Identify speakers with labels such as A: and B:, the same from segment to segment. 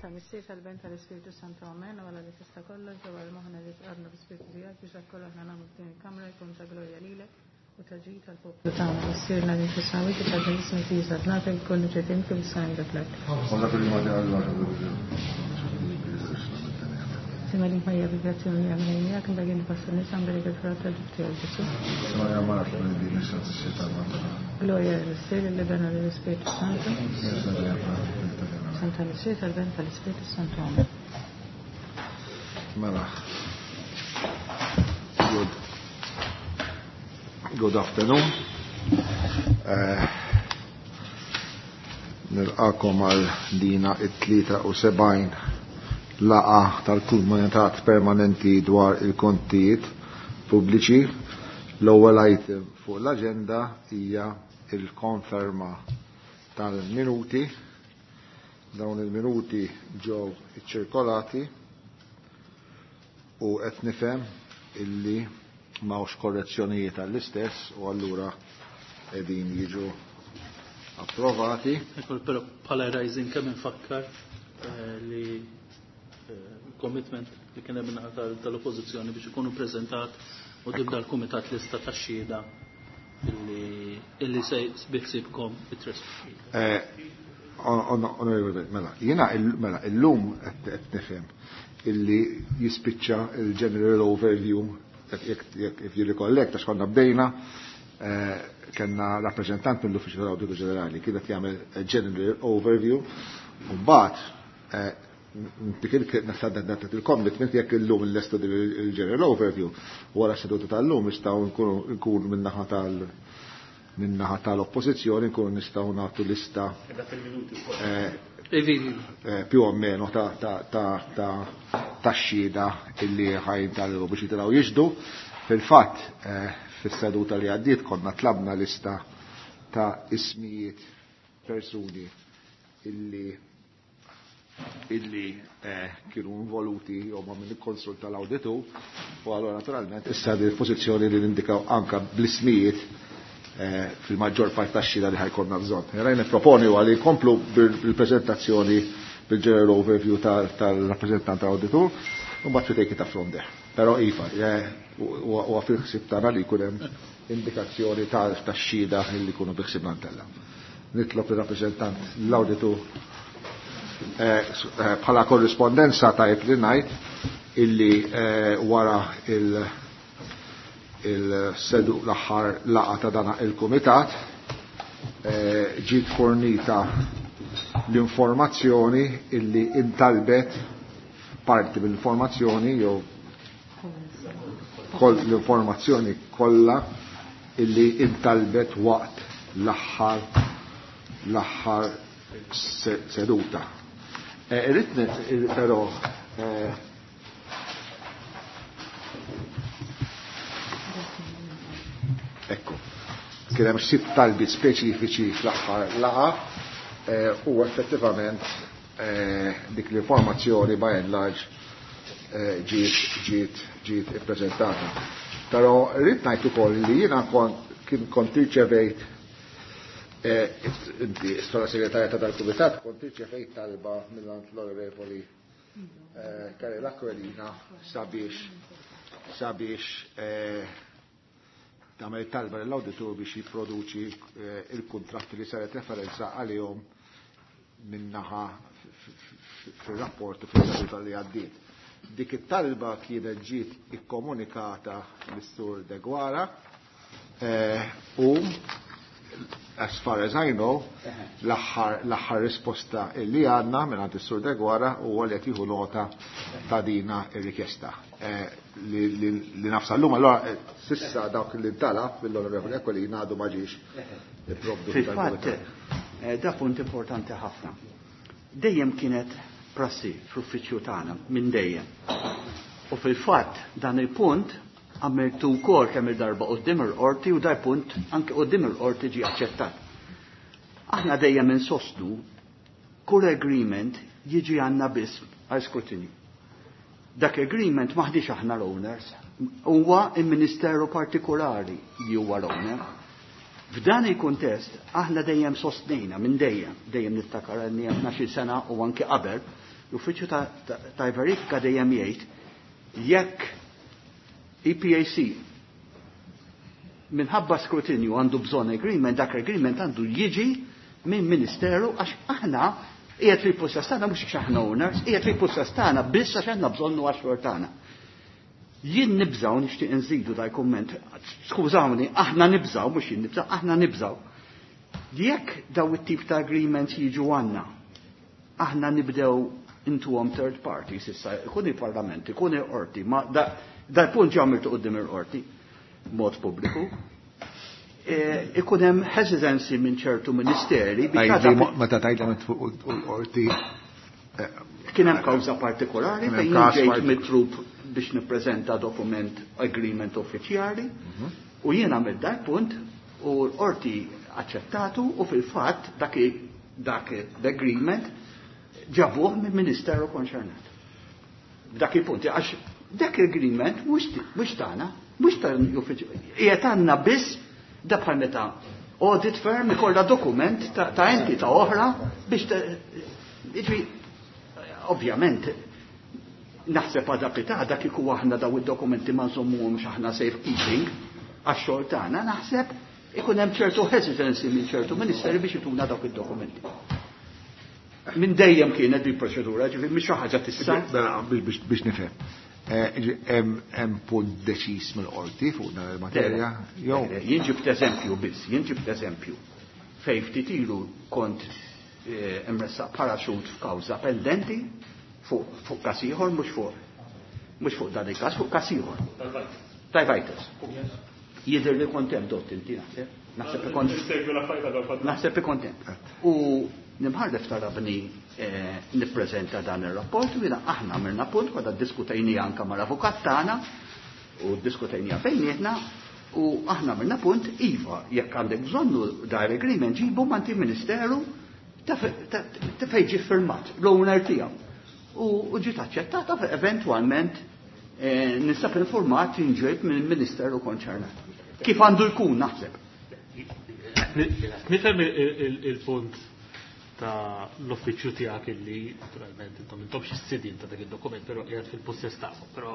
A: tal-Missier tal-Ben tal-Ispirtu Santu Amen u għala li tista' kollox ġewwa l-moħħna li tqarna bl-Ispirtu tiegħek biex dak kollu aħna nagħmlu f'din il-kamra jkun ta' glorja lilek u ta' ġid tal-poplu tagħna. Missierna li fis-smewwiet itqaddes ismek tiġi saltnatek ikun li trid int kif is-sema dak l-art. Sima li Marija bil-grazzja li għamilha miegħek imbagħad inti fost in-nisa mberek il-frott tal-ġuf tiegħek Ġesù. Glorja lill-Missier, lill-Iben u lill-Ispirtu Santu. Santa Missier tal-Ben tal-Ispirtu Santu. Amen.
B: Mela. Good. Good afternoon. Nilqakom għal dina it-73 laqa tal-Kumitat Permanenti dwar il-kontijiet pubbliċi. L-ewwel item fuq l-aġenda hija il-konferma tal-minuti. Dawn il-minuti ġew iċċirkolati u qed nifhem illi m'hawnx korrezzjonijiet għall-istess u allura qegħdin jiġu approvati.
C: Ekku, però bħala rising kemm infakkar li commitment li kien hemm min-naħa tal-oppożizzjoni biex ikunu preżentat u tibda l-kumitat lista tax-xhieda illi se biħsibkom it-tres.
B: Onorevoli, mela, jiena mela illum qed nifhem illi jispiċċa il-general overview jekk if you recollect għax konna bdejna kellna rappreżentant mill-Uffiċċju tal-Awditu Ġenerali kien qed jagħmel general overview u mbagħad dik il-commitment jekk illum l-lestu il-general overview wara seduta tal-lum nistgħu nkunu min-naħa tal min-naħa tal-oppożizzjoni nkunu nistgħu nagħtu lista più o meno ta' xhieda illi ħajn tal biex jitilgħu jixhdu. Fil-fatt fis-seduta li għaddiet konna tlabna lista ta' ismijiet persuni illi kienu involuti jew ma' min ikkonsulta l-awditu u allura naturalment issa di pożizzjoni li nindikaw anka bl-ismijiet fil-maġġor part tax-xhieda li ħajkonna bżonn. Jara nipproponi huwa li nkomplu bil-preżentazzjoni bil-general overview tal-rappreżentant tal-awditur u mbagħad we take it up from there. Però iva, huwa fil-ħsieb tagħna li jkun hemm indikazzjoni tax-xhieda li jkunu bi ħsiebna ntella. Nitlob ir-rappreżentant l-awditur bħala korrispondenza tajb li ngħid illi wara il-sedu l-aħħar laqgħa ta' dana il-kumitat ġiet fornita l-informazzjoni illi intalbet parti mill-informazzjoni jew l-informazzjoni kollha illi intalbet waqt l-aħħar seduta. Irrid però ekku, kien hemm sitt talbiet speċifiċi fl-aħħar laqgħa u effettivament dik l-informazzjoni by and large ġiet ippreżentata. Però rrid ngħid ukoll li jiena kont irċevejt inti bħala segretarja ta' dal-kumitat kont irċevejt talba mill-għand l-Onorevoli Karel Aquilina sabiex tagħmel talba lill-awditur biex jipproduċi il-kuntratti li saret referenza għalihom minnaħa fir-rapport u fis-seduta li għaddiet. Dik it-talba kienet ġiet ikkomunikata lis-Sur Deguara u as far as I know, l-aħħar risposta li għandna minn għand is-Sur Deguara huwa li qed jieħu nota ta' dina ir-rikjesta. Li nafsa llum allora sissa dawk li ntalab mill-Onorevoli Aquilina għadu ma ġiex ipprovdu
D: Fil-fatt, da punt importanti ħafna. Dejjem kienet prassi fl-uffiċċju tagħna minn dejjem. U fil-fatt dan il-punt għamiltu wkoll kemm il-darba quddiem il-qorti u dar punt anke quddiem il-qorti ġie aċċettat. Aħna dejjem insostnu kull agreement jiġi għandna biss għal skrutinju. Dak agreement maħdix aħna l-owners, huwa il-ministeru partikolari li huwa l-owner. F'dan il-kuntest aħna dejjem sostnejna minn dejjem, dejjem niftakar għalni għandna xi sena u anke qabel, L-uffiċċju ta' verifika dejjem jgħid jekk EPAC minħabba skrutinju għandu bżonn agreement, dak agreement għandu jiġi minn ministeru għax aħna qiegħed fil-possess tagħna mhux għax aħna owners, qiegħed fil-possess tagħna biss għax għandna bżonnu għax tagħna. Jien nibżaw nixtieq nżidu dal kumment, skużawni, aħna nibżaw, mhux jien nibżaw, aħna nibżaw. Jekk daw it-tip ta' agreements jiġu għandna, aħna nibdew intuhom third parties issa, ikun il-parlament, ikun il-qorti, ma dal-punt ġa għamiltu quddiem il-qorti, mod pubbliku, ikun hemm hesitancy minn ċertu ministeri
B: biex meta tgħidlem fuq il-qorti
D: kien hemm kawża partikolari fejn ġejt mitlub biex nippreżenta dokument agreement uffiċjali u jien għamilt dak punt u l-qorti aċċettatu u fil-fatt dak dak l-agreement ġabuh mill-ministeru konċernat. Dak il-punt, għax dak l-agreement mhux tagħna, mhux tal-uffiċ, qiegħed għandna biss da bħal meta audit firm ikollha dokument ta' entità oħra biex jiġri ovvjament naħseb għada pitgħada kieku aħna daw id-dokumenti ma nżommuhomx aħna safekeeping għax-xogħol tagħna, naħseb ikun hemm ċertu hesitancy minn ċertu ministeri biex ituna dawk id-dokumenti. Minn dejjem kienet di proċedura, ġifieri mhix xi ħaġa tista'.
B: Mela, biex nifhem. Hemm punt deċiż mill-qorti fuq dan il-materja? Jew
D: Jien ġibt eżempju biss, jien ġibt eżempju. Fejn ftit ilu kont imressaq parachute f'kawża pendenti fuq każ ieħor, mhux fuq dan il-każ, fuq każ ieħor. Tal-Vitals. Jidher li kont hemm dott inti naħseb. Naħseb li kont Naħseb li kont hemm. U l-imħallef talabni nippreżenta dan ir-rapport u jiena aħna għamilna punt konna ddiskutejni anke mal-avukat tagħna u ddiskutejniha bejnietna u aħna għamilna punt iva jekk għandek bżonnu dar agreement ġibu manti ministeru ta' fejn ġie firmat l-owner tiegħu. U ġiet aċċettata eventwalment ninsab informat inġejt mill-ministeru konċernat. Kif għandu jkun naħseb?
E: Nifhem il-punt ta' l-uffiċċju tiegħek illi naturalment intom intomx is-sidin ta' dak id-dokument, però qiegħed fil-pussess tagħhom, però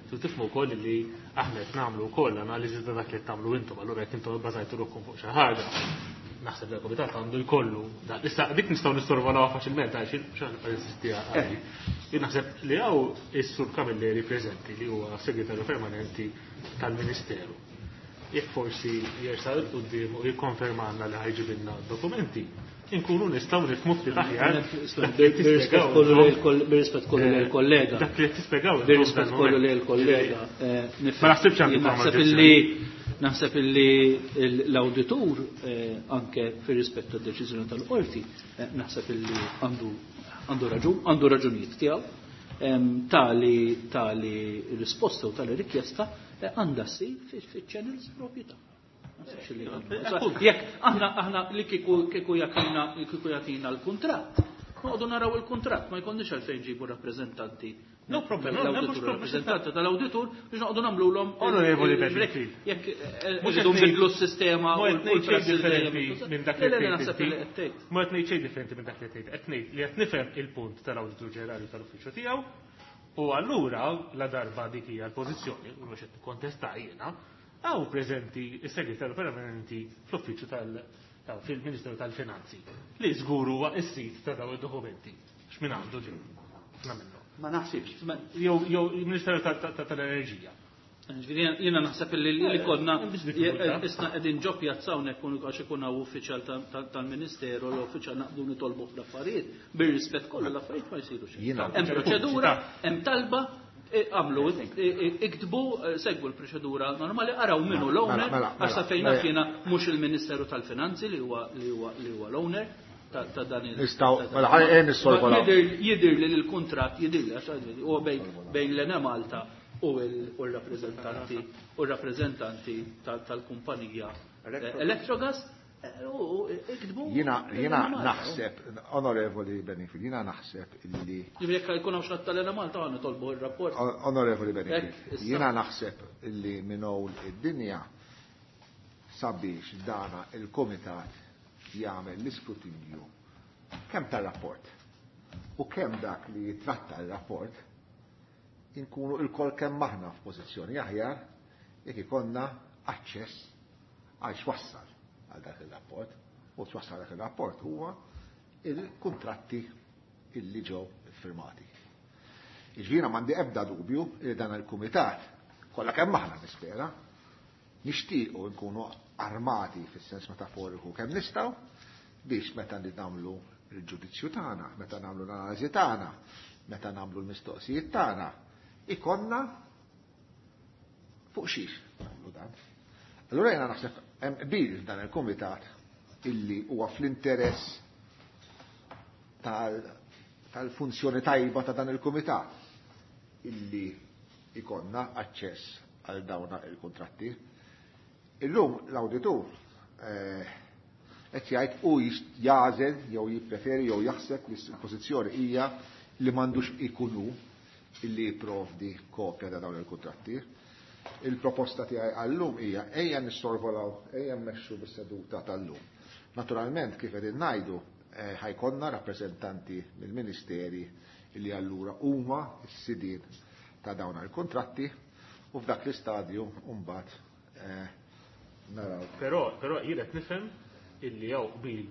E: tu tifhmu wkoll illi aħna qed nagħmlu wkoll analiżi ta' dak li qed tagħmlu intom, allura jekk intom ibbażajtu ruħkom fuq xi ħaġa, naħseb li l-komitat għandu jkollu. Issa dik nistgħu nistorvolawha faċilment għax xi ħaġa insisti għali. Jien naħseb li hawn is-Sur Camilleri preżenti li huwa segretarju permanenti tal-Ministeru. Jekk forsi jersaq 'il quddiem u jikkonfermalna li ħajġibilna dokumenti, inkunu nistgħu nifhmu ftit aħjar.
C: Bir-rispett kollu lil kollega.
E: Dak li qed tispjegaw.
C: Bir-rispett kollu lil kollega.
E: Ma naħsibx għandu
C: Naħseb illi naħseb illi l-awditur anke fir-rispett tad-deċiżjoni tal-qorti naħseb illi għandu raġun, għandu raġunijiet tiegħu. Tali risposta u tali rikjesta għandha ssir fiċ-channels propji tagħha. Jekk aħna li kieku jagħtina l-kuntratt, noqogħdu naraw il-kuntratt, ma jkollniex għalfejn ġibu rappreżentanti.
E: No problem, no,
C: L-awditur, rappreżentanti tal-awditur biex noqogħdu nagħmluhom
E: Onorevoli Benfield.
C: Jekk irridu nbidlu s-sistema u
E: Mhux qed ngħid xejn
C: l-prassi
E: differenti
C: dejjem
E: minn dak li
C: Le, le,
E: tgħid
C: naħseb
E: inti.
C: li qed tgħid.
E: Mhux qed ngħid xejn differenti minn dak li tgħid. Qed ngħid li qed nifhem il-punt tal-Awditur Ġenerali tal-Uffiċċju tiegħu u allura la darba dik hija l-pożizzjoni, u mhux qed nikkontesta jiena, hawn preżenti s-segretarju permanenti fl-uffiċċju fil-Ministeru tal-Finanzi li żgur huwa s-sit ta' dawn id-dokumenti. X'min għandu ġew? Ħafna minnhom.
D: Ma naħsibx.
E: Jew il-Ministeru tal-Enerġija.
C: Ġifieri jiena naħseb li konna
E: Hemm biex diffikultà.
C: isna qegħdin ġo pjazza hawnhekk għax ikun hawn uffiċjal tal-Ministeru l uffiċjal naqbdu nitolbu fl-affarijiet, bir-rispett kollu l-affarijiet ma jsirux.
B: Jiena
C: Hemm proċedura, hemm talba, għamlu, iktbu, segwu l-proċedura normali, araw minnu l-owner, għax sa fejn naf jiena mhux il-Ministeru tal-Finanzi li huwa l-owner ta' dan il-
B: Nistgħu,
C: ta' dan
B: mela, ħalli nissolvu
C: Ma
B: l-ewwel.
C: Jidher li l-kuntratt jidher li għax huwa bejn l-Enemalta u l-rappreżentanti tal-kumpanija Electrogas, u iktbu.
B: Jiena naħseb, Onorevoli Benfield, jiena naħseb illi
C: Ġifieri jekk jkun hawn xi ħadd tal-Enemalta għandna nitolbu r-rapport.
B: Onorevoli Benfield,
C: Hekk, issa.
B: jiena naħseb illi minn hawn id-dinja sabiex dana il-komitat jagħmel l-iskrutinju kemm tar-rapport u kemm dak li jitratta l-rapport inkunu il-kol kemm aħna f'pożizzjoni aħjar jekk ikollna aċċess għal x'wassal għal dak il-rapport. U x'wassal dak il-rapport huwa il-kuntratti illi ġew iffirmati. Jiġifieri m'għandi ebda dubju li dan il-kumitat kollha kemm aħna nispera nixtiequ nkunu armati fis-sens metaforiku kemm nistgħu biex meta nagħmlu il-ġudizzju tagħna, meta nagħmlu l-analiżi tagħna, meta nagħmlu l-mistoqsijiet tagħna, ikonna fuq xiex nagħmlu dan. Allura jiena naħseb hemm qbil f'dan il-kumitat illi huwa fl-interess tal-funzjoni tajba ta' dan il-kumitat illi ikonna aċċess għal dawna il-kontratti. Illum l-awditur qed jgħid u jagħżel jew jippreferi jew jaħseb li l-pożizzjoni hija li m'għandux ikunu illi jipprovdi kopja ta' dawn il-kuntratti. Il-proposta tiegħi għallum hija ejja nissorvolaw, ejja mmexxu bis-seduta tal-lum. Naturalment kif qegħdin ngħidu ħajkonna rappreżentanti mill-ministeri illi allura huma s-sidien ta' dawn il-kontratti u f'dak l-istadju mbagħad naraw.
E: Però jien qed nifhem illi hawn qbil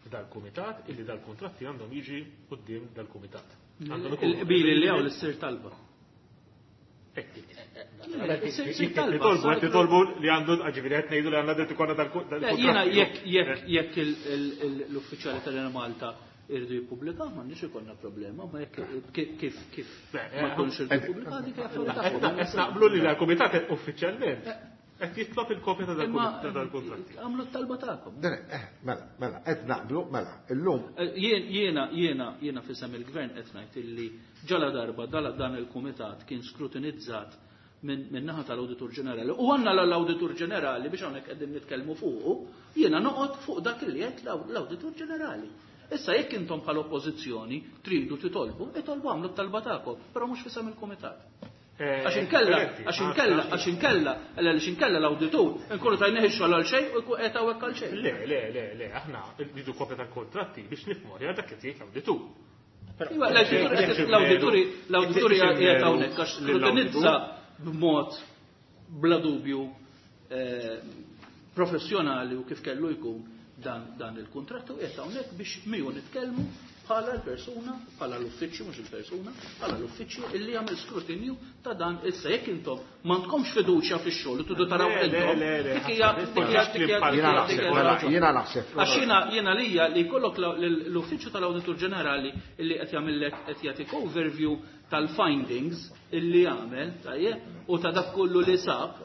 E: f'dal-kumitat illi dal-kuntratti għandhom jiġi quddiem dal-kumitat.
C: Il-qbil illi hawn l-issir talba.
E: Titolbu, titolbu li għandu, ġifieri qed ngħidu li għandna dritt ikollna dal-kuntratti.
C: Jiena jekk l-uffiċjali tal-Enemalta irridu jippubblikaw, m'għandniex ikollna problema, ma jekk kif ma jkunx irridu jippubblikaw dik hija affarijiet tagħhom.
E: Qed naqblu li l-kumitat uffiċjalment qed jitlob il-kopja ta' dal-kuntratti.
C: Għamlu t-talba tagħkom.
B: Mela, qed naqblu, mela, illum.
C: Jiena fisem il-gvern qed ngħid illi ġala darba dan il-kumitat kien skrutinizzat minn naħa tal-Awditur Ġenerali. U għandna l-Awditur Ġenerali biex hawnhekk qegħdin nitkellmu fuqu, jiena noqgħod fuq dak li qed l-Awditur Ġenerali. Issa jekk intom bħala oppożizzjoni tridu titolbu, itolbu għamlu t-talba tagħkom, però mhux fisem il-kumitat. Għax inkella, għax inkella, għax inkella, għax inkella l-awditur, nkunu tajnieh ix-xogħol għal xejn u jkun qed hawnhekk għal xejn.
E: Le, le, le, le, aħna rridu kopja tal-kontratti biex nifhmu aħjar dak li tgħid l-awditur.
C: Iva, l-awditur qiegħed hawnhekk għax skrutinizza b'mod bla dubju professjonali u kif kellu jkun dan il-kuntratt u qiegħed hawnhekk biex miegħu nitkellmu bħala l-persuna, bħala l-uffiċċju, mhux il-persuna, bħala l-uffiċċju illi jagħmel skrutinju ta' dan issa jekk intom m'għandkomx fiduċja fix-xogħol u tridu taraw intom. Dik hija
B: Jiena naħseb.
C: Għax jiena lija li jkollok l-uffiċċju tal-Awditur Ġenerali illi qed jagħmellek qed jagħtik overview tal-findings illi jagħmel, tajjeb, u ta' dak kollu li sab,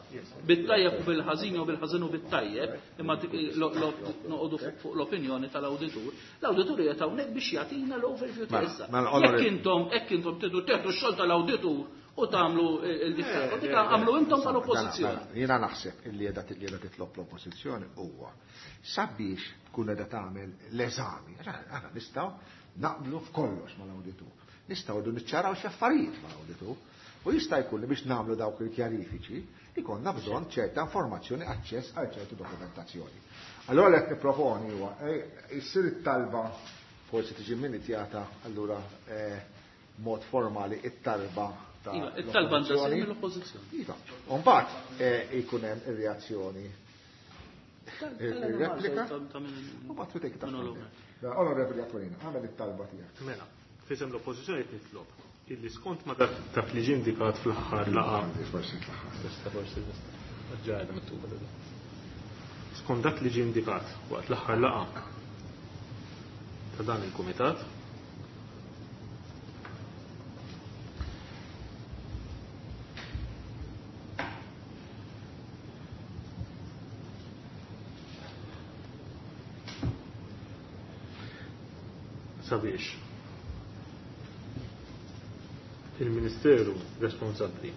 C: bit-tajjeb u bil-ħażin u bil-ħażin u bit-tajjeb, imma noqogħdu fuq l-opinjoni tal-awditur. L-awditur qiegħed hawnhekk biex jagħtina l-overview ta' issa. Jekk intom tridu teħdu x-xogħol tal-awditur u tagħmlu il-differenza, dik għamlu intom tal-oppożizzjoni.
B: Jiena naħseb illi qiegħda titlob l-oppożizzjoni huwa sabiex tkun qiegħda tagħmel l-eżami. Aħna nistgħu naqblu f'kollox mal-awditur. Nistgħu rridu niċċaraw xi affarijiet mal-awditur. U jista' jkun li biex nagħmlu dawk il-kjarifiċi ikollna bżonn ċerta informazzjoni, aċċess għal ċertu dokumentazzjoni. Allora li qed nipproponi huwa issir it-talba forsi tiġi minitjata allura mod formali it-talba ta'
C: Iva, it-talba għandha ssir mill-oppożizzjoni.
B: Iva. U mbagħad ikun hemm ir-reazzjoni. Ir-replika. U mbagħad trid ta' Onorevoli Aquilina, għamel it-talba tiegħek.
E: Mela, fisem l-oppożizzjoni qed nitlob illi skont ma dak li ġie indikat fl-aħħar laqgħa.
B: Forsi fl-aħħar.
E: Tista' forsi nista'. Ġajda mittuba da. Skont dak li ġie indikat waqt l-aħħar laqgħa ta' dan il-kumitat, sabiex il-Ministeru responsabbli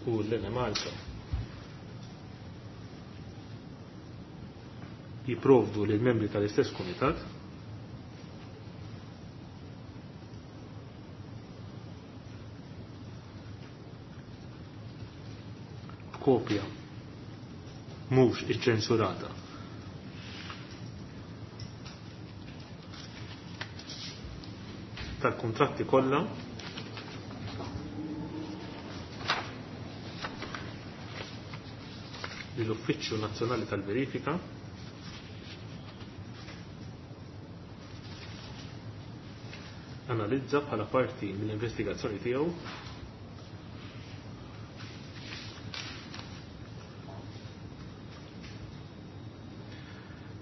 E: u l-Enemalta jipprovdu lill membri tal-istess kumitat kopja mhux iċċensurata tal-kuntratti kollha li l-Uffiċċju Nazzjonali tal-Verifika analizza bħala parti mill-investigazzjoni tiegħu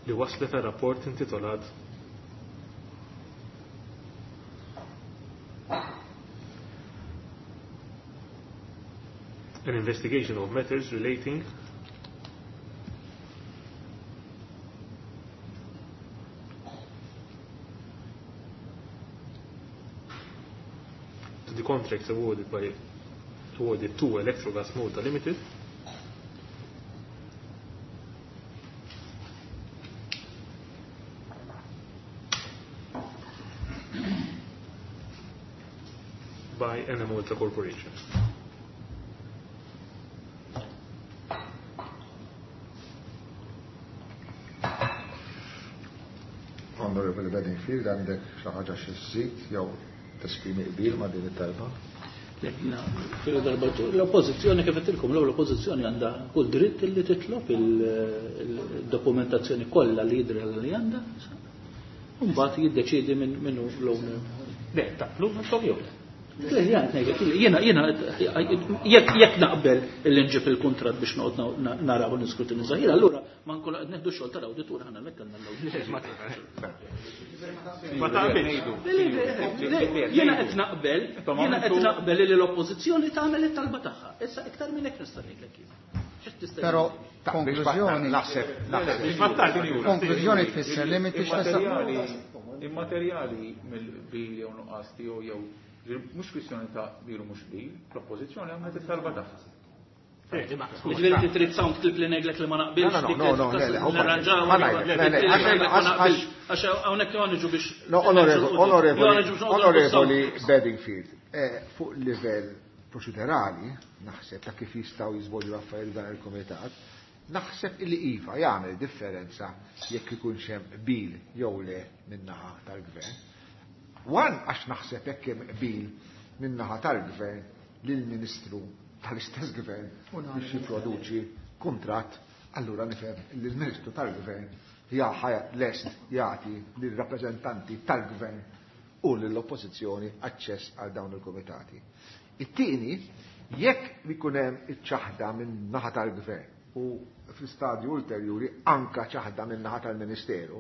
E: li waslet għal rapport intitolat An Investigation of Matters Relating to the contracts awarded by awarded to Electrogas Malta Limited by Enemalta Corporation.
B: Honorable Bedingfield, għandek xi ħaġa xi żżid jew tesprimi qbil ma' din it-talba?
C: Le, jiena, fil darba l-oppożizzjoni kif għedtilkom, l-oppożizzjoni għandha kull dritt li titlob il-dokumentazzjoni kollha li jidri li għandha. Mbagħad jiddeċiedi minn hu l-owner.
E: Le, taqblu ma jew le.
C: Le, jena ngħidlek, jiena jiena jekk naqbel illi nġib il-kuntratt biex noqgħod naraw u niskrutinizza, jiena allura ma nkunu qed neħdu xogħol tal-awditur ħana hemmhekk għandna l-awditur.
E: Ma taqbilx.
C: Jiena qed naqbel, jiena qed naqbel li l-oppożizzjoni tagħmel it-talba tagħha. Issa iktar minn hekk nista' ngħidlek jien. X'tista'
F: Però konklużjoni
B: Naħseb, naħseb.
F: konklużjoni tfisser li m'intix tista'
G: Immaterjali mill-qbil jew nuqqas tiegħu jew mhux kwistjoni ta' qbil u mhux qbil, l-oppożizzjoni għamlet it-talba tagħha.
C: Ġifieri inti trid sound clip li ngħidlek li ma naqbilx.
B: No, no, no, no, le, le,
C: Nirranġaw,
B: ma ngħidlek, le, le, għax-
C: Għax hawnhekk jew niġu biex.
B: No, onorevoli, onorevoli,
C: Jew niġu biex noqogħdu
B: onorevoli Bedingfield, fuq livell proċedurali, naħseb ta' kif jistgħu jiżvolġu l-affarijiet dan il-komitat, naħseb illi iva jagħmel differenza jekk ikunx hemm qbil jew le min-naħa tal-gvern. One, għax naħseb jekk hemm qbil min-naħa tal-gvern lill-Ministru tal-istess gvern biex jipproduċi kuntratt, allura nifhem li l-Ministru tal-Gvern jaħa lest jagħti lir-rappreżentanti tal-gvern u lill-oppożizzjoni aċċess għal dawn il-komitati. It-tieni, jekk ikun hemm iċ-ċaħda minn naħa tal-gvern u fl-istadju ulterjuri anka ċaħda minn naħa tal-Ministeru,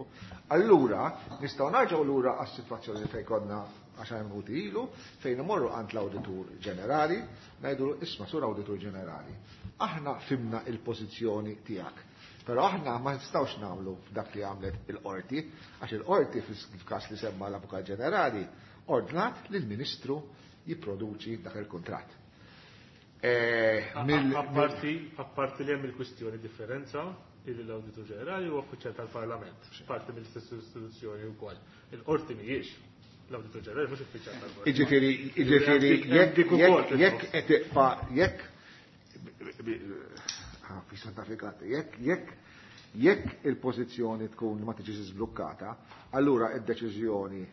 B: allura nistgħu narġgħu lura għas-sitwazzjoni fejn konna għaxar minuti ilu, fejn imorru għand l-Awditur Ġenerali, ngħidu isma' sur Awditur Ġenerali, aħna fimna il-pożizzjoni tiegħek. Però aħna ma nistgħux nagħmlu dak li għamlet il-qorti, għax il-qorti fil-każ li semma l-Avukat Ġenerali ordnat lill-Ministru jipproduċi dak il-kuntratt.
E: Apparti li hemm il-kwistjoni differenza illi l-Awditur Ġenerali huwa uffiċjal tal-Parlament, parti mill-istess istituzzjoni wkoll. Il-qorti mhijiex l-Awditur Ġenerali mhux uffiċjal tal-Parlament.
B: Jiġifieri, jiġifieri,
E: Dik
B: jekk,
E: ukoll
B: jekk, jekk qed tiqfa', jekk, fi Santa Afrika, jekk, jekk, jekk il-pożizzjoni tkun ma tiġix żblukkata, allura id-deċiżjoni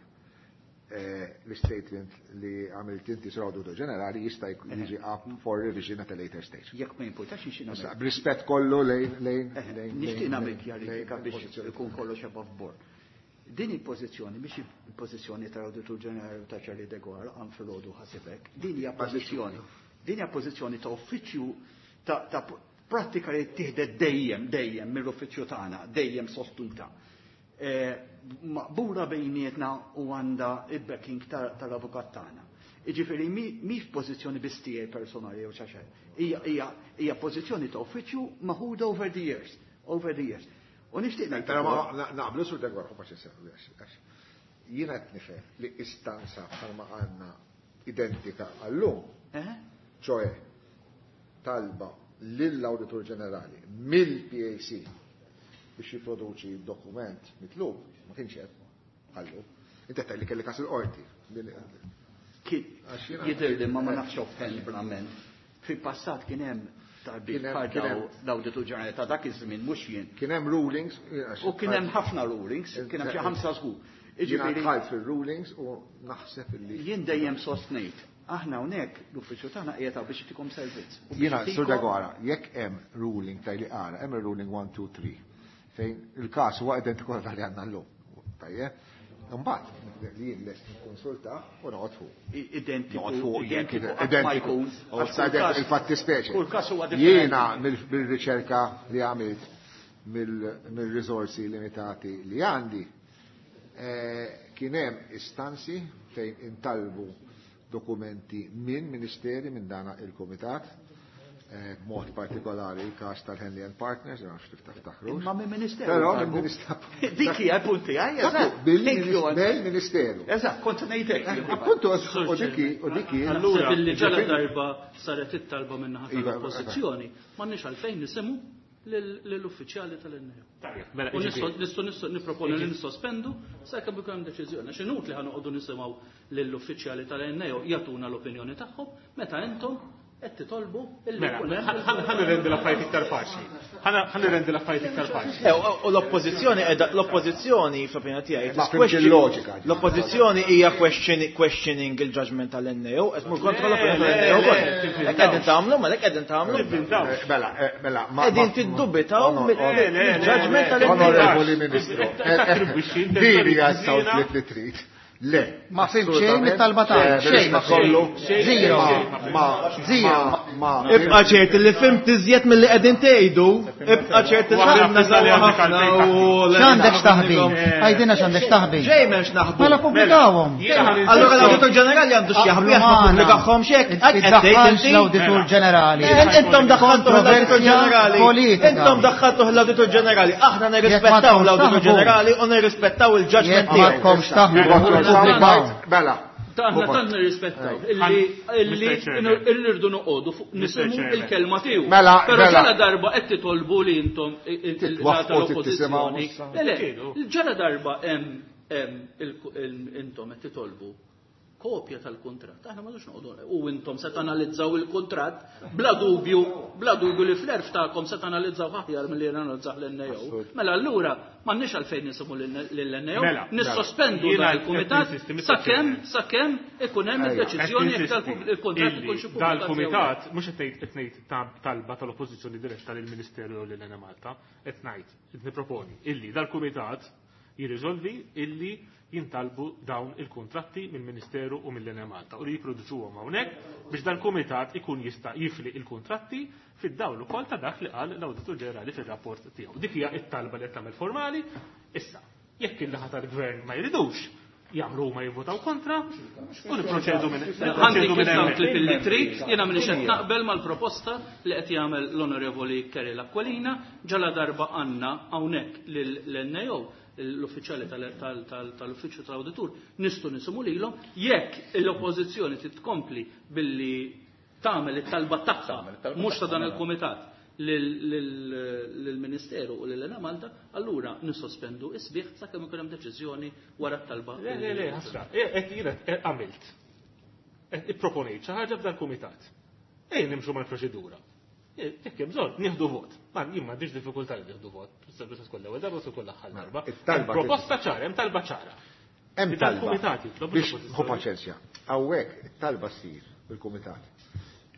B: l-statement li għamilt inti sur Awditur Ġenerali jista' jiġi up for revision at a later stage.
D: Jekk ma jimpurtax nixtieq
B: Issa,
D: nagħmel.
B: b'rispett kollu lejn, lejn, lejn,
D: Nixtieq
B: lejn,
D: nagħmel
B: lejn,
D: kjarifika
B: lejn
D: biex
B: il-pożizzjoni.
D: ikun kollox above board. Din il-pożizzjoni biex il-pożizzjoni tal-Awditur Ġenerali ta' Charlie Deguara għan filgħodu ħasibek. Din hija pożizzjoni. Din hija pożizzjoni ta' uffiċċju ta' prattika li tieħdet dejjem, dejjem mill-uffiċċju tagħna, dejjem sostuta. Maqbula bejnietna u għandha il-backing tal-avukat tagħna. Jiġifieri mi f'pożizzjoni biss tiegħi personali jew xi ħaġa. Hija pożizzjoni ta' uffiċċju maħuda over the years, over the years. U nixtieq ngħid
B: Però ma
D: ukoll
B: naqblu sur Deguara, ma xi sew, għax jiena qed nifhem li istanza bħalma għandna identika għallum, ċoe talba lill-Awditur Ġenerali mill-PAC biex jipproduċi dokument mitlub, ma kienx hemm għallu. Inti qed li kelli każ il-qorti.
D: Kien
B: Għax jiena
D: jidher li ma nafx offend verament. Fil-passat kien hemm talbiet
B: Kien hemm,
D: bħal
B: kien
D: daw
B: hemm.
D: l-Awditur Ġenerali ta' dak iż-żmien mhux jien.
B: Kien hemm rulings, għax
D: U kien hemm ħafna rulings, kien hemm xi 5 żgur.
B: Jiena
D: Jiġifieri-
B: dħalt fil-rulings u naħseb illi.
D: Jien dejjem sostnejt, aħna hawnhekk l-uffiċċju tagħna qiegħed hawn biex itikom servizz. U biex
B: Jiena, Sur
D: itikom-
B: Dagora, jekk hemm ruling taj li qara, hemm ruling 1, 2, 3, fejn il-każ huwa identiku għal dak li għandna llum. Tajjeb? Imbagħad li jien lest nikkonsulta u noqgħod fuq.
D: Identiku,
B: Noqgħod fuq jekk
D: identiku, qatt ma
B: identiku.
D: jkun.
B: U
D: Għax kull każ-
B: Il-fatti speċi.
D: Kull każ huwa differenti.
B: Jiena mill-riċerka li għamilt mill-risorsi limitati li għandi, kien hemm istanzi fejn intalbu dokumenti minn ministeri minn dana il-komitat, b'mod partikolari il-każ tal-Henley and Partners, ma nafx tiftakrux.
D: Imma minn ministeru.
B: Però
D: talbu.
B: minn ministeru.
D: Dik hija l-punt tiegħi, eżatt.
B: Thank you.
D: Thank you.
B: Mill-ministeru.
D: Eżatt, kont ngħidlek.
B: Appuntu, u diki, u diki.
C: Naħseb illi ġala darba saret it-talba min-naħa
B: Iva,
C: tal-oppożizzjoni, m'għandniex għalfejn nisimgħu lill-uffiċjali tal-NAO.
E: Tajjeb, mela,
C: U
E: jiġifieri-
C: nistgħu nipproponu li nissospendu sakemm ikun hemm deċiżjoni. Għax inutli ħa noqogħdu nisimgħu lill-uffiċjali tal-NAO jagħtuna l-opinjoni tagħhom meta intom qed titolbu illi
E: Mela,
C: jkun hemm
E: ħa nirrendi l-affarijiet iktar faċli. Ħa nirrendi l-affarijiet iktar faċli.
H: U l-oppożizzjoni qiegħda l-oppożizzjoni fl-opinjoni tiegħi
B: Ma fimx il-loġika.
H: L-oppożizzjoni hija questioning il-judgment tal-NAO, qed tmur kontra l-opinjoni tal-NAO wkoll. Hekk qegħdin tagħmlu, mela hekk qegħdin tagħmlu.
B: Mela, mela, ma.
H: Qegħdin tiddubitaw mill-judgment tal-NAO.
B: Onorevoli Ministru,
E: Tattribwixxi
B: din hija
E: intenzjoni
B: s-sawt li trid. Le.
F: Ma fim xejn mit-talba tagħna, xejn ma
B: kollu.
F: Zero.
B: Ma.
F: Zero.
B: Ma.
H: Ibqa' ċert li fimt iżjed milli qegħdin tgħidu, ibqa' ċert li fimna sewwa ħafna u
F: X'għandek x'taħbi? Għajdilna x'għandek x'taħbi.
H: Xejn m'hemmx naħbu.
F: Mela pubblikawhom.
H: Allura l-Awditur Ġenerali għandu x'jaħbi jekk ma pubblikahomx hekk. Hekk qed tgħid
F: Iddaħħalx
H: inti.
F: l-Awditur Ġenerali.
H: Intom daħħaltuh l-Awditur
F: Kontroversja
H: Ġenerali.
F: politika.
H: Intom daħħaltuh l-Awditur Ġenerali. Aħna
F: Jekk ma
H: nirrispettaw
F: tkomx
H: l-Awditur
F: taħbu.
H: Ġenerali u nirrispettaw il-judgment
F: Jekk ma
H: tiegħu.
F: tkomx taħbu, pubblikawhom.
B: Mela.
C: Aħna tant nirrispettaw illi illi
E: Mr. Chairman.
C: illi rridu noqogħdu fuq nisimgħu
E: Chairman.
C: il-kelma tiegħu.
B: Mela,
C: Però
B: mela.
C: ġala darba qed titolbu li intom
B: Titwaffqu,
C: tal-oppożizzjoni.
B: tittisimgħu.
C: Le, le, ġala darba hemm intom qed titolbu kopja tal-kuntratt. Aħna ma nux noqogħdu u intom se tanalizzaw il-kuntratt bla dubju, bla dubju li fl-erf tagħkom se tanalizzaw aħjar milli analizzaw l-NAO. Mela allura m'għandniex għalfejn nisimgħu lill-NAO,
E: Mela,
C: nissospendu
E: Jiena
C: dan il-kumitat
E: qed ninsisti, Mr.
C: sakemm
E: Chairman.
C: sakemm ikun hemm
B: Ejja.
C: id-deċiżjoni jekk il-kuntratt
E: Illi
C: ikun xi pubblikat jew le.
E: Dal-kumitat mhux qed ngħid qed ngħid talba tal-oppożizzjoni diretta lill-Ministeru jew lil Malta, qed ngħid qed nipproponi illi dal-kumitat jirriżolvi illi jintalbu dawn il-kontratti mill-Ministeru u mill-Enemalta u li jipproduċuhom hawnhekk biex dal-kumitat ikun jista' jifli il-kontratti fid-dawl ukoll ta' dak li qal l-Awditur Ġenerali fir-rapport tiegħu. Dik hija t-talba li qed tagħmel formali. Issa, jekk il-laħa tal-gvern ma jridux, jagħmlu huma jivvotaw kontra u nipproċedu minn
C: Għandi
E: nipproċedu minn
C: kif
E: hemmhekk.
C: clip illi trid, jiena m'iniex qed naqbel mal-proposta li qed jagħmel l-Onorevoli Kerry Aquilina ġala darba għandna hawnhekk lill-NAO l-uffiċjali tal-uffiċċju tal-awditur nistgħu nisimgħu lilhom jekk l-oppożizzjoni titkompli billi tagħmel it-talba tagħha mhux ta' dan il-kumitat lill-Ministeru u lil Malta, allura nissospendu isbieħ sakemm ikun hemm deċiżjoni wara t-talba.
E: Le, le, le, ħasra. Qed jiena għamilt. Qed ipproponejt xi ħaġa f'dal-kumitat. Ejja nimxu mal-proċedura. Jekk hemm bżonn, nieħdu vot. Ma jien m'għandix diffikultà li nieħdu vot. Bista tkun l-ewwel darba se tkun l-aħħar darba.
B: It-talba
E: Proposta ċara, hemm talba ċara.
B: Hemm
E: Li
B: talba.
E: dal-kumitat jitlob
B: Biex
E: l-oppożizzjoni.
B: ħu paċenzja. Hawnhekk it-talba ssir bil-kumitat.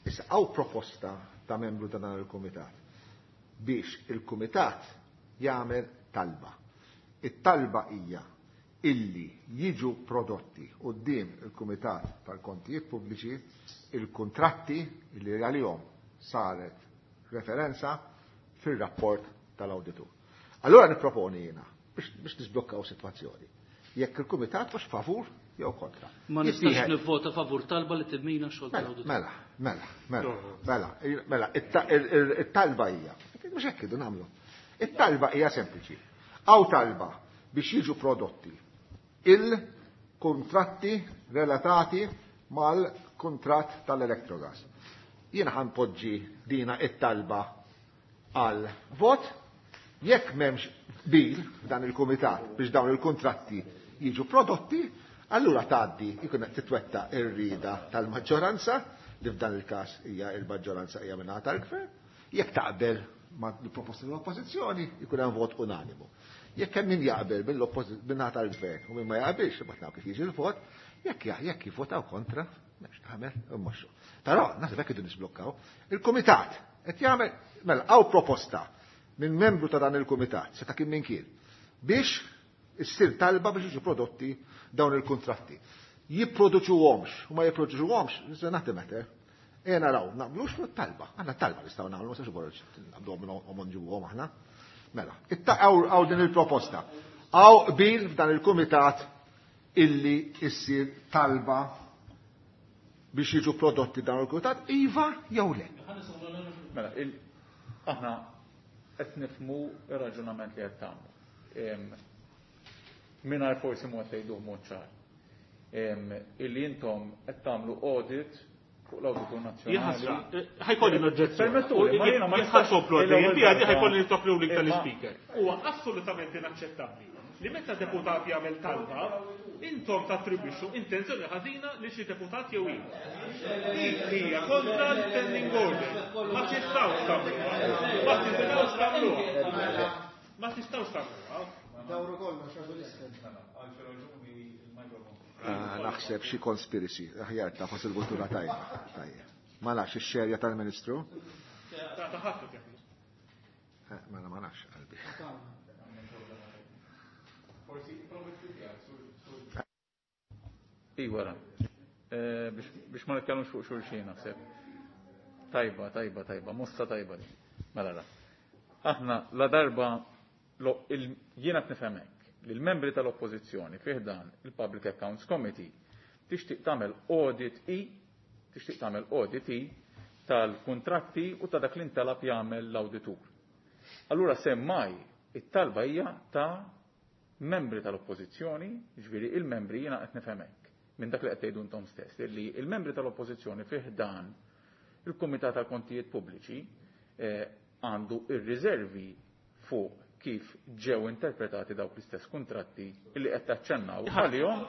B: Issa hawn proposta ta' membru ta' dan il-kumitat biex il-kumitat jagħmel talba. It-talba hija illi jiġu prodotti quddiem il-Kumitat tal-Kontijiet Pubbliċi il-kontratti li għalihom saret referenza fir-rapport tal-awditur. Allora nipproponi jiena biex nisblokkaw sitwazzjoni. Jekk il-Kumitat mhux favur jew kontra.
C: Ma nistax
B: Jittieħed-
C: nivvota favur talba li timmina x-xogħol
B: Mela,
C: tal-awditur.
B: mela, mela, mela, mela, mela, it-talba hija. Mhux hekk idu nagħmlu. It-talba hija sempliċi. Hawn talba biex jiġu prodotti il-kontratti relatati mal-kontratt tal-Electrogas. Jiena ħanpoġġi dina it-talba għal vot jekk m'hemmx bil f'dan il-kumitat biex dawn il-kontratti jiġu prodotti, allura tgħaddi jkun qed titwetta r-rieda tal-maġġoranza li f'dan il-każ hija il-maġġoranza hija mingħata tal-gvern, jekk taqbel ma' l-proposta tal-oppożizzjoni jkun hemm vot unanimu. Jekk hemm min jaqbel mill-naħa tal-gvern u min ma jaqbilx, imbagħad naraw kif jiġi l-vot, jekk jekk jivvotaw kontra, m'hemmx tagħmel, immexxu. Però naħseb hekk idu nisblokkaw. Il-kumitat qed jagħmel mela hawn proposta minn membru ta' dan il-kumitat, seta' kien min kien, biex issir talba biex jiġu prodotti dawn il-kuntratti. Jipproduċuhomx u ma jipproduċuhomx, is not a matter. Ejja naraw, naqblux fuq it-talba. Aħna t-talba nistgħu nagħmlu, ma nistax naqbduhom u nġibuhom aħna. Mela, hawn din il-proposta. Hawn qbil f'dan il-kumitat illi issir talba biex jiġu prodotti dawn il-kumitat, iva jew le.
G: Mela, aħna qed nifhmu r-raġunament li qed tagħmlu. Mingħajr forsi mod tgħiduh mod ċar. Illi intom qed tagħmlu audit fuq l-Awditur Nazzjonali.
E: Ħa jkolli noġġezzjoni.
G: Permettuli, ma jiena ma
E: nistax komplu għaddej, ħa jkolli nitlob ruling tal-Ispeaker. Huwa assolutament inaċċettabbli li meta deputat jagħmel talba, intom tattribwixxu intenzjoni ħażina li xi deputat jew ieħor. Dik hija kontra l-standing order. Ma tistgħux tagħmluha. Ma tistgħux tagħmluha. Ma tistgħux tagħmluha.
F: Dawru kollox għażu l-isfel.
B: Naħseb xi conspiracy, aħjar ta' fas il-kultura tajba. Tajjeb. Ma nafx ix-xerja tal-Ministru. Mela ma nafx qalbi.
G: Iwara. Biex ma nitkellmux fuq xulxin naħseb. Tajba, tajba, tajba, mossa tajba di. Mela la. Aħna la darba jiena qed nifhem hekk li l-membri tal-Oppożizzjoni fih dan il-Public Accounts Committee tixtieq tagħmel audit i tixtieq tagħmel audit i tal-kuntratti u ta' dak li ntalab jagħmel l-awditur. Allura semmai it-talba hija ta' membri tal-Oppożizzjoni, ġifieri il-membri jiena qed nifhem hekk minn dak li qed tgħidu intom stess, li il-membri tal-Oppożizzjoni fih dan il-Kumitat tal-Kontijiet Pubbliċi għandu ir-riservi fuq kif ġew interpretati dawk l-istess kuntratti li qed taċċennaw għalihom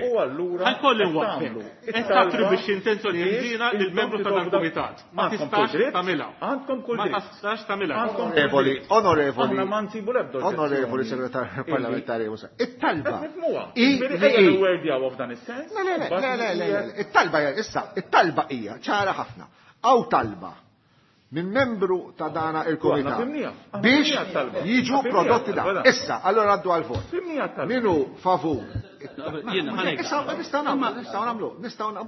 G: u allura
E: Ħa jkolli nwaqqfek. Qed tattribwixxi intenzjoni ħażina lill-membru ta' dal-kumitat. Ma tistax tagħmilha.
G: Għandkom kull
E: Ma
G: dritt.
E: tistax tagħmilha.
B: Onorevoli, onorevoli.
G: Aħna ma nsibu l-ebda
B: Onorevoli segretarju parlamentari Musa. It-talba.
G: Qed nifhmuha.
B: I
G: Ġifieri
B: li
G: ejja
B: i.
G: nwerdjawha f'dan is-sens.
B: Le, le, le, le, le, le, le. It-talba hija issa, it-talba hija ċara ħafna. Hawn talba minn membru ta' dana il-komitat biex jiġu prodotti da. Issa, allora għaddu għal-vot. Minu favur.
C: Jiena, ħa ngħid.
B: Issa, nistgħu nagħmlu, nistgħu nagħmlu, nistgħu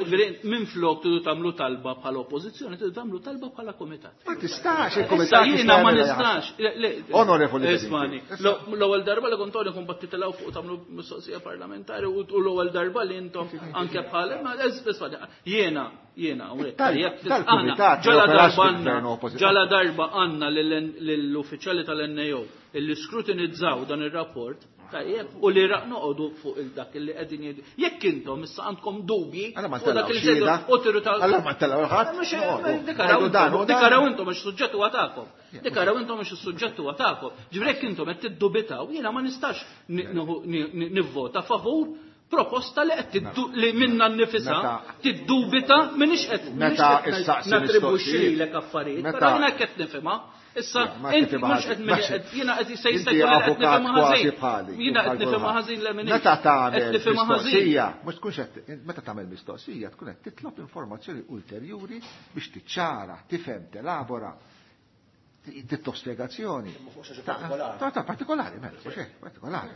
C: Ġifieri, Minn flok tridu tagħmlu talba bħala oppożizzjoni, tridu tagħmlu talba bħala komitat.
B: Ma tistax
C: Issa
B: il-komitat.
C: jiena ma nistax.
B: Onorevoli
C: Ismani, l-ewwel darba li kont għoni kun titilgħu fuq tagħmlu mistoqsija parlamentari u l-ewwel darba li intom anke bħala ma ismani, jiena jiena hawnhekk, jekk
B: Dal-kumitat
C: ġala
B: joperax
C: darba
B: fil-gvern
C: għandna
B: oppożizzjoni.
C: ġala darba għandna lill-uffiċjali tal-NAO illi skrutinizzaw dan ir-rapport tajjeb u li raq noqogħdu fuq il-dak illi qegħdin jgħidu. Jekk intom issa għandkom dubji
B: Alla ma
C: fuq dak li
B: ntellgħu xhieda.
C: u tiru ta'
B: Alla ma ntellgħu ħadd.
C: Mhux-
B: Noqogħdu.
C: Dikaraw
B: Ngħidu dan u
C: intom,
B: dan.
C: dikaraw intom għax suġġett huwa tagħkom. Dikaraw intom għax is-suġġett huwa tagħkom. Ġifieri jekk intom qed tiddubitaw, jiena ma nistax nivvota favur proposta li qed li minna nnifisha tiddubita m'iniex qed
B: Meta issaqsi
C: nattribwixxi
B: mistoqsijiet.
C: lilek affarijiet,
B: Meta-
C: però jiena qed nifhimha. Issa
B: Ma
C: inti
B: tifhimha
C: mhux qed
B: ħażin.
C: min qed jiena qed se jista'
B: Inti
C: jkun qed
B: avukat
C: nifhimha
B: kważi
C: ħażin.
B: bħali.
C: Jiena qed
B: bħal
C: nifhimha
B: kulħadd.
C: ħażin le m'iniex.
B: Meta tagħmel
C: Qed nifhimha ħażin.
B: mistoqsija, mhux tkunx qed meta tagħmel mistoqsija tkun qed titlob informazzjoni ulterjuri biex tiċċara, tifhem, telabora, titlob spjegazzjoni. Ta' partikolari, mela, mhux hekk, partikolari.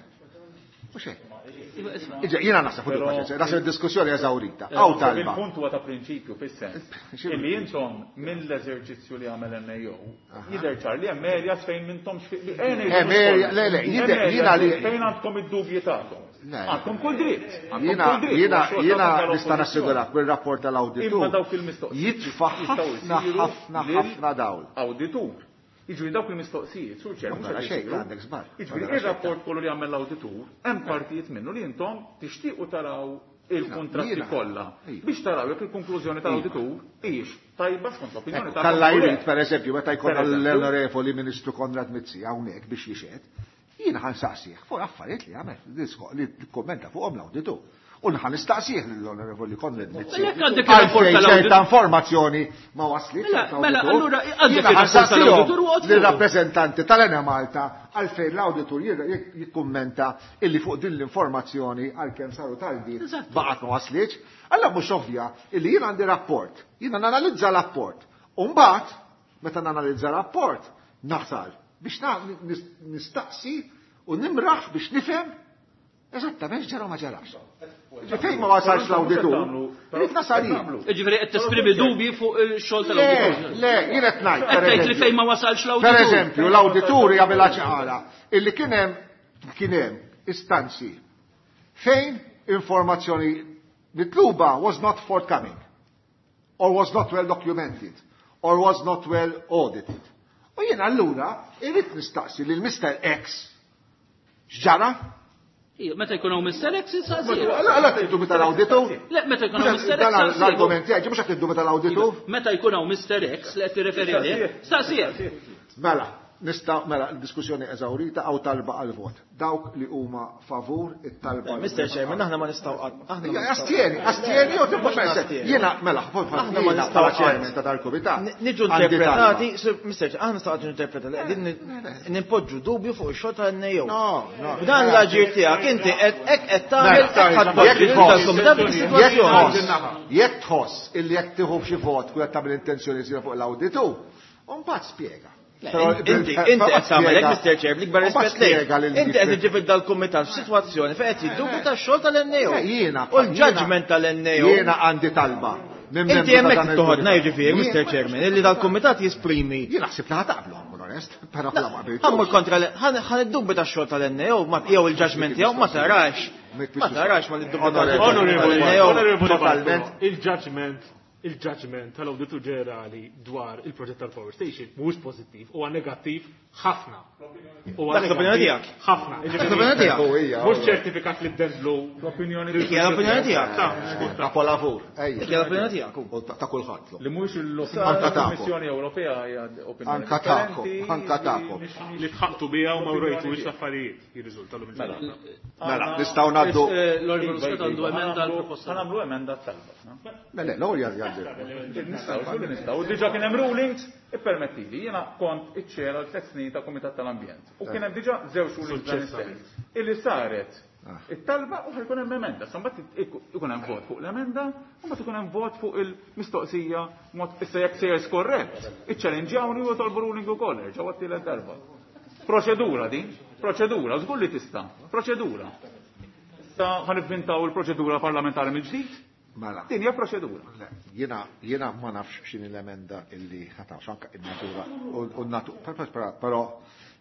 B: Mhux hekk. Iġa, jiena naħseb fuq il-paċenzja, naħseb id-diskussjoni eżawrita. Hawn talba.
G: Il-punt huwa ta' prinċipju fis-sens illi intom mill-eżerċizzju li għamel NAO jidher ċar li hemm areas fejn m'intomx
B: Hemm area- le, jidher- jiena li-
G: fejn għandkom id-dubji tagħkom.
B: Le.
G: Għandkom kull dritt. għandkom
B: Jiena
G: kull dritt,
B: jiena
G: huwa xogħol
B: jiena
G: tagħkom
B: nista'
G: tal-oppożizzjoni.
B: nassigurak bil-rapport
G: Imma
B: tal-awditur
G: dawk il-mistoqsijiet
B: jitfa'
G: jistgħu
B: ħafna
G: jsiru
B: ħafna
G: lil
B: ħafna dawl.
G: Awditur. Jiġifieri dawk il-mistoqsijiet, sur ċer,
B: Ma
G: mhux
B: tara
G: qed
B: xejn,
G: isiru.
B: għandek żball. Ma
G: Jiġifieri
B: tara xejn.
G: ir-rapport kollu li għamel l-awditur, hemm partijiet minnu li intom tixtiequ taraw il-kuntratti
B: Jiena.
G: kollha biex taraw jekk il-konklużjoni tal-awditur hijiex tajba skont l-opinjoni tagħkom.
B: Kalla
G: u le.
B: jrid, per eżempju, meta jkollna
G: Per eżempju.
B: l-onorevoli Ministru Konrad Mizzi hawnhekk biex jixhed, Jiena ħa nsaqsih fuq affarijiet li għamel li kommenta fuqhom l-awditur. U ħa nistaqsih l-Onorevoli Konrad Mizzi.
C: Jekk għandek il-rapport
B: tal ċerta informazzjoni ma waslitx.
C: Mela, mela allura għandek il-rapport tal-awditur u
B: Lir-rappreżentanti tal-Enemalta għalfejn l-awditur jikkummenta illi fuq din l-informazzjoni għalkemm saru talbiet baqgħet ma waslitx. Allura mhux ovvja illi jien għandi rapport, jiena nanalizza rapport. U mbagħad meta nanalizza rapport nasal biex nistaqsi u nimraħ biex nifhem eżattament x'ġara ma ġarax. Fejn ma wasalx l-awditur, irid nasal jien.
C: Ġifieri qed tesprimi dubji fuq il-xogħol tal-awditur.
B: Le, jien qed ngħid.
C: Qed tgħid li fejn ma wasalx l-awditur.
B: Per eżempju, l-awditur jagħmilha ċara illi kien hemm istanzi fejn informazzjoni mitluba was not forthcoming or was not well documented or was not well audited. U jien allura irrid nistaqsi lil Mr. X x'ġara?
C: Meta jkun hawn Mr. X insaqsi.
B: Alla tgħidu meta l-awditur?
C: Le, meta jkun hawn Mr. X.
B: L-argument tiegħi mhux qed tgħidu meta l-awditur?
C: Meta jkun hawn Mr. X li qed tirreferi għalih, staqsih.
B: Mela, nista' mela l-diskussjoni eżawrita għaw talba għal vot. Dawk li huma favur it-talba.
H: Mr. Chairman, aħna ma nistgħu
B: aħna. Astieni, astieni u tibqa' Jiena mela,
H: aħna ma nistgħu
B: bħala chairman ta' dal-kumitat.
H: Niġu interpretati, Mr. Chairman, aħna nistgħu interpretati qegħdin nimpoġġu dubju fuq ix-xogħol tal-NAO. B'dan l-aġir tiegħek inti qed hekk qed tagħmel tal-kumitat fis-sitwazzjoni.
B: Jekk tħoss illi jekk tieħu xi vot kull qed tagħmel intenzjoni fuq l-awditu, u mbagħad spjega.
H: Inti qed tagħmel hekk Mr. Chair, bl-ikbar rispett lejk. Inti qed iġġib dal-kumitat f'sitwazzjoni fejn qed jiddubita x-xogħol tal-NAO.
B: Jiena.
H: U l-judgment tal-NAO.
B: Jiena għandi talba.
H: Inti hemmhekk toħodna jiġifieri, Mr. Chairman, illi dal-kumitat jesprimi.
B: Jien naħseb li ħataqblu nkun onest, però bla ma qbiltux.
H: Ħammur kontra ħa niddubita x-xogħol tal-NAO jew il-judgment tiegħu ma tarax. Ma tarax ma niddubita
E: Onorevoli, il-judgment il-judgment tal-Awditur Ġenerali dwar il-proġett tal-Power Station mhuwiex pożittiv, huwa negattiv ħafna.
H: Huwa Dak l-opinjoni tiegħek.
E: Ħafna.
H: Dak l-opinjoni tiegħek.
E: Mhux ċertifikat li ddendlu.
G: L-opinjoni
H: Dik hija l-opinjoni tiegħek.
B: Kapolavur.
H: Dik hija l-opinjoni tiegħek.
B: Ta' kulħadd.
G: Li mhuwiex l-opinjoni tal-Kummissjoni Ewropea hija opinjoni.
B: Anka tagħkom, anka tagħkom.
E: Li tħaqtu biha u ma wrejtux l-affarijiet jirriżulta l
B: Mela, nistgħu ngħaddu.
C: L-Onorevoli Muscat għandu emenda għall-proposta.
G: Ħa nagħmlu emenda talba.
B: Le, le, l-ewwel jgħaddi.
G: Nistgħu, nistgħu. Diġà kien hemm rulings, ippermettili, jiena kont iċ-chair għal tliet snin ta' Kumitat tal-Ambjent. U kien hemm diġà żewġ rulings dan is-sens. Illi saret it-talba u ħajkun hemm emenda. Sa mbagħad ikun hemm vot fuq l-emenda, u mbagħad ikun hemm vot fuq il-mistoqsija mod issa jekk sejjer skorrett, iċċellenġjawni u tolbu ruling ukoll, erġgħu għat-tielet darba. Proċedura din, proċedura, żgur li tista', proċedura. Issa ħa nivvintaw il-proċedura parlamentari mill-ġdid?
B: Mela.
G: Din hija proċedura.
B: Jiena jiena ma nafx x'inhi l-emenda illi ħa anke in-natura u n-natura però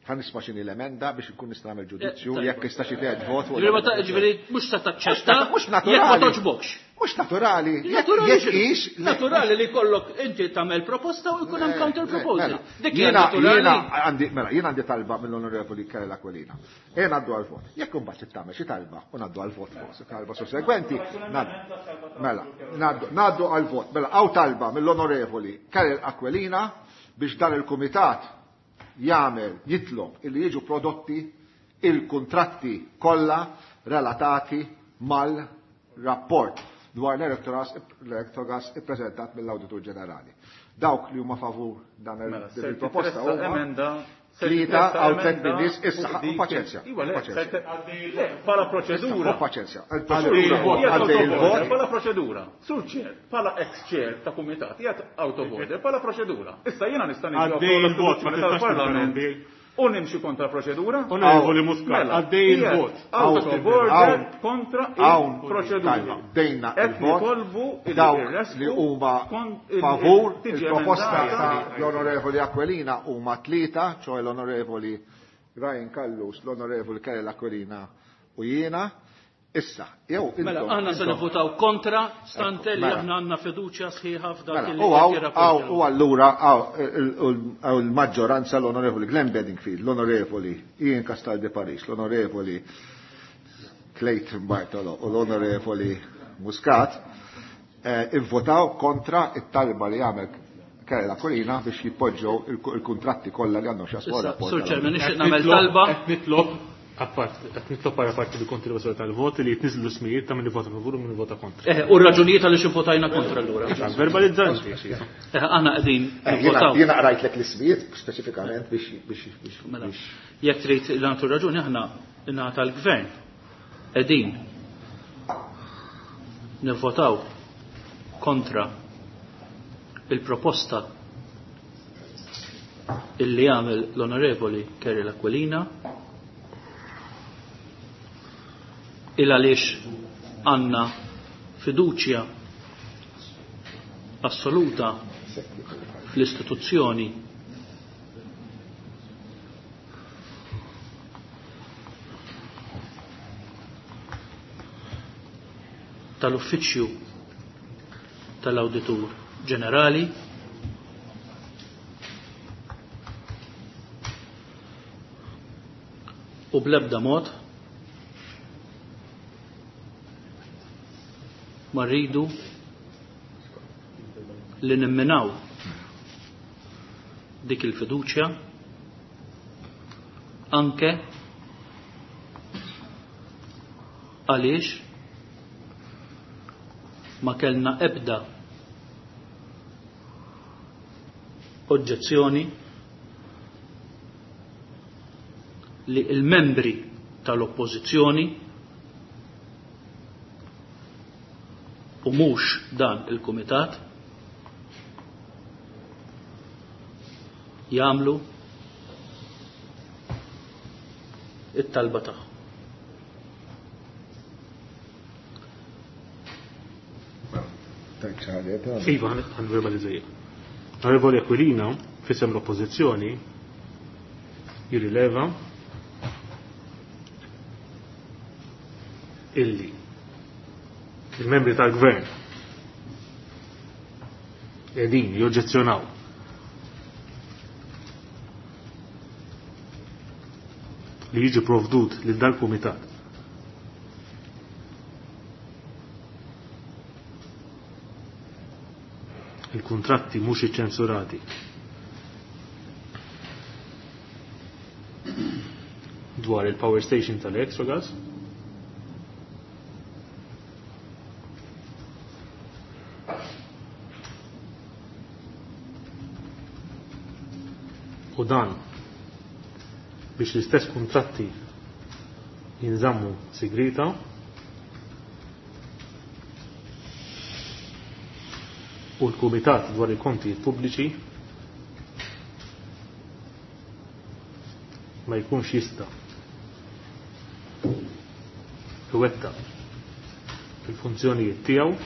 B: ħa nisma' x'inhi l-emenda biex inkun nista' nagħmel ġudizzju jekk jista' xi tgħid vot.
C: Ġifieri mhux se taċċetta
B: mhux naturali.
C: Jekk ma toġbokx.
B: Mhux naturali.
C: Jekk hix naturali li kollok inti tagħmel proposta u jkun hemm counter proposal. Dik hija
B: naturali. Għandi mela jien għandi talba mill-Onorevoli Karel Aquilina. E ngħaddu għal vot. Jekk imbagħad tagħmel xi talba u ngħaddu għal vot fuq talba sussegwenti, mela ngħaddu għal vot. Mela hawn talba mill-Onorevoli Karel Aquilina biex dan il-kumitat jagħmel jitlob illi jiġu prodotti il-kuntratti kollha relatati mal-rapport dwar l-Electrogas ippreżentat mill-Awditur Ġenerali. Dawk li huma favur dan il-proposta huma tlieta għal tliet min-nies issa paċenzja.
G: Bħala proċedura.
B: Paċenzja. Għaddej il-vot.
G: Bħala proċedura. Sur chair, bħala ex-chair ta' kumitat, qiegħed out of order, bħala proċedura. Issa jiena nista'
E: niġi il-vot
G: tal-Parlament u nimxi kontra proċedura.
E: Onorevoli Muscat, għaddej il-vot.
G: Out of order kontra il-proċedura.
B: Dejna il-vot. Dawk li huma favur il-proposta ta' l-Onorevoli Aquilina huma tlieta, ċoħe l-Onorevoli Ryan Callus, l-Onorevoli Karel Aquilina u jiena. Issa, jew
C: Mela, aħna se nivvotaw kontra stante li aħna għandna fiduċja sħiħa f'dak
B: li U allura il-maġġoranza l-Onorevoli Glenn Bedingfield, l-Onorevoli Ian Castaldi Paris, l-Onorevoli Clayton Bartolo u l-Onorevoli Muscat ivvotaw kontra it-talba li għamel Karel Aquilina biex jitpoġġew il-kuntratti kollha li għandhom x'jaqsmu
C: rapport. Sur Chairman, nixtieq nagħmel talba.
E: Qed nitlob Appart, qed nitlob para parti bi kontribuzzjoni tal-voti li jitniżlu smijiet ta' min ivota favur u min ivota kontra.
C: Eh, u r-raġunijiet għaliex ivvotajna kontra allura.
E: Verbalizzanti.
C: Eh, aħna qegħdin nivvotaw.
B: Jiena qrajtlek l-ismijiet speċifikament biex biex biex.
C: Mela, jekk trid nagħtu raġuni aħna ingħata l-gvern qegħdin nivvotaw kontra il-proposta illi għamel l-Onorevoli Kerry Aquilina il għaliex għandna fiduċja assoluta fl-istituzzjoni tal-Uffiċċju tal-Awditur Ġenerali u bl-ebda mod ma rridu li nimminaw dik il-fiduċja anke għaliex ma kellna ebda oġġezzjoni li il-membri tal-oppożizzjoni u mhux dan il-kumitat jagħmlu it-talba tagħhom.
E: Iva, għan verbalizzajja. Onorevoli Aquilina, fisem l-oppożizzjoni, jirrileva illi il-membri tal-gvern edin joġġezzjonaw li jiġi provdut lil dal-kumitat il-kuntratti mhux iċċensurati dwar il-power station tal-Exogas u dan biex l-istess kuntratti jinżammu sigrita u l-Kumitat dwar il-kontijiet pubbliċi ma jkunx jista' iwettaq il-funzjonijiet tiegħu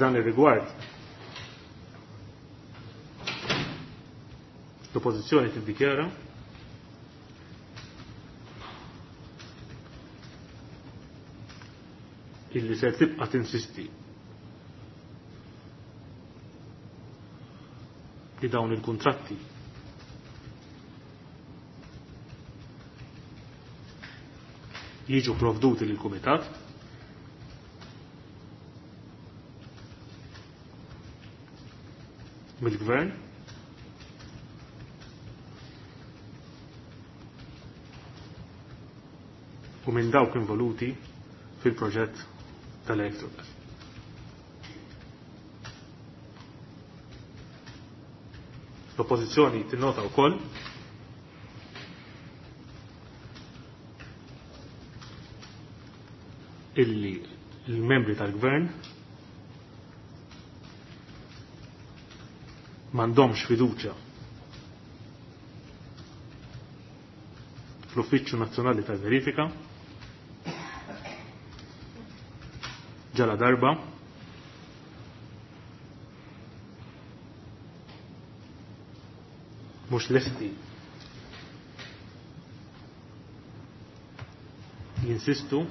E: F'dan ir-rigward l-oppożizzjoni tiddikjara illi se tibqa' tinsisti li dawn il-kuntratti jiġu provduti lill kumitat mill-gvern u minn dawk involuti fil-proġett tal-Electrogas. L-oppożizzjoni tinnota wkoll illi l-membri tal-gvern m'għandhomx fiduċja fl-Uffiċċju Nazzjonali tal-Verifika ġala darba mhux lesti jinsistu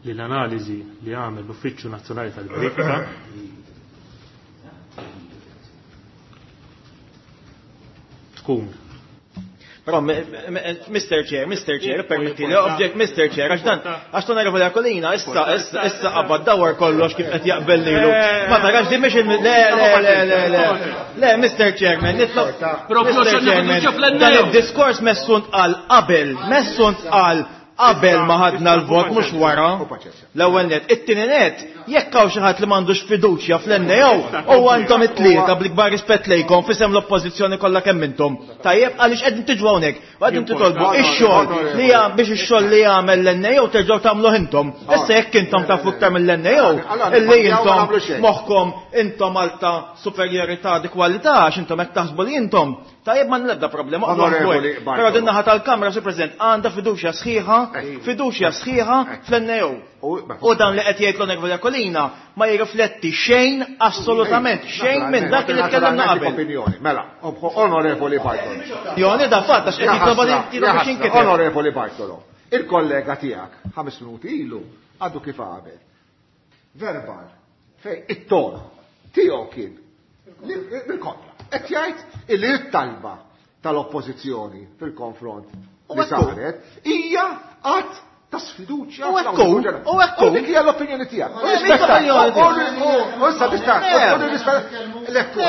E: li l-analiżi li għamel l-Uffiċċju Nazzjonali tal-Verifika tkun.
H: Però Mr. Chair, Mr. Chair, permetti li object Mr. Chair, għax dan, għax l-Onorevoli Aquilina issa issa issa qabad dawar kollox kif qed jaqbel lilu. Ma tarax din mhix il le le le le le. Le Mr. Chairman, nitlob Mr. Chairman, dan id-diskors messu ntqal qabel, messu ntqal qabel ma ħadna l-vot mhux wara. L-ewwel net. It-tieni net, jekk hawn xi ħadd li m'għandux fiduċja fl-NAO, huwa intom it-tlieta bl-ikbar rispett lejkom f'isem l-oppożizzjoni kollha kemm intom. Tajjeb, għaliex qegħdin tiġu hawnhekk u qegħdin titolbu ix-xogħol li biex ix-xogħol li jagħmel l-NAO terġgħu tagħmluh intom. Issa jekk intom tafu iktar mill-NAO, illi intom moħħkom intom għal ta' superjorità di kwalità għax intom hekk taħsbu li intom. Tajjeb ma l-ebda problema.
B: Onorevoli
H: Però din naħa tal-Kamra, Sur President, għandha fiduċja sħiħa, fiduċja sħiħa fl-NAO. U dan li qed jgħid l-Onorevoli Aquilina ma jirrifletti xejn, assolutament xejn minn dak li tkellimna qabel.
B: Opinjoni, mela, Onorevoli Bartolo.
H: Joni da fatt għax qed jitloba biex jinkiteb.
B: Onorevoli Bartolo, il-kollega tiegħek 5 minuti ilu għadu kif għamel. Verbal, fej it-ton tiegħu kien bil-kontra. Qed jgħid illi t-talba tal-oppożizzjoni fil-konfront li saret hija att ta' sfiduċja.
H: U ekku, u ekku.
B: Dik hija l-opinjoni tiegħek. U issa tista' l-ekku.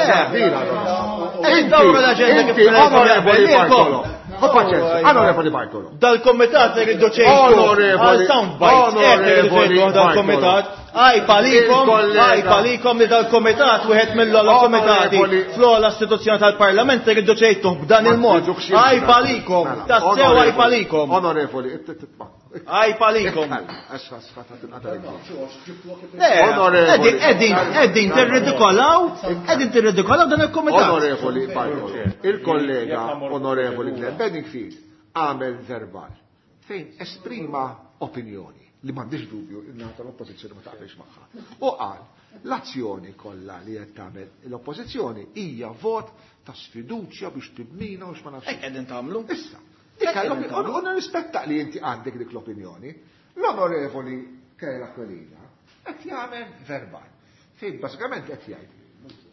H: Inti,
B: Onorevoli Bartolo. Onorevoli Bartolo.
H: Dal-komitat irridu ċejtu. Għal sound bites. Dal-komitat. Għaj palikom, għaj palikom li dal-komitat, wieħed mill-ogħla komitati fl-ogħla istituzzjoni tal-Parlament irridu ċejtu b'dan il-mod. Għaj palikom, tassew għaj palikom.
B: Onorevoli,
H: Għaj palikom. Eddin tirridikolaw, eddin tirridikolaw dan il-komitat.
B: Onorevoli Bartolo, il-kollega onorevoli Glenn Bedingfield għamel verbal fejn esprima opinjoni li m'għandix dubju in-naħa tal-oppożizzjoni ma taqbilx magħha. U qal l-azzjoni kollha li qed tagħmel l-oppożizzjoni hija vot ta' sfiduċja biex tibnina u x'ma nafx.
H: Hekk qegħdin tagħmlu.
B: Issa, u nirrispetta li inti għandek dik l-opinjoni. L-onorevoli Karol Aquilina qed jagħmel verbal. Fejn bażikament qed jgħid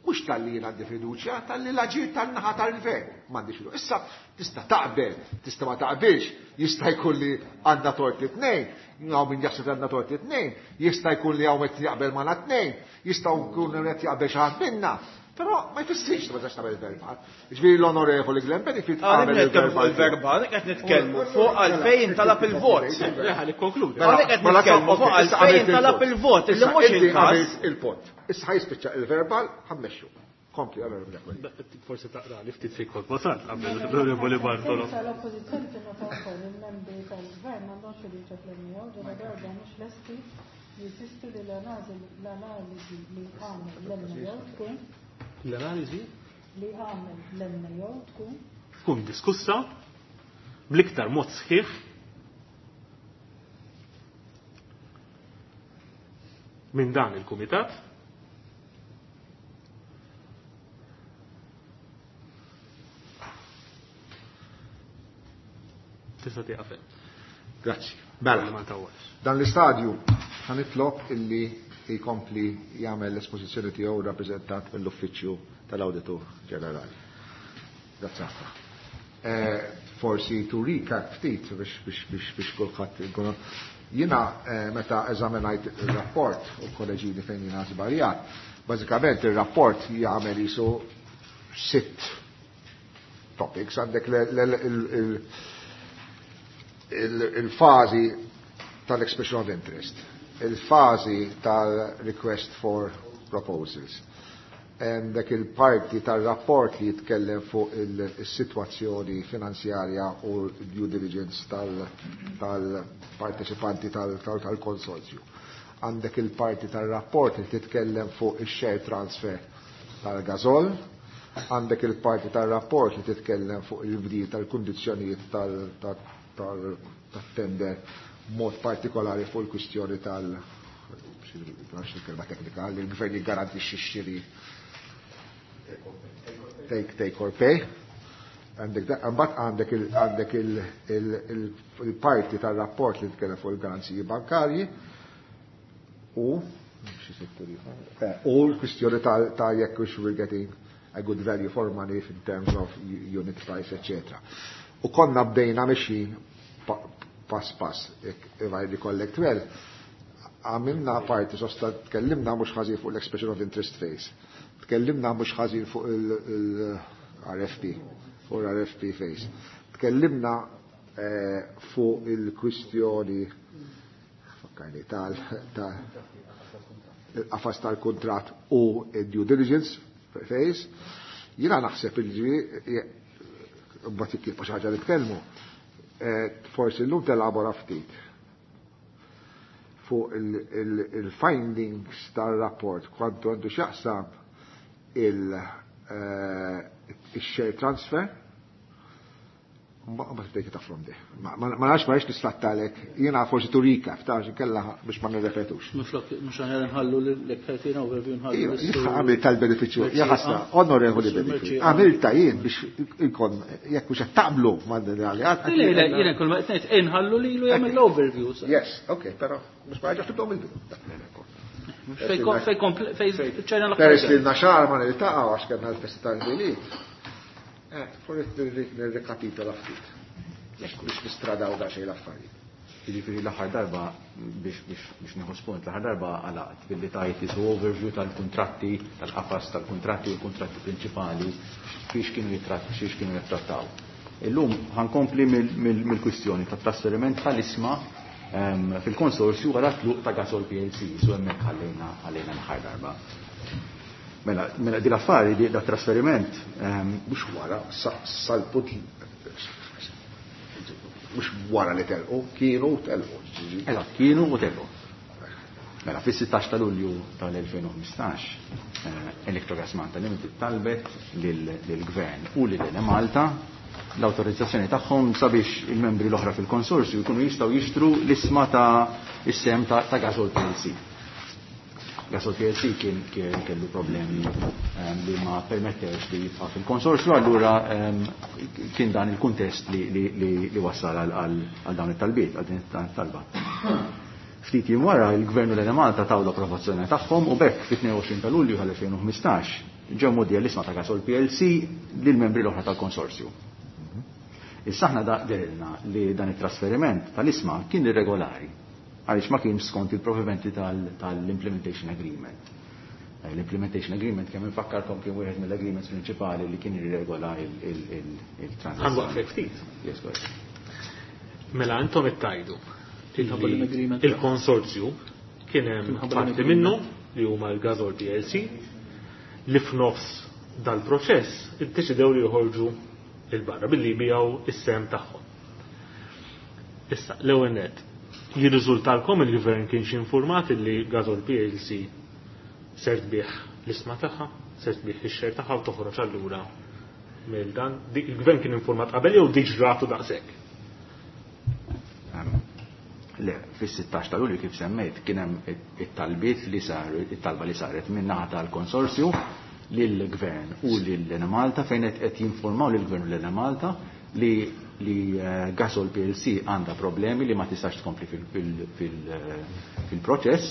B: mhux talli jien għandi fiduċja, talli l-aġir tan-naħa tal-gvern m'għandix fiduċja. Issa tista' taqbel, tista' ma taqbilx, jista' jkun li għandna tort it-tnejn, hawn min jaħseb għandna tort it-tnejn, jista' jkun li hawn qed jaqbel magħna tnejn, jista' jkun qed jaqbel xi ħadd minna. Però ma jfissirx li ma tistax tagħmel verbal. Ġifieri l-onorevoli Glenn Benefit
H: għamel il-verbal. Il-verbal qed nitkellmu fuq għalfejn talab il-vot.
E: Ħalli konkludi.
H: Għalhekk qed nitkellmu fuq għalfejn talab il-vot illi mhux il-każ.
B: Il-punt. Issa ħajspiċċa il-verbal ħammexxu. Kompli onorevoli Aquilina.
E: Forsi taqra li ftit fik kont wasalt qabel l-onorevoli Bartolo.
A: L-oppożizzjoni tinnota wkoll il-membri tal-gvern m'għandhomx fiduċja fl-NAO ġara darba mhux lesti jisistu li l-analiżi li għamel l-NAO tkun
E: L-analiżi
A: li għamel l-NAO tkun
E: tkun diskussa bl-iktar mod sħiħ minn dan il-kumitat tista' tieqaf.
B: Grazzi. Mela.
E: Ma tawwalx.
B: Dan l-istadju ħanitlob illi jkompli jagħmel l-espożizzjoni tiegħu rappreżentant mill-Uffiċċju tal-Awditur Ġenerali. Grazzi ħafna. Forsi to recap ftit biex kulħadd ikun jiena meta eżaminajt ir-rapport u kolleġini fejn jiena żbaljat, bażikament ir-rapport jagħmel isu 6 topics, għandek il-fażi tal-expression of interest, il-fażi tal-request for proposals, għandek il-parti tal-rapport li jitkellem fuq il-situazzjoni finanzjarja u due diligence tal-parteċipanti tal-konsorzju. Għandek il-parti tal-rapport li titkellem fuq il-share transfer tal-gazol, għandek il-parti tal-rapport li titkellem fuq il-bdil tal-kundizzjonijiet tal-tender mod partikolari fuq il-kwistjoni tal- il-kelma teknika, li l-gvern jiggarantixxi x-xiri take or pay. Mbagħad għandek il-parti tal-rapport li tkellem fuq il-garanziji bankarji u l-kwistjoni ta' jekk we're getting a good value for money in terms of unit price, etc. U konna bdejna mexjin pass pass, if I recollect well, għamilna parti sosta tkellimna mhux ħażin fuq l-expression of interest phase. Tkellimna mhux ħażin fuq il-RFP, fuq l-RFP phase. Tkellimna fuq il-kwistjoni fakkarni tal il-qafas tal-kuntratt u due diligence phase. Jiena naħseb il-ġifieri mbagħad jekk xi ħaġa nitkellmu. Forsi llum telabora ftit fuq il-findings tal-rapport kwantu għandu x'jaqsam il-share transfer. Ma tibdejk tafrom di. Ma nafx ma nafx nislattalek, jiena forsi to recap, ta' kella biex ma nirrepetux.
C: Minflok, mhux aħjar nħallu l-ekfertina overview nħallu.
B: Għamil tal-beneficju, jaħasna, onorevoli beneficju. Għamilta jien biex ikon, jekk mhux qed taqblu ma'
C: Le, le, jiena kull ma qed ngħid inħallu lilu jagħmel l-overview.
B: Yes, ok, però mhux ma ġax tibdew mill-bidu.
C: Fej fej ċajna l
B: Peress li naxar ma niltaqgħu għax kellna l-festa tal-Milied. Forsi nirrikapitola ftit. Biex nistradaw da xejn l-affarijiet.
I: Jiġifieri l-aħħar darba biex nieħu spunt, l-aħħar darba għalaqt billi tajt isu overview tal-kuntratti, tal-qafas tal-kuntratti u l-kuntratti prinċipali fiex kienu xiex kienu jittrattaw. Illum ħankompli mill-kwistjoni ta' trasferiment tal-isma fil-konsorzju wara tluq ta' Gasol PLC, su hemmhekk ħallejna l-aħħar darba. Mela di l-affari di da trasferiment
B: mhux wara sal-punt mhux wara li telqu, kienu telqu.
I: Eżatt, kienu u telqu. Mela fis-16 ta' Lulju tal-2015 Electrogas Malta Limited talbet lill-Gvern u lil Malta l-awtorizzazzjoni tagħhom sabiex il-membri l-oħra fil-konsorzju jkunu jistgħu jixtru l-isma ta' is-sem ta' Gasol PLC. Gasol PLC kien kellu problemi li ma permettewx li jibqa' fil-konsorzju, allura kien dan il-kuntest li wassal għal dawn it-talbiet, għal din it-talba. Ftit jiem wara il-Gvern u l-Enemalta taw l-approvazzjoni tagħhom u bekk fit-22 ta' Lulju tal-2015 ġew mgħoddija l-isma ta' Gasol PLC lill-membri l-oħra tal-konsorzju. Issa aħna dehrilna li dan it-trasferiment tal-isma kien irregolari għaliex ma kienx skont il-provvedimenti tal-Implementation Agreement. L-Implementation Agreement kemm infakkarkom kien wieħed mill-agreements prinċipali li kien irregola il-transazzjoni.
E: Ħanwaqfek ftit.
I: Yes, go ahead.
E: Mela intom ittajdu il-konsorzju kien hemm parti minnu li huma l-Gasol PLC li f'nofs dal-proċess iddeċidew li joħorġu il-barra billi jbijaw is-sem tagħhom. Issa, l-ewwel nett, jirriżultalkom il-gvern kienx informat li Gasol PLC ser tbih l-isma tagħha, ser tbih ix-xejn tagħha u toħroġ allura mill dan. Il-gvern kien informat qabel jew diġ ratu daqshekk?
I: Le, fis-16 ta' Lulju kif semmejt kien hemm it-talbiet li saru, it-talba li saret min-naħa tal-konsorzju lill-gvern u lil Malta fejn qed jinformaw lill-gvern u lil Malta li Gasol PLC għandha problemi li ma tistax tkompli fil-proċess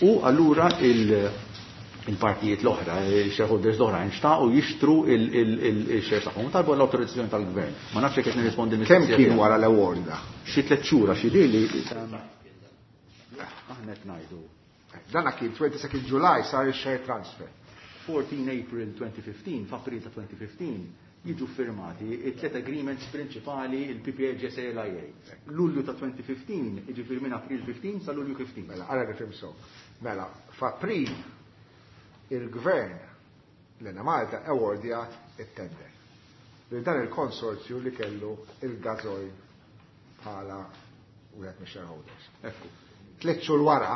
I: u allura il-partijiet l-oħra, il-shareholders l-oħra nxtaqu jixtru il-shares tagħhom. Talbu l-awtorizzazzjoni tal-gvern. Ma nafx jekk qed nirrispondi
B: Kemm kien wara l-award da?
I: Xi 3 xhur xi li aħna qed ngħidu.
B: Dana kien 22 July sar il-share transfer.
I: 14 April 2015, f'April ta' 2015, jiġu firmati it-tliet agreements prinċipali il-PPA GSA l-IA. Lulju ta' 2015, jiġifieri minn April 15 sa Lulju 15.
B: Mela, ara nifhem sew. Mela, f'April il-gvern l-Enemalta awardjat it-tender. Li dan il-konsorzju li kellu il-Gasoil bħala wieħed mix-shareholders.
I: Ekku.
B: 3 xhur wara,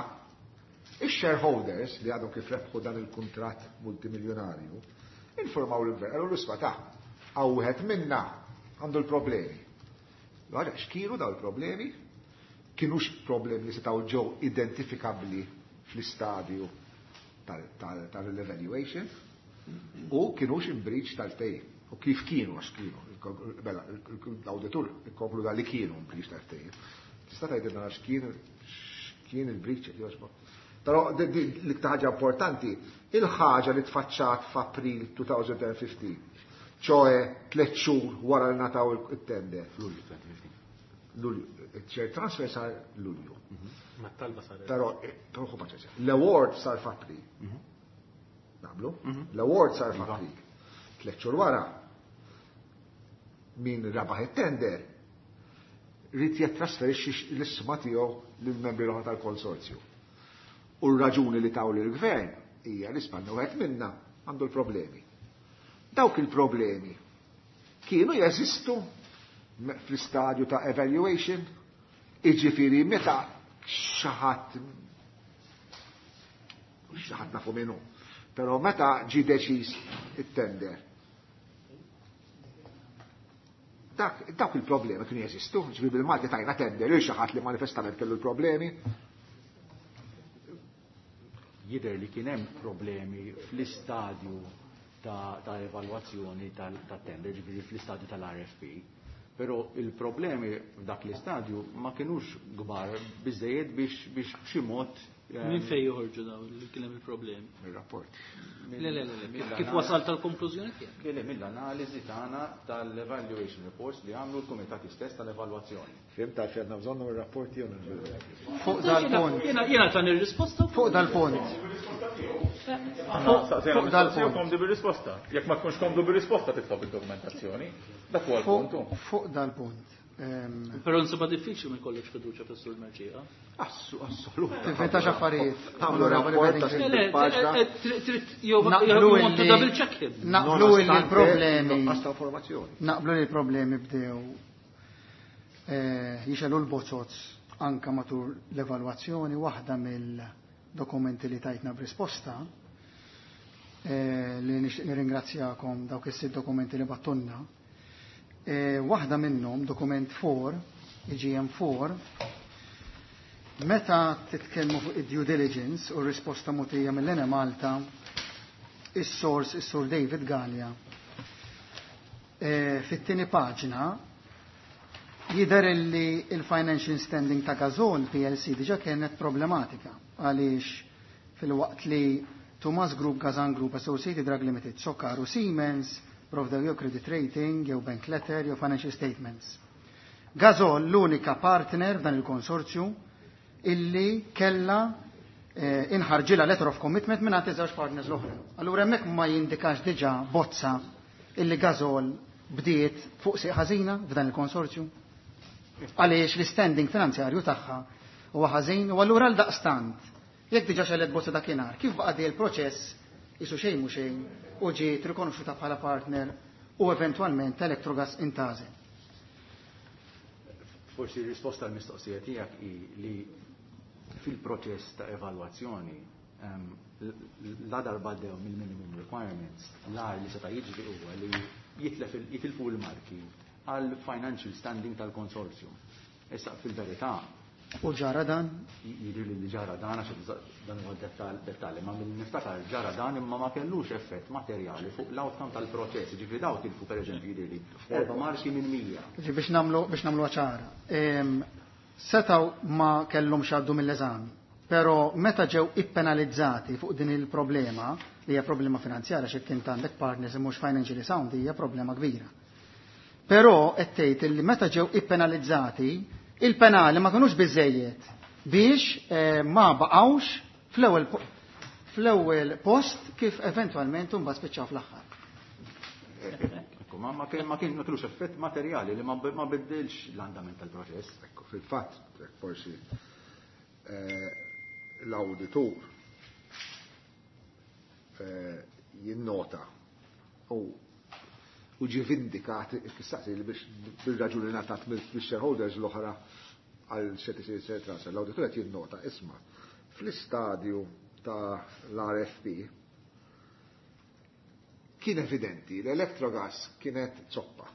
B: ix-shareholders li għadhom kif rebħu dan il-kuntratt multimiljonarju informaw l-gvern, għallu l-isma ta' għaw wieħed minna għandu l-problemi. Għara, x'kienu daw il-problemi? Kienux problemi li setgħu ġew identifikabbli fl-istadju tal-evaluation u kienux in breach tal-ftehim. U kif kienu, għax kienu, mela, l-auditur ikkonkluda li kienu in breach tal-ftehim. Tista' tgħidilna għax kien il-breach, jogħġbok. Però l-iktar ħaġa importanti, il-ħaġa li tfaċċat f'April 2015. ċoe 3 xhur wara li ngħataw it-tender.
I: F'Lulju 2015.
B: Lulju, il-share transfer sar Lulju.
E: Ma talba saret.
B: Però, ħu paċenzja. L-award sar f'April. Naqblu? L-award sar f'April. 3 xhur wara, min rabaħ it-tender ried jittrasferixxi l-isma tiegħu lill-membri l-oħra tal-konsorzju. U r-raġuni li taw lill-gvern hija li spanna wieħed minna għandu l-problemi. Dawk il-problemi kienu jeżistu fl-istadju ta' evaluation, iġifieri meta xi ħadd nafu minnu, però meta ġie deċiż it-tender, dawk il-problemi kienu jeżistu, ġifieri bil-Malti tajna tender lil xi ħadd li manifestament kellu l-problemi.
I: Jidher li kien hemm problemi fl-istadju ta' evalwazzjoni tat-tender, ġifieri fl-istadju tal-RFP, però il-problemi f'dak l-istadju ma kinux kbar biżejjed biex b'xi mod.
C: Minn fejn joħorġu dawn li kien hemm il-problemi?
B: Mir-rapport.
C: Le, le, le, le, kif wasalt tal-konklużjoni tiegħek?
I: Le, le, mill-analiżi tagħna tal-evaluation reports li għamlu l-kumitati stess tal-evalwazzjoni.
B: Fhimt għalfejn għandna bżonnhom ir-rapporti jew
F: Fuq dal-punt.
C: Jiena tani r-risposta.
F: Fuq dal-punt.
G: Fuq dal-punt. Komdu bir-risposta. Jekk ma tkunx komdu bir-risposta titlob id-dokumentazzjoni. Dak huwa l-punt.
F: Fuq dal-punt.
C: Però insomma diffiċli ma jkollokx fiduċja fis-Sur Mercieca.
B: Assolut.
F: Tivventax affarijiet.
B: Tagħmlu rapport ta' paġna.
C: Trid jew double check him.
F: Naqblu li l-problemi.
B: Nuqqas ta' informazzjoni.
F: Naqblu li l-problemi bdew jixelu l-bozzozz anka matul l-evalwazzjoni. Waħda mill-dokumenti li tajtna b'risposta li nixtieq nirringrazzjakom dawk is-sitt dokumenti li battunna. Waħda minnhom, dokument 4, IGM 4, meta titkellmu fuq id-due diligence u r-risposta mogħtija mill-Enemalta, is-sors, is-Sur David Galea, fit-tieni paġna jidher li il-financial standing ta' Gasol PLC diġà kienet problematika għaliex fil-waqt li Tumas Group, Gazan Group, Associated Drug Limited, Socar u Siemens provdew jew credit rating, jew bank letter, jew financial statements. Gasol l-unika partner f'dan il-konsorzju illi kella inħarġilha letter of commitment minn għand iż-żewġ partners l-oħra. Allura hemmhekk ma jindikax diġà bozza illi Gasol bdiet fuq sieq ħażina f'dan il-konsorzju. Għaliex l-standing finanzjarju tagħha huwa ħażin u allura għal daqstant jekk diġà xellet bozza dakinhar, kif baqa' dej il-proċess isu xejn mhu xejn u ġiet rikonoxxuta bħala partner u eventwalment Electrogas intgħażel.
I: Forsi r-risposta għall-mistoqsija tiegħek hi li fil-proċess ta' evalwazzjoni la darba għaddew mill-minimum requirements, l-agħar li seta' jiġri huwa li jitilfu l-marki għal financial standing tal-konsorzju. Issa fil-verità.
F: U ġara dan?
I: Jidhir li ġara dan, għax dan huwa dettalji, ma mill niftakar ġara dan imma ma kellux effett materjali fuq l-outcome tal-proċess. Ġifieri daw tilfu pereżempju jidhir li 4 marki minn 100.
F: Ġifieri biex nagħmlu ċara. Setaw ma kellhomx għaddu mill-eżami, però meta ġew ippenalizzati fuq din il-problema, li hija problema finanzjarja xi kien għandek partners mhux financially sound, hija problema kbira. Però qed tgħid li meta ġew ippenalizzati, il-penali ma kinux biżejjed biex ma baqgħux fl-ewwel post kif eventwalment imbagħad spiċċaw fl-aħħar.
I: Ekku, ma kien, ma kien, ma kellux effett materjali li ma biddilx l-andament tal-proċess.
B: Ekku, fil-fatt, forsi l-awditur jinnota u ġi vindikat, kissaqsi li biex bil-raġuni ngħatat mill-shareholders l-oħra għal xed isir share transfer. L-awditur qed jinnota, isma' fl-istadju ta' l-RFP kien evidenti li Electrogas kienet zoppa.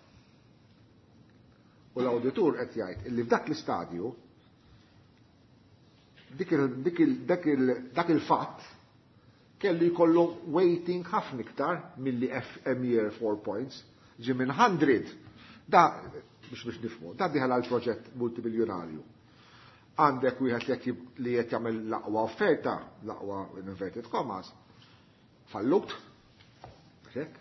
B: U l-awditur qed jgħid li f'dak l-istadju dak il-fatt kellu jkollu weighting ħafna iktar milli FM year 4 points, ġi minn 100. Da, biex nifhmu, da diħal għal proġett multibiljonarju. Għandek wieħed li qed jagħmel l-aqwa offerta, l-aqwa in inverted commas, fallut, hekk.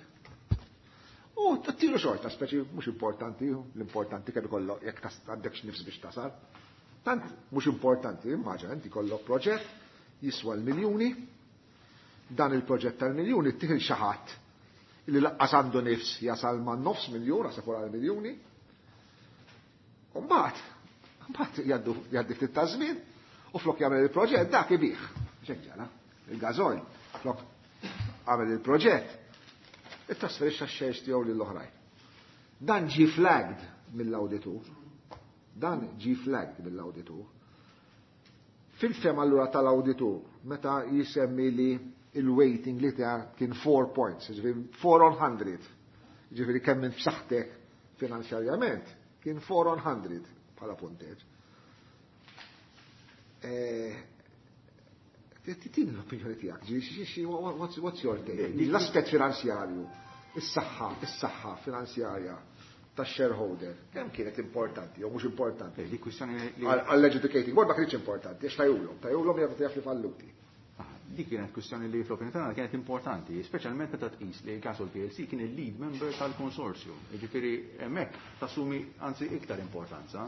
B: U t-tilu xorta, speċi mhux importanti, l-importanti kemm ikollok jekk għandek nifs biex tasal. Tant mhux importanti, immaġina inti kollok proġett jiswa l-miljuni, dan il-proġett tal-miljuni tieħ xi ħadd li laqqas għandu nifs jasal ma' nofs miljun, għasab wara l-miljuni. U mbagħad, mbagħad jgħaddi ftit ta' żmien u flok jagħmel il-proġett dak ibih. Xejn ġara, il-gażoil, flok għamel il-proġett, it-trasferixxa x-shares tiegħu lill-oħrajn. Dan ġi flagged mill-awditur. Dan ġi flagged mill-awditur. Fil-fema allura tal-awditur, meta jisemmi li il-weighting li ta' kien 4 points, ġifieri 4 on 100, ġifieri kemm minn f'saħħtek finanzjarjament, kien 4 on 100 bħala punteġ. Tini l-opinjoni tiegħek, what's your take? L-aspett finanzjarju, is-saħħa, is-saħħa finanzjarja tax-shareholder, kemm kienet importanti jew mhux importanti?
I: Dik kwistjoni li
B: Għall-adjudicating board ma kienx importanti, għax tajulhom, tajulhom jaf jaf li falluti.
I: Dik kienet kwistjoni li fl-opinjoni tagħna kienet importanti, speċjalment meta tqis li Gasol PLC kien il-lead member tal-konsorzju. Jiġifieri hemmhekk tassumi anzi iktar importanza.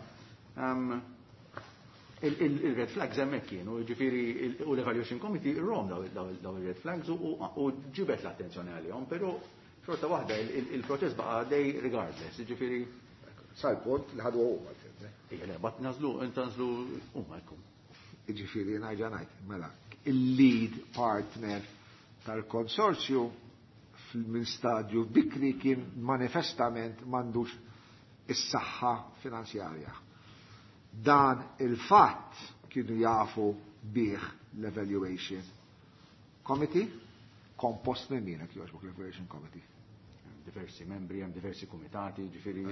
I: Il-red flags hemmhekk kienu, jiġifieri u l-Evaluation Committee rom daw il-red flags u ġibet l-attenzjoni għalihom, però xorta waħda il-proċess baqa' għaddej regardless, jiġifieri
B: Sal-punt li ħadu huma l-fim.
I: Ija, le, bat nażlu, intanżlu huma jkun.
B: Jiġifieri ngħidha ngħid, mela, il-lead partner tal-konsorzju minn stadju bikri kien manifestament m'għandux is-saħħa finanzjarja. Dan il-fatt kienu jafu bih l-Evaluation Committee, kompost minn min qed jogħġbok l-Evaluation Committee?
I: Diversi membri, hemm diversi kumitati, ġifieri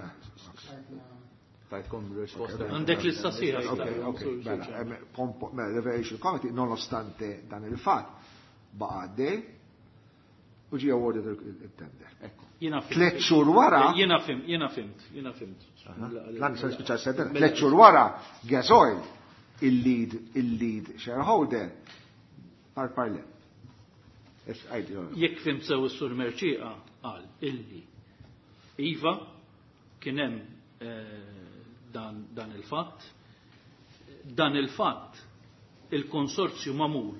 I: tajtkom risposta.
C: Għandek lista sħiħa.
B: Ok, ok, mela, mela, l-Evaluation Committee, nonostante dan il-fatt, baqa' għaddej u ġie awarded il-tender.
C: Jiena fimt.
B: 3 xhur wara.
C: Jiena fimt, jiena fimt, jiena fimt.
B: Lan se nispiċċa s-sentence. 3 xhur wara, Gasoil, il-lead shareholder, par parle.
C: Jekk fimt sew is-Sur Mercieca qal illi iva kien hemm dan il-fatt. Dan il-fatt il-konsorzju magħmul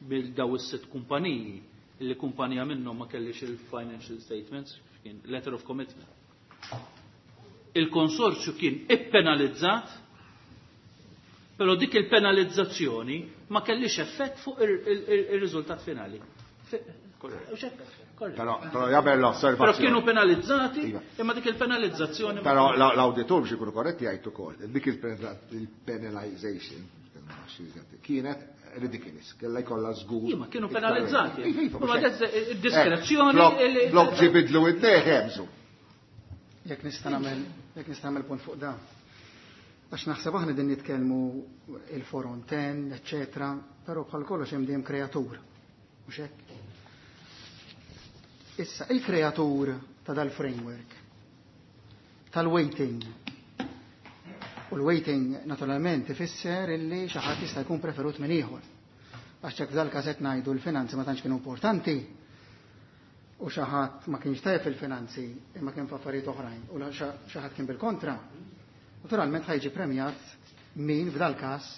C: bil daw is-sitt kumpaniji li kumpanija minnhom ma kellix il-financial statements, kien letter of commitment. Il-konsorzju kien ippenalizzat, però dik il-penalizzazzjoni ma kellix effett fuq ir-riżultat finali.
B: Però, però jagħmel l-osservazzjoni.
C: Però kienu penalizzati, imma dik il-penalizzazzjoni ma
B: Però l-awditur biex ikunu korretti jgħid ukoll, dik il-penalization kienet ridiculous, kella jkollha żgur.
C: Iva, kienu penalizzati.
B: Iva, iva,
C: Ma
B: mhux hekk.
C: id-diskrezzjoni
B: Blok ġibidlu id-dejħ hemżu.
F: Jekk nista' nagħmel, jekk nista' nagħmel punt fuq dan. Għax naħseb aħna din nitkellmu il-four on ten, eċċetera, però bħal kollox hemm dejjem kreatur. Mhux hekk? Issa, il-kreatur ta' dal-framework, tal-weighting, u l-weighting naturalment ifisser illi xi ħadd jista' jkun preferut minn ieħor. Għax hekk f'dal-każ qed ngħidu l-finanzi ma tantx kienu importanti u xi ħadd ma kienx tajjeb fil-finanzi imma kien f'affarijiet oħrajn u xi ħadd kien bil-kontra. Naturalment ħajġi premjat min f'dal-każ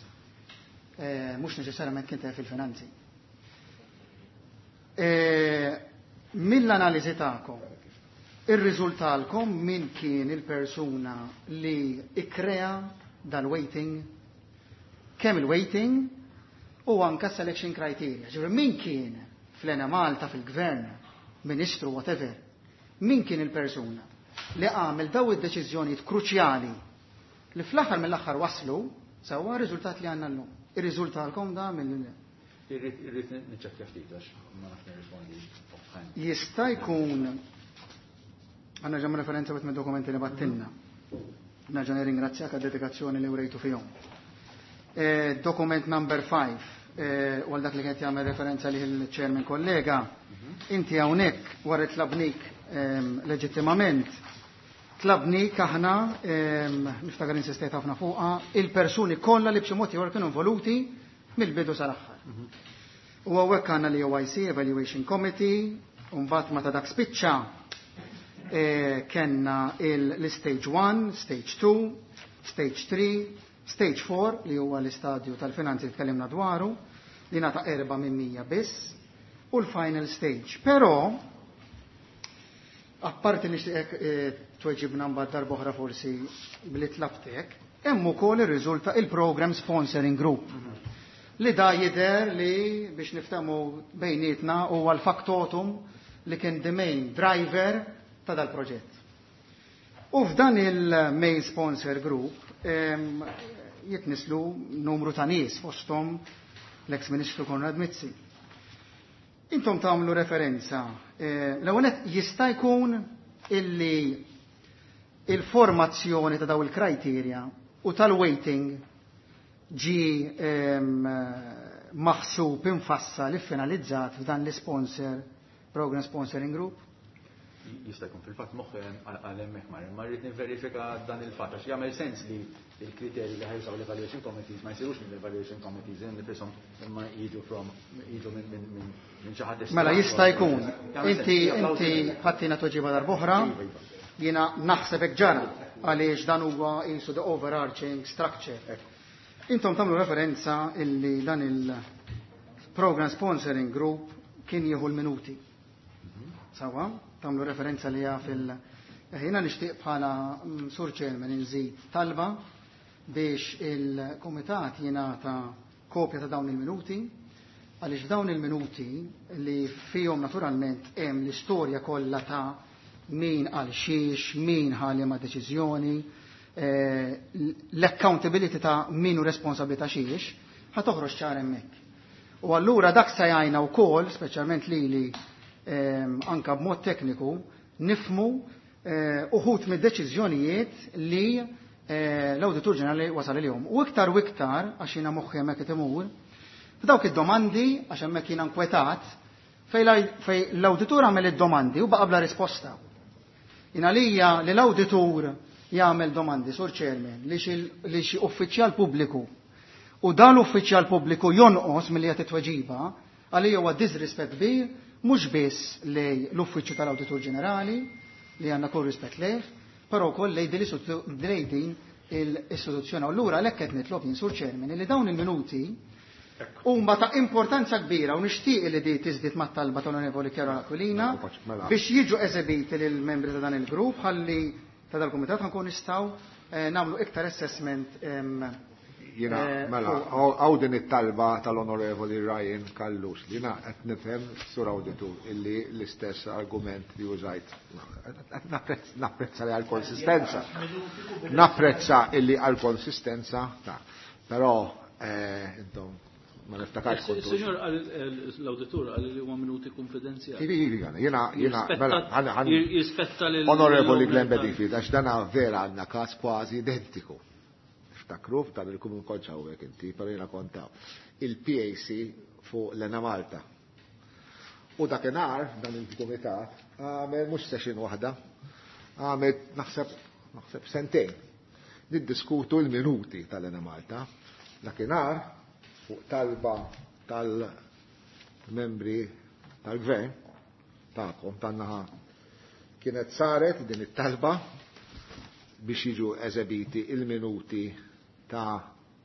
F: mhux neċessarjament kien tajjeb fil-finanzi. Mill-analiżi tagħkom, irriżultalkom min kien il-persuna li ikkrea dal-weighting, kemm il-weighting u anka selection criteria. Ġifieri min kien fl-Enemalta fil-gvern, ministru, whatever, min kien il-persuna li għamel daw id-deċiżjonijiet kruċjali li fl-aħħar mill-aħħar waslu sewwa r-riżultat li għandna llum. Irriżultalkom da mill-
I: Irrid niċċekkja ftit għax ma nafx nirrispondi offhand.
F: Jista' jkun għandna ġam referenza wieħed mid-dokumenti li battilna. Nerġa' nirringrazzjak għad-dedikazzjoni li wrejtu fihom. Dokument number 5, u għal dak li kienet jagħmel referenza li l-chairman kollega, inti hawnhekk wara tlabnik leġittimament, tlabnik aħna, niftakar insistejt ħafna fuqha, il-persuni kollha li b'xi mod ieħor kienu involuti mill-bidu sal-aħħar. U hawnhekk għandna l-OIC, Evaluation Committee, u mbagħad meta dak spiċċa, Kenna l-stage 1, stage 2, stage 3, stage 4 li huwa l-istadju tal-finanzi li tkellimna dwaru li nata 4 minn 100 biss u l-final stage. Però apparti nixtieqek tweġibna mbagħad darb'oħra forsi billi tlabtek, hemm ukoll irriżulta il-Program Sponsoring Group. Li da jidher li biex niftehmu bejnietna huwa l-factotum li kien the main driver ta' dal-proġett. U f'dan il-main sponsor group jitnislu numru ta' nies fosthom l-ex-ministru Konrad Mizzi. Intom tagħmlu referenza, l-ewwel nett jista' jkun illi il-formazzjoni ta' daw il-criteria u tal-weighting ġi maħsub infassal iffinalizzat f'dan l-sponsor Program Sponsoring Group?
I: Jista' jkun fil-fatt moħħi għal hemmhekk mar, imma rrid nivverifika dan il-fatt għax jagħmel sens li l-kriterji li ħajsaw l-evaluation committees ma jsirux mill-evaluation committees nifishom imma jiġu from jiġu minn xi ħadd
F: Mela jista' jkun.
I: Jagħmel
F: Inti
I: sens.
F: inti ħattina tweġiba darb'oħra,
I: Iva, iva.
F: jiena naħseb hekk ġara għaliex dan huwa qisu the overarching structure. Intom tagħmlu referenza illi dan il-Program Sponsoring Group kien jieħu l-minuti. Sawa, tagħmlu referenza li hija fil- Jiena nixtieq bħala Sur Chairman inżid talba biex il-Kumitat jingħata kopja ta' dawn il-minuti, għaliex f'dawn il-minuti li fihom naturalment hemm l-istorja kollha ta' min għal xiex, min ħa liema deċiżjoni, l-accountability ta' min hu responsabbli ta' xiex, ħa toħroġ ċar hemmhekk. U allura dak se jgħinna wkoll, speċjalment lili anka b'mod tekniku, nifmu uħud mid-deċiżjonijiet li l-Awditur Ġenerali wasal ilihom. U iktar u iktar, għax jiena moħħi hemmhekk qed imur, f'dawk id-domandi, għax hemmhekk jiena nkwetat, fej l-awditur għamel id-domandi u baqa' bla risposta. Jien għalija li l-awditur jagħmel domandi, Sur Chairman, li xi uffiċjal pubbliku u dan l-uffiċjal pubbliku jonqos milli qed tweġiba, għalija huwa disrispett kbir mhux biss lej l-Uffiċċju tal-Awditur Ġenerali li għandna kull rispett lejh, però wkoll lej din l-istituzzjoni. Allura għalhekk qed nitlob jien, Sur Chairman, li dawn il-minuti huma ta' importanza kbira u nixtieq li di tiżdied mat-talba tal-Onorevoli Chiara Aquilina
B: Mela.
F: biex jiġu eżebiti lil membri ta' dan il-grupp ħalli ta' dal-kumitat ħankun nistgħu nagħmlu iktar assessment.
B: Jiena, mela, għaw din it-talba tal-Onorevoli Ryan Callus li jiena qed nifhem, Sur Awditur, illi l-istess argument li użajt. Napprezza li għal-konsistenza. Napprezza illi għal-konsistenza, ta' però intom ma niftakarx kontu.
C: Signor, l-awditur għal li huwa minuti konfidenzjali.
B: Ivi, ivi, jiena, jiena, mela,
C: Jirrispetta lil
B: Onorevoli Glenn Bedingfield, għax dana vera għandna każ kważi identiku. Ftakru f'dan il-kumun konċa hawnhekk inti, però jiena kontaw. Il-PAC fuq l-Enemalta. U dakinhar dan il-kumitat għamel mhux session waħda, għamel naħseb sentejn. Niddiskutu l-minuti tal-Enemalta. Dakinhar fuq talba tal-membri tal-gvern tagħkom tan-naħa kienet saret din it-talba biex jiġu eżebiti il-minuti ta'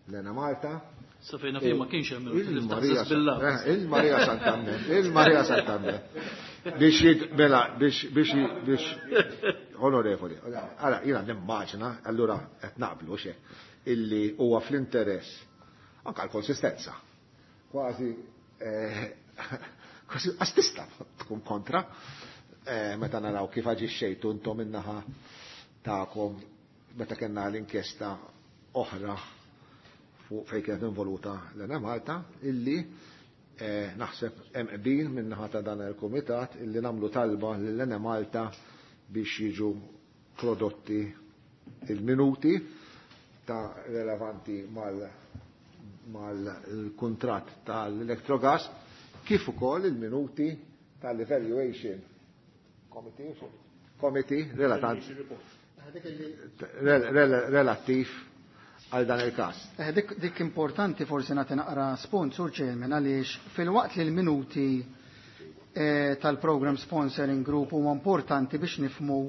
B: l-Enemalta.
C: Sa fejna fejn ma kienx hemm minuti li
B: Il-Marija
C: ftaħsas billah.
B: Il-Marija Sant'Anne, il-Marija Sant'Anne. Biex jid-, mela, biex, biex, biex, onorevoli, ara, jiena nimmaġina, allura qed naqblu xe, illi huwa fl-interess anka l-konsistenza. Kważi kważi għax tista' tkun kontra meta naraw kif aġixxejtu intom in-naħa tagħkom meta kellna l-inkjesta oħra fuq fejn kienet involuta l-Enemalta, illi naħseb hemm qbil min-naħa ta' dan il-kumitat illi nagħmlu talba lill-Enemalta biex jiġu prodotti il-minuti ta' relevanti mal-kuntratt tal-Electrogas, kif ukoll il-minuti tal-Evaluation Committee relattiv għal dan il-każ.
F: Dik importanti forsi nagħti naqra spunt, Sur Chairman, għaliex fil-waqt li l-minuti tal-Program Sponsoring Group huwa importanti biex nifmu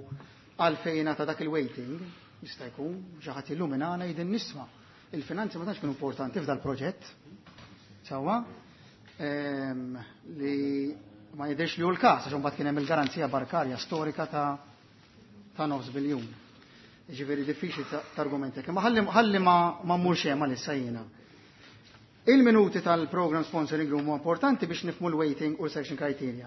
F: għalfejn ta' dak il-waiting, jista' jkun xi ħadd illuminana jidin nisma'. Il-finanzi ma tantx kienu importanti f'dal proġett. Sewwa? Li ma jidhirx li hu l-każ għax imbagħad kien hemm il-garanzija bankarja storika ta' nofs biljun. Jiġifieri diffiċli targumenta. Imma ħalli ma mmurx hemm għalissa jiena. Il-minuti tal-program sponsoring room huwa importanti biex nifmu l-weighting u l-selection criteria.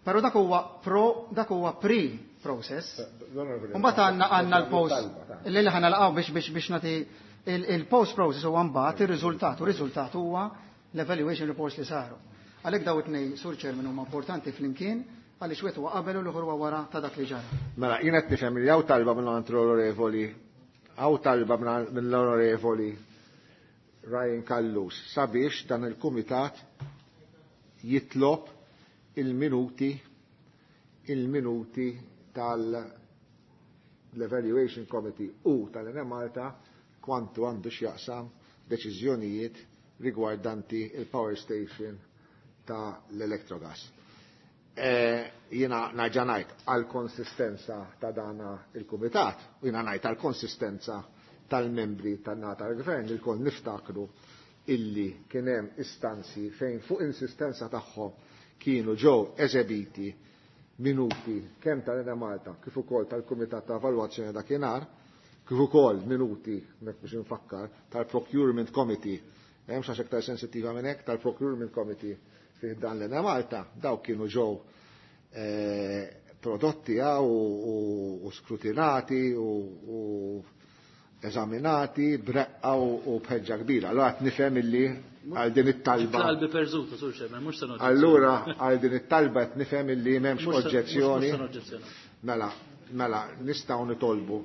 F: Però dak huwa pro dak huwa pre-process. Mbagħad għandna l-post li ħa nalqgħu biex nagħti il-post process huwa mbagħad ir-riżultat, u r-riżultat huwa l-evaluation reports li saru. Għalhekk daw it-tnejn, Sur Chairman, huma importanti flimkien għaliex wieħed huwa qabel u l-ieħor huwa wara ta' dak li ġara.
B: Mela, jien qed nifhem li hawn talba mill-onorevoli, hawn talba mill-onorevoli Ryan Callus sabiex dan il-kumitat jitlob il-minuti il-minuti tal-Evaluation Committee u tal-Enemalta kwantu għandu x'jaqsam deċiżjonijiet rigwardanti il-power station ta' l-Electrogas. Jiena nerġa' ngħid għall-konsistenza ta' dana il-kumitat, u jiena ngħid għall-konsistenza tal-membri tan-nata tal-gvern li lkoll niftakru illi kien hemm istanzi fejn fuq insistenza tagħhom kienu ġew eżebiti minuti kemm tal-Enemalta kif ukoll tal-Kumitat ta' Evalwazzjoni dakinhar, kif ukoll minuti, hekk biex infakkar, tal-Procurement Committee, hemm xi aktar sensittiva minn hekk, tal-Procurement Committee fih dan l-Enemalta, daw kienu ġew prodotti u skrutinati u eżaminati b'reqqa u b'ħeġġa kbira. Allura qed nifhem illi għal din it-talba.
C: Qalbi perżuta, Sur Chairman, mhux se noġġezzjoni.
B: Allura għal din it-talba qed nifhem illi m'hemmx oġġezzjoni.
C: Mhux se noġġezzjoni.
B: Mela, mela, nistgħu nitolbu.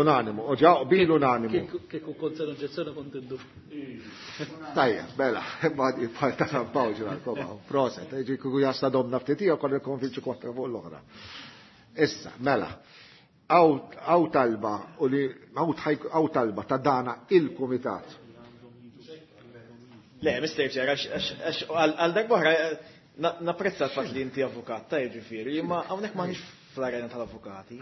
B: Unanimu, u ġa bil unanimu.
C: Kieku kont se noġġezzjoni kont indu.
B: Tajjeb, mela, imma bħal ta' San Pawl ġurnal, proset, ġi kieku jasta domna ftit ieħor konna nikkonvinċu kontra fuq l-oħra. Issa, mela, għaw talba u li għaw talba ta' dana il-kumitat.
H: Le, Mr. Chair, għax għal darba napprezza l-fatt li inti avukat, ta' jiġifieri, imma hawnhekk m'għandix fl-arena tal-avukati.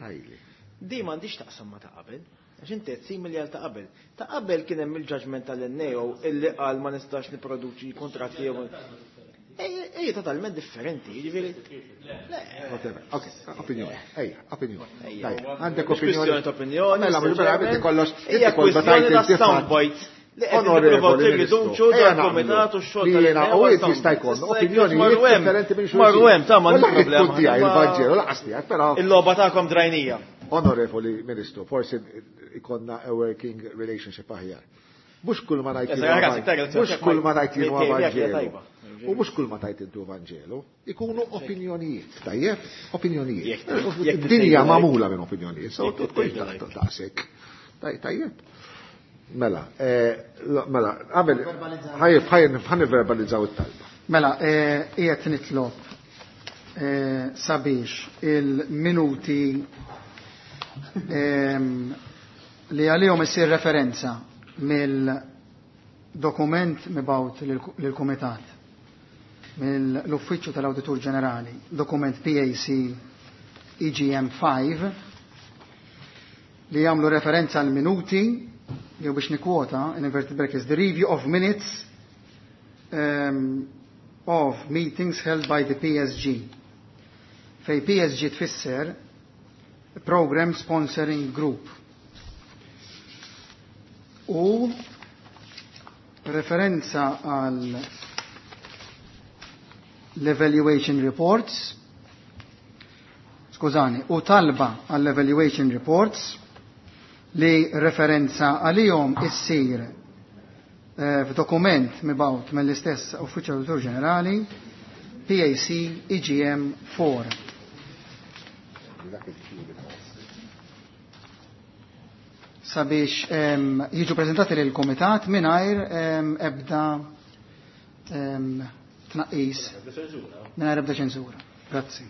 H: Di m'għandix taqsam ma ta' qabel, għax inti qed simili għal ta' qabel. Ta' qabel kien hemm il-judgment tal-NAO illi qal ma nistax nipproduċi kontratti jew Ej, totalment differenti, jiġifieri.
B: Whatever. Ok, opinjoni. Ejja, opinjoni. Daj, għandek
H: Mhux
B: opinjoni.
H: kwistjoni ta' opinjoni,
B: Mela, mhux vera, inti kollox,
H: Hija
B: inti kollox
H: kwistjoni
B: tajt
H: ta'
B: il-tifat.
H: soundbites. Li qed
B: Onorevoli
H: nippruvaw
B: Ministru,
H: tirriduċu
B: ejja
H: dan
B: naqblu
H: il-kumitat u x-xogħol
B: li jiena
H: tal-NAO
B: u inti
H: soundbites.
B: jista' jkollna
H: Issa jekk
B: opinjonijiet
H: marru hemm,
B: differenti minn xulxin.
H: Marru hemm, ta' m'għandix
B: Wallahi
H: problema.
B: tkun tiegħi
H: Imma
B: il-Vanġelu, laqas tiegħek, però
H: Il-logħba tagħkom drajnija.
B: Onorevoli Ministru, forsi ikonna a working relationship aħjar. Mhux kull ma ngħid
H: Eżatt,
B: jien
H: ragazzi, tajba,
B: mhux kull ma ngħid jien huwa
H: tajba,
B: Vanġelu.
H: tajba.
B: U mhux kull ma tajt intu Vanġelu, ikunu opinjonijiet, tajjeb? Opinjonijiet.
H: Jekk jekk
B: Id-dinja
H: tgħidu
B: magħmula minn opinjonijiet, so
H: Jekk
B: tkunx
H: tgħidu hekk.
B: daqshekk. Tajjeb. Mela, mela, qabel, ħajjeb, ħajjeb, ħan verbalizzaw it-talba.
F: Mela, qiegħed nitlob sabiex il-minuti li għalihom isir referenza mill-dokument mibgħut lill-Kumitat mill-Uffiċċju tal-Awditur Ġenerali, dokument PAC EGM 5, li jagħmlu referenza għal minuti, jew biex nikwota, in inverted brackets, the review of minutes of meetings held by the PSG. Fej PSG tfisser Program Sponsoring Group. U referenza għal l-evaluation reports, skużani, u talba għall evaluation reports li referenza għalihom issir f'dokument mibgħut mill-istess Uffiċċju Awditur Ġenerali PAC EGM 4. Sabiex jiġu prezentati lil komitat mingħajr ebda tnaqqis, mingħajr ebda ċensura. Grazzi.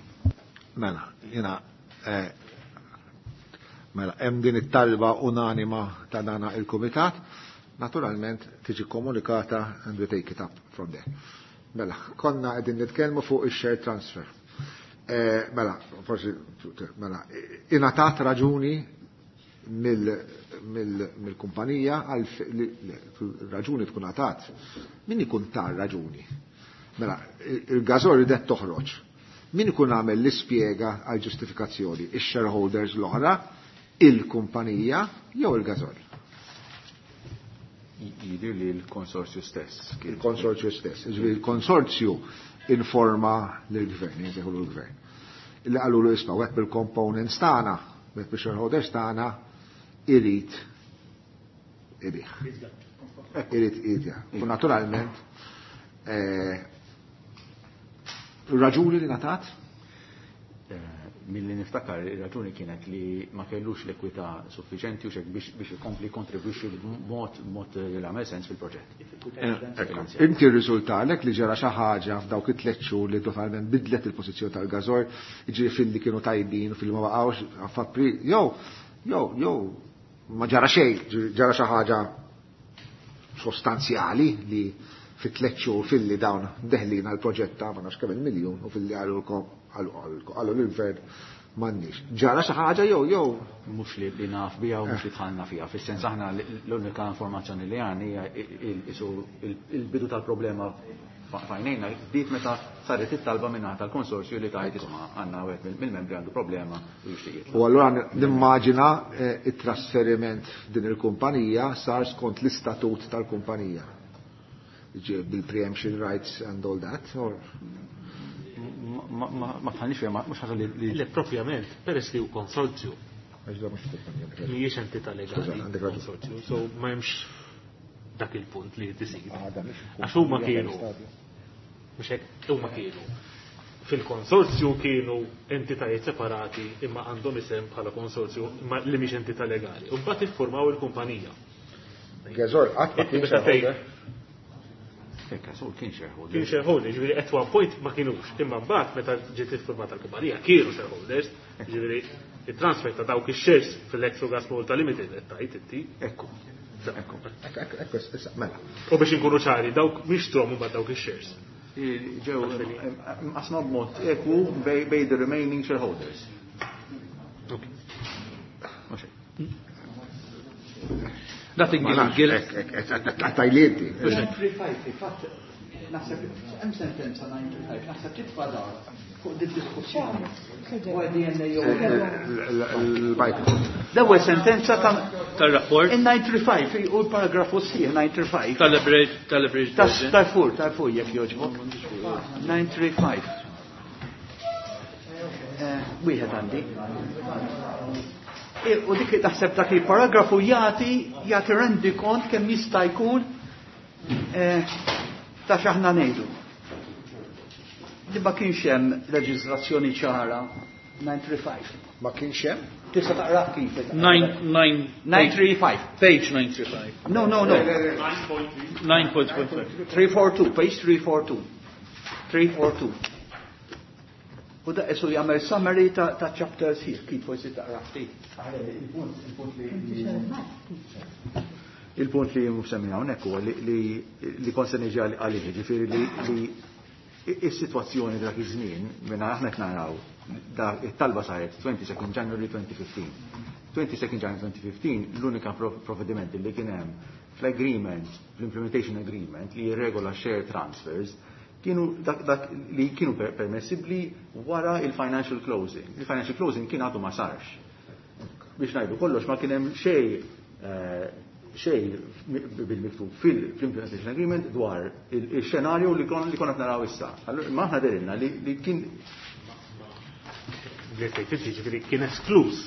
B: Mela, jiena mela, hemm din it-talba unanima ta' dana il-kumitat. Naturalment tiġi komunikata and we take it up from there. Mela, konna qegħdin nitkellmu fuq ix-share transfer. Eh, mela, forsi, mela, ingħatat raġuni mill-kumpanija għal raġuni tkun għatat. Min ikun tar raġuni? Mela, il-Gasol ridet toħroġ. Min ikun għamel l-ispjega għal ġustifikazzjoni? Ix-shareholders l-oħra, il-kumpanija jew il-Gasol?
I: Jidir li l-konsorzju stess.
B: Il-konsorzju stess. Ġifieri il-konsorzju informa lill-gvern, jgħidu l-gvern. Illi qalu lu isma' wieħed bil-components tagħna, wieħed bil-shareholders tagħna irid ibih. Irid irid. U naturalment raġuni li ngħatat?
I: Milli niftakar ir-raġuni kienet li ma kellux l-ekwità suffiċenti u xek biex ikompli kontribwixxi b'mod mod li għamel sens fil-proġett.
B: Inti rriżultalek li ġara xi ħaġa f'dawk it-tliet xhur li totalment bidlet il-pożizzjoni tal-Gasol, jiġifieri filli kienu tajbin u filli ma baqgħux f'April, jew jew jew ma ġara xejn, ġara xi ħaġa sostanzjali li fit tliet xhur filli dawn deħlin għal proġett ta' ma nafx kemm il-miljun u filli qalulkom qalu lill-gvern m'għandniex. Ġara xi ħaġa jew jew
I: Mhux li naf biha u mhux li dħalna fiha. Fis-sens aħna l-unika informazzjoni li għandna hija il-bidu tal-problema f'għajnejna bdiet meta saret it-talba minn tal-konsorzju li tajt isma' għandna wieħed mill-membri għandu problema u jixtieq jitlaq.
B: U allura nimmaġina it-trasferiment f'din il-kumpanija sar skont l-istatut tal-kumpanija. Bil-preemption rights and all that, or?
I: Ma tħallix fiha, mhux ħaġa li
E: Le, propjament, peress li hu konsorzju.
B: Għax da mhux kumpanija.
E: Mhijiex entità legali.
B: Skuża, għandek raġun.
E: Konsorzju, so ma hemmx dak il-punt li tisir.
B: Ah, da mhux
E: Għax huma kienu. Mhux hekk, huma kienu. Fil-konsorzju kienu entitajiet separati imma għandhom isem bħala konsorzju imma li mhix entità legali. U mbagħad iffurmaw il-kumpanija.
B: Gasol, qatt ma
E: Inti
B: kien
E: meta tgħid
B: shareholder.
I: Gasol kien shareholder.
E: Kien shareholder, ġifieri at one point ma kienux. Imma mbagħad meta ġiet iffurmata l-kumpanija kienu shareholders, ġifieri il-transfer ta' dawk ix-shares fil-Electrogas Malta Limited qed tgħid inti.
I: Ekku. Ekku.
B: Ekku, ekku, issa, mela.
E: U biex inkunu ċari, dawk mhix trom mbagħad dawk ix-shares.
I: Ġew mqasma b'mod ekwu bej the remaining shareholders. Mhux hekk.
C: Nothing
B: Ma
C: gives
B: nafx,
C: guilt.
B: ek, ek, ek, ek, tajlieti.
D: 935, fatt, naħseb, hemm sentenza 935, naħseb titfa' dar fuq din diskussjoni. Dwar DNA jew
B: Il-microphone.
D: L-ewwel sentenza ta'
C: Tal-rapport.
D: In 935, u l-paragrafu sieħ 935.
C: Tal-average, tal-average version.
D: Tal-fur, tal-fur jekk jogħġbok. 935. Wieħed għandi. U dik taħseb dak il-paragrafu jagħti rendi kont kemm jista' jkun ta' x'aħna ngħidu. Li ma kienx hemm leġiżlazzjoni ċara 935.
B: Ma kienx hemm?
D: Tista' taqra kif?
C: Nine, nine,
D: 935.
C: Page 935.
D: No, no, no.
C: 9.15.
D: 342, page 342. 342. U da isu jagħmel summary ta' chapters here, kif forsi taqra ftit.
I: Il-punt li msemmi hawnhekk huwa li kont se niġi għalih, ġifieri li is-sitwazzjoni dak iż-żmien minn aħna qed naraw it-talba saret 22 January 2015. 22 January 2015 l-unika provvediment li kien hemm fl-agreement, fl-implementation agreement li jirregola share transfers kienu dak li kienu permessibbli wara il-financial closing. Il-financial closing kien għadu ma sarx. Biex ngħidu kollox ma kien hemm xejn bil-miktub fil-implementation agreement dwar il-xenarju li konna naraw issa. Allura, ma aħna derilna li kien
E: Li tgħid inti, ġifieri kien esklus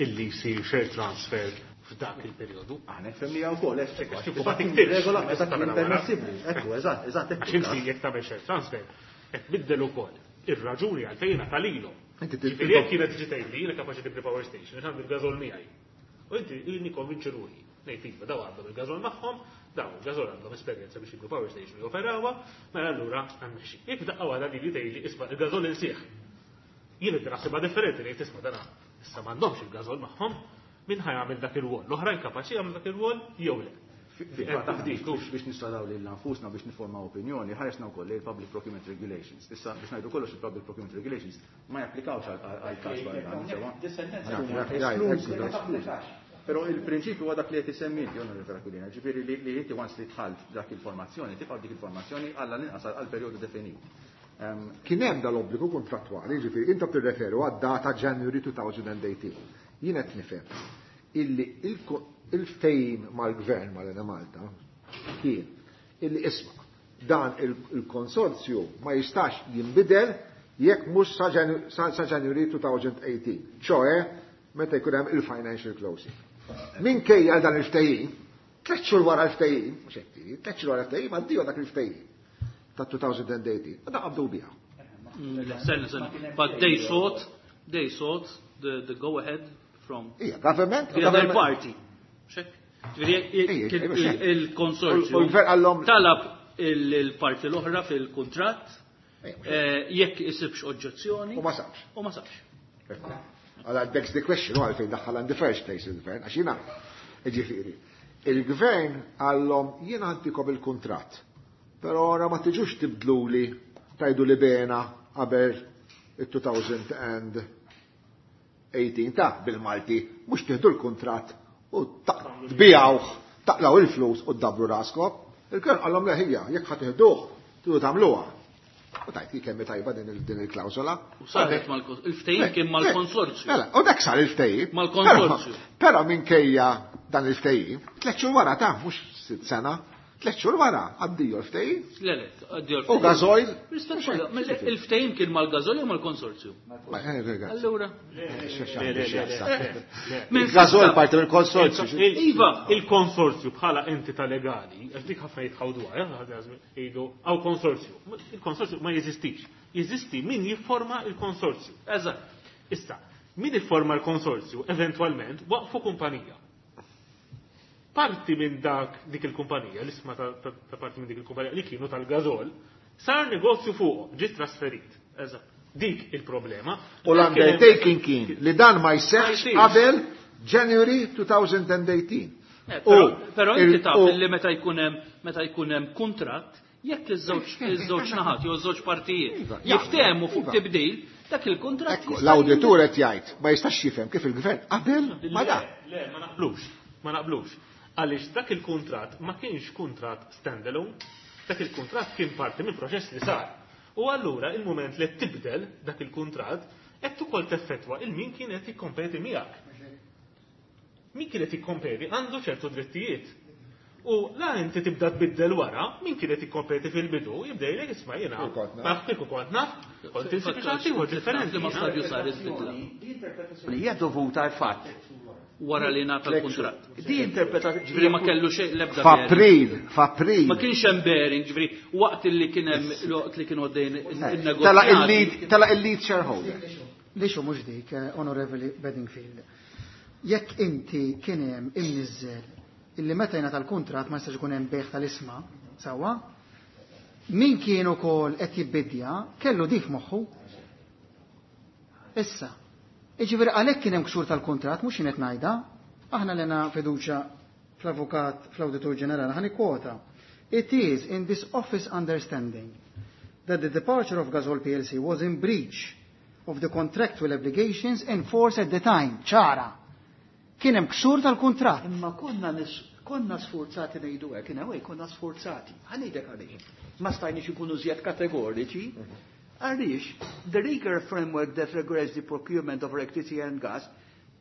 E: illi jsir share transfer f'dak il-perjodu.
I: Aħna fehmniha wkoll, hekk,
E: Għax
I: għax
E: kieku
I: kif
E: ma
I: kien
E: tiktibx,
I: regola
E: ma
I: eżatt
E: tista'
I: kien
E: tagħmel wara.
I: permessibbli. Ekku, eżatt, eżatt, ekku.
E: Għax inti jekk tagħmel share transfer, qed tbiddel ukoll ir-raġuni għalfejn ngħata lilhom.
B: Inti
E: Ġifieri jekk kienet tiġi tgħidli, jiena kapaċi tibni power station, għax għandi l-gażol miegħi. U inti ilni konvinċi ruħi. Ngħid iva, daw għandhom il-gażol magħhom, daw il-gażol għandhom esperjenza biex jibnu power station joperawha, mela allura għandna Jekk daqqa waħda li tgħidli isma' il-gażol insieħ. Jien qed naħsibha differenti ngħid isma' dana issa m'għandhomx il-gażol magħhom, min ħa jagħmel dak ir-rwol? L-oħrajn kapaċi jagħmlu dak ir-rwol jew le.
I: Biex nistradaw lil nfusna biex niformaw opinjoni, ħaresna wkoll il-Public Procurement Regulations. Issa biex ngħidu kollox il-Public Procurement Regulations ma japplikawx għal każ barra. Però il-prinċipju huwa dak li qed isemmi inti, Onorevole Aquilina, ġifieri li inti once li dħalt dak il-formazzjoni, tibqa' dik il-formazzjoni għall inqas għal perjodu definit.
B: Kien hemm dal-obbligu kontrattwali, ġifieri intom tirreferu għad-data January 2018. Jien qed nifhem illi il-ftehim mal-gvern mal-Enemalta kien illi isma' dan il-konsorzju ma jistax jinbidel jekk mhux sa January 2018, ċoe meta jkun hemm il-financial closing. Minkejja dan il-ftehim, 3 xhur wara l-ftehim, mhux hekk tiġi, 3 xhur wara l-ftehim għaddiha dak il-ftehim ta' 2018, u da qabdu biha.
C: Senna, senna. But they sought the go ahead from
B: Ija, government,
C: the other
B: government.
C: party. Xek? Ġifieri,
B: Ija, ija,
C: il-konsorzju
B: U l-gvern għallhom
C: talab il-parti l-oħra fil-kuntratt,
B: Ija,
C: jekk isibx oġġezzjoni.
B: U ma sabx.
C: U ma sabx.
B: Għala, begs the question, u għalfejn daħħal in the first place il-gvern, għax jiena, ġifieri, il-gvern għallhom jiena għantikom il-kuntratt, però ora ma tiġux tibdluli tajdu li bena qabel il-2018 ta' bil-Malti, mhux tieħdu l-kuntratt u tbijawh, taqlaw il-flus u tdabbru raskom. Il-gvern għallhom leħija, jekk ħa tiħduh, tridu tagħmluha. U tajt ki kemm tajba din il-klawsola.
C: U saret il-ftehim kien mal-konsorzju.
B: Mela, u dak sar il-ftehim.
C: Mal-konsorzju.
B: Però minkejja dan il-ftehim, 3 xhur wara ta' mhux 6 sena, 3 xhur wara għaddiju l-ftehim.
C: Le, le, għaddiju
B: U
C: l-ftehim.
B: gażoil.
C: Rispett kollha, mela, il-ftehim kien mal-gażoil jew mal-konsorzju?
B: Ma, eh,
C: Allura.
B: Le, Il-gażoil parti mill-konsorzju.
C: Iva.
E: Il-konsorzju bħala entità legali, għax dik ħafna jitħawduha, jgħidu għaw konsorzju. Il-konsorzju ma jeżistix. Jeżisti min jifforma il-konsorzju.
C: Eżatt.
E: Issa, min jifforma l-konsorzju eventualment waqfu kumpanija. Parti minn dak dik il-kumpanija, l-isma ta' parti minn dik il-kumpanija li kienu tal-gażol, sar negozju fuqhom, ġie trasferit.
C: Eżatt.
E: Dik il-problema.
B: U l-undertaking kien li dan ma jseħħx
E: Ma jsirx.
B: qabel January 2018.
C: Però inti taf li meta jkun hemm kuntratt, jekk iż-żewġ naħat jew iż-żewġ partijiet
B: Iva,
C: jiftehmu fuq
B: iva.
C: tibdil, dak il-kuntratt
B: Ekku,
C: jista'
B: l-awditur qed jgħid ma jistax jifhem kif il-gvern qabel ma da.
E: Le, ma naqblux, ma naqblux. Għaliex dak il-kuntratt ma kienx kuntratt standalone, dak il-kuntratt kien parti minn proċess li sar. U allura il-moment li tibdel dak il-kuntratt qed ukoll teffettwa il min kien qed jikkompeti miegħek. Min kien qed jikkompeti għandu ċertu drittijiet. U la inti tibda tbiddel wara, min kien qed jikkompeti fil-bidu, jibda jgħidlek isma' jiena.
B: Kieku kont naf.
E: Naf kieku kont naf, kont insib xi ħadd ieħor differenti.
C: Li ma stadju sar il-bidla.
D: Hija dovuta għal fatt.
C: Wara li ngħata l-kuntratt.
D: Di interpretazzjoni.
C: Ġifieri ma kellu xejn l-ebda
B: F'April,
C: bearing.
B: f'April.
C: Ma kienx hemm bearing, ġifieri waqt li kien hemm waqt li kienu għaddejn in-negozjati.
B: Tela il-lead shareholder.
F: Lixu mhux dik, Onorevoli Bedingfield. Jekk inti kien hemm imniżżel illi meta jingħata l-kuntratt ma jistax ikun hemm bejgħ tal-isma, sewwa, min kien ukoll qed jibbidja kellu dik moħħu. Issa, jiġifieri għalhekk kien hemm ksur tal-kuntratt mhux jien qed ngħidha, aħna lena fiduċja fl-avukat fl-Awditur Ġenerali ħa nikkwota. It is in this office understanding that the departure of Gasol PLC was in breach of the contractual obligations in force at the time. ċara. Kien hemm ksur tal-kuntratt.
D: Imma konna sforzati ngħidu hekk, in a way konna sforzati. Ħa ngħidlek għaliex. Ma stajniex ikunu żjed kategoriċi. Għaliex, the legal framework that regulates the procurement of electricity and gas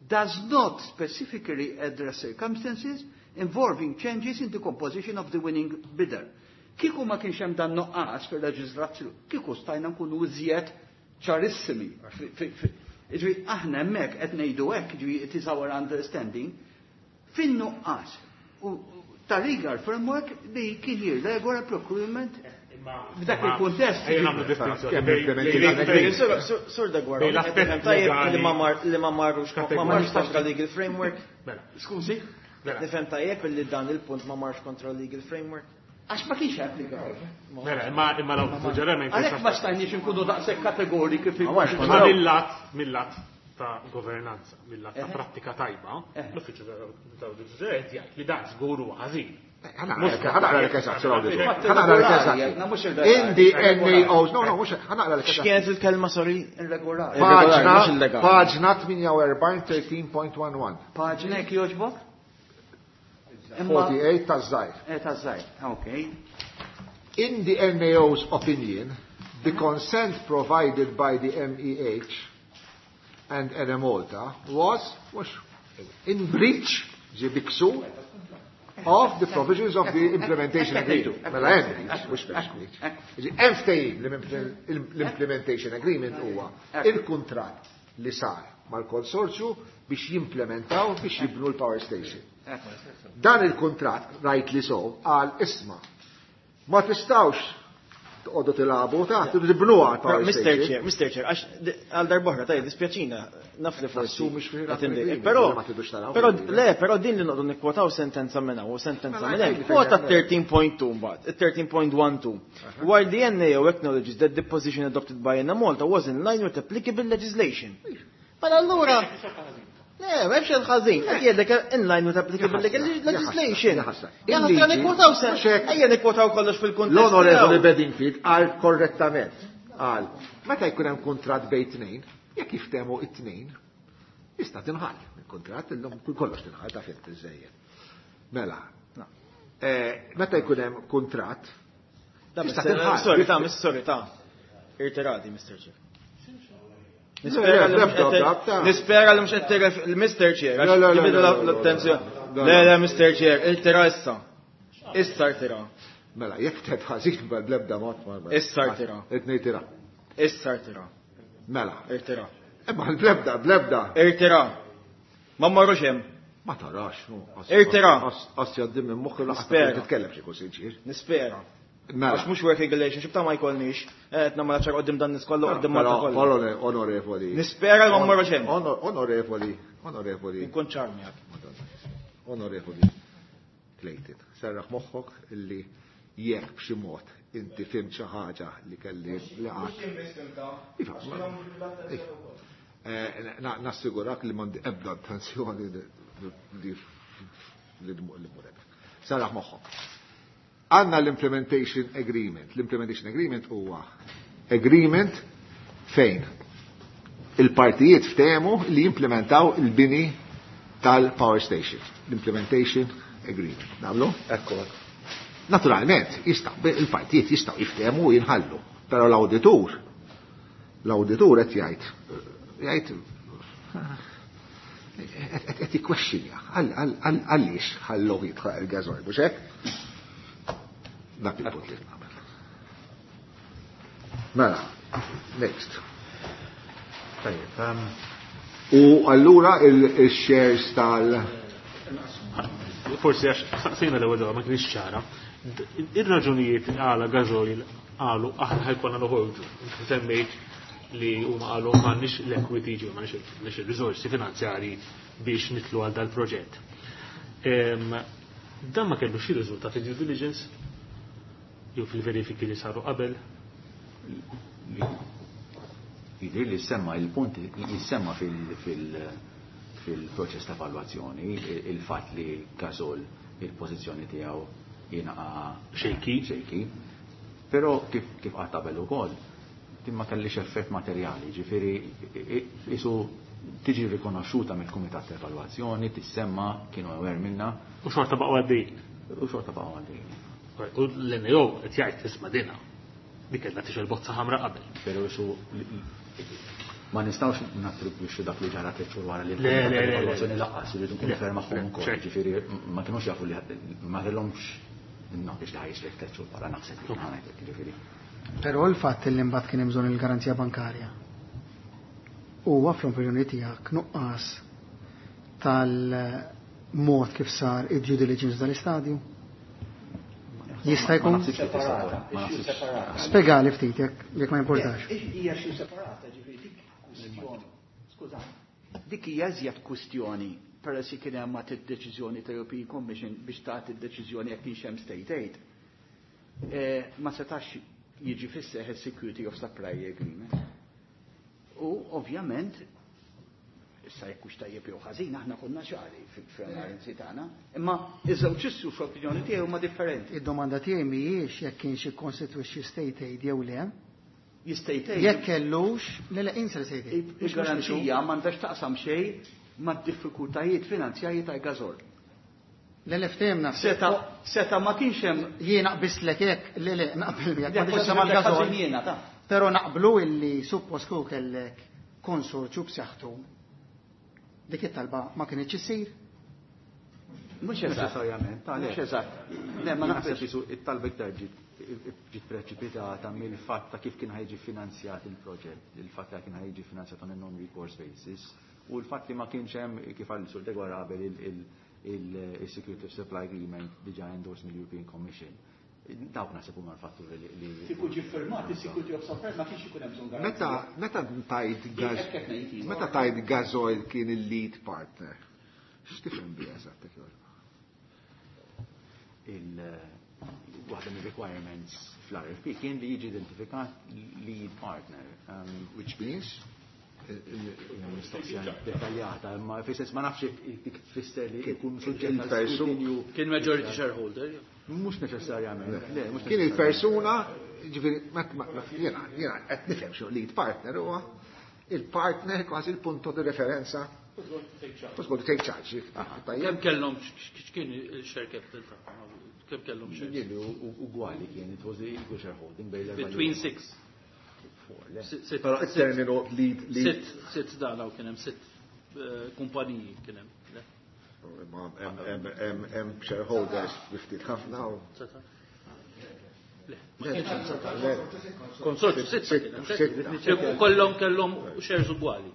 D: does not specifically address circumstances involving changes in the composition of the winning bidder. Kieku ma kienx hemm dan nuqqas fil-leġiżlazzjoni, kieku stajna nkunu iżjed ċarissimi. Ġifieri aħna hemmhekk qed ngħidu hekk, ġifieri it is our understanding, fin-nuqqas ta' legal framework li kien jirregola procurement f'dak il-kuntest.
E: Ejja nagħmlu distinzjoni.
B: Kemm implementi dan il-green.
H: Sur Dagwar,
E: Bejn l-aspett
H: tajjeb
E: legali-
H: li ma mar li ma marrux ma marrux kontra legal framework.
E: Mela,
D: Skużi?
E: mela,
H: Nifhem tajjeb li dan il-punt ma marx kontra legal framework.
D: Għax ma kienx applikaw.
E: mela, imma l-awditur ġenerali ma
D: Għalhekk ma
E: jistax.
D: stajniex inkunu daqshekk kategoriki fil
H: Ma marx
E: Ma mill-lat, mill-lat ta' governanza, mill-lat ta' prattika tajba, l-Uffiċċju tal-Awditur Ġenerali jgħid li dan żgur huwa ħażin.
B: Ħa naqra lek eżatt, Sir Auditor. Ħa naqra lek eżatt. In the NAOs, no, no, mhux ħa naqra lek eżatt.
H: X'kienet il-kelma, sorry?
D: Irregolari.
B: Paġna, paġna 48, 13.11.
D: Paġna jekk jogħġbok?
B: 48 taż-żgħir.
D: Eh, taż-żgħir, okay.
B: In the NAO's opinion, the consent provided by the MEH and Enemalta was, was in breach, ġie bi ksur, of the provisions of the implementation agreement. Mela hemm breach, mhux breach. Hemm ftehim l-implementation agreement huwa il-kuntratt li sar mal-konsorzju biex jimplementaw biex jibnu l-power station. Dan il-kuntratt, rightly so, qal isma', ma tistgħux toqogħdu tilagħbu ta' tibnuha l-power
H: Mr.
B: station.
H: Chair, Mr. Chair, għax għal darb'oħra, tajjeb, dispjaċina, naf li forsi.
B: Tassumi x'fih
H: qed indejjek.
B: agreement,
H: Però,
B: ma tidux taraw
H: però,
B: fil-agreement.
H: le, però din li noqogħdu nikwotaw sentenza minn hawn u sentenza
B: Mela,
H: minn hemm.
B: għidli fejn
H: Kwota
B: hemm.
H: 13.2 mbagħad, 13.12. While the NAO acknowledges that the position adopted by Enemalta was in line with applicable legislation. Mela allura, le, ma hemmx il-ħażin, qed jgħidlek in line with applicable legislation.
B: Ja ħasra.
H: Ja ħasra
B: Il-liġi,
H: nikwotaw sen,
B: mhux hekk.
H: ejja nikwotaw kollox fil-kuntest.
B: L-Onorevoli
H: tiegħu.
B: Bedingfield qal korrettament. Qal, meta jkun hemm kuntratt bejn tnejn, jekk jiftehmu it-tnejn, jista' tinħall. Il-kuntratt illum kollox tinħall ta' fint iżejjed. Mela, meta jkun hemm kuntratt,
H: Ta'
B: jista'
H: Mr.
B: tinħall.
H: Sorry, ta' sorry, ta' Irtirati, Mr. Chair.
B: Le,
H: Nispera li
B: le,
H: mhux qed-
B: le, le,
H: Nispera li mhux qed tirref- il-Mr. Chair, għax
B: Le, le, le,
H: jibidlu
B: le, le, le,
H: l-attenzjoni.
B: le,
H: Le,
B: le.
H: le, Mr. Chair, irtira issa. Issa irtira.
B: Mela, jekk ted ħażin bl-ebda mod ma.
H: Issa irtira.
B: Itnejn tira.
H: Issa irtira.
B: Mela.
H: Irtira.
B: Imma bl-ebda, bl-ebda.
H: Irtira. Ma mmorrux hemm.
B: Ma tarax, no.
H: Irtira.
B: Qas jgħaddi minn moħħi laqas
H: Nispera.
B: titkellem xi jkun sinċir.
H: Nispera.
B: Mela.
H: Għax mhux working relationship ta' ma jkollniex. Qed nagħmel ċar qudiem dan nies kollu qudiem Malta
B: Però,
H: kollha.
B: Onorevoli.
H: Nispera li ma mmorrux hemm.
B: Onorevoli, onorevoli.
H: Inkun ċar miegħek.
B: Onorevoli Clayton, serraħ moħħok illi jekk b'xi mod inti fhimt xi ħaġa li kelli li qatt. Iva, iva. Nassigurak li m'għandi ebda intenzjoni li li li mur hekk. Serraħ moħħok. Għandna l-implementation agreement. L-implementation agreement huwa agreement fejn il-partijiet ftehmu li jimplementaw il-bini tal-power station. L-implementation agreement. Nagħmlu?
H: Ekku.
B: Naturalment, il-partijiet jistgħu jiftehmu u jinħallu. Però l-awditur qed jgħid qed jikkwestjonja għaliex ħallu jidħol il-gażoil, mhux hekk? Dak il-punt li nagħmel. Mela, next.
G: Tajjeb,
B: U allura il-shares tal-
E: Forsi għax saqsejna l-ewwel darba ma kienx ċara. Ir-raġunijiet għala gażoil qalu aħna ħa jkollna noħorġu. Inti semmejt li huma qalu m'għandniex l-equity, ġew m'għandniex il-riżorsi finanzjarji biex nitlu għal dal-proġett. Dan ma kellux xi riżultat fi due diligence jew fil-verifiki li saru qabel?
I: Jidher li semma il-punt jissemma fil-proċess ta' evalwazzjoni il-fatt li Gasol il-pożizzjoni tiegħu jingħaqa
E: Shaky.
I: Shaky. Però kif qatt qabel ukoll, din ma kellix effett materjali, ġifieri isu tiġi rikonoxxuta mill-kumitat ta' evalwazzjoni, tissemma, kienu aware minna.
E: U xorta baqgħu għaddejjin.
I: U xorta baqgħu għaddejjin.
E: U l-NAO qed jgħid isma' dina. Dik kellha tixgħel bozza ħamra qabel.
I: Però isu ma nistgħux nattribwixxu dak li ġara tliet xhur wara li
E: Le, le, le, le.
I: l-evalwazzjoni lanqas, irridu nkunu
E: Le.
I: fair magħhom ukoll.
E: Ċert.
I: Ġifieri ma kinux jafu li ma kellhomx knowledge li ħa jiġri tliet xhur wara naħseb li ħa ngħidlek, ġifieri.
F: Però l-fatt li mbagħad kien hemm bżonn il-garanzija bankarja huwa fl-opinjoni tiegħek nuqqas tal-mod kif sar id-due diligence dal-istadju? Jista' jkun?
I: Ma naħsibx li tista' tkun, ma naħsibx.
F: Spjegali ftit jekk ma importax.
D: Hija xi separata, ġifieri dik kwistjoni. Skuża. Dik hija iżjed kwistjoni peress li kien hemm id-deċiżjoni ta' European Commission biex tagħti d-deċiżjoni jekk kienx hemm state aid. Ma setax jiġi fis-seħħ Security of Supply Agreement. U ovvjament Issa jekk hux tajjeb jew ħażin aħna konna ċari fl-analiżi tagħna, imma iż-żewġ issues fl-opinjoni tiegħi huma differenti.
F: Id-domanda tiegħi mhijiex jekk kienx jikkonstitwixxi state aid jew le.
D: Jista' aid.
F: Jekk kellux, le le insa state aid.
D: Il-garanzija m'għandax taqsam xejn mad-diffikultajiet finanzjarji tal-Gasol.
F: Le le ftehimna.
D: Seta seta ma kienx hemm.
F: Jiena qbislek hekk, le le naqbel miegħek.
D: Le forsi mal-Gasol. Jiena ta.
F: Però naqblu illi suppost kieku kellek konsorzju b'saħħtu dik it-talba ma kinitx issir.
D: Mhux eżatt. Mhux eżatt.
I: Le ma naħseb isu it-talba iktar ġiet ġiet preċipitata mill-fatt ta' kif kien ħajġi finanzjat il-proġett, il-fatt li kien ħajġi finanzjat on a non-recourse basis u l-fatt li ma kienx hemm kif qal Sur Degwara qabel il-Security of Supply Agreement diġà endorsed mill-European Commission. Dawk naħseb huma l-fatturi li.
D: Kieku ġie ffirmat is-Security of Supply ma kienx ikun hemm bżonn garanzija.
B: Meta meta tajt meta tajt Gasoil kien il-lead partner, x'tifhem biha eżatt jekk jogħġbok?
I: Il waħda mir-requirements fl-RFP kien li jiġi identifikat lead partner.
B: Which means?
I: Mistoqsija dettaljata, imma fis-sens ma nafx jekk dik tfisser li jkun suġġett għal skrutinju.
C: Kien majority shareholder.
I: Mhux neċessarjament. Le, mhux
B: Kien il-persuna, ġifieri, jiena jiena qed nifhem xi lead partner huwa il-partner kważi il-punto di referenza. Who's going to take charge?
C: Kemm kellhom x'kien il-share capital tagħhom? Kemm kellhom shares?
I: Jien ugwali kien, it was equal shareholding bejn l-erba'
C: Between six.
B: Però it-terminu lead lead.
C: Sitt, sitt dalaw kien hemm sitt kumpaniji kien hemm.
B: Hemm shareholders bi ftit ħafna u.
C: Le, ma kienx hemm seta'. Konsorzju sitt kien hemm. Kollhom kellhom shares ugwali.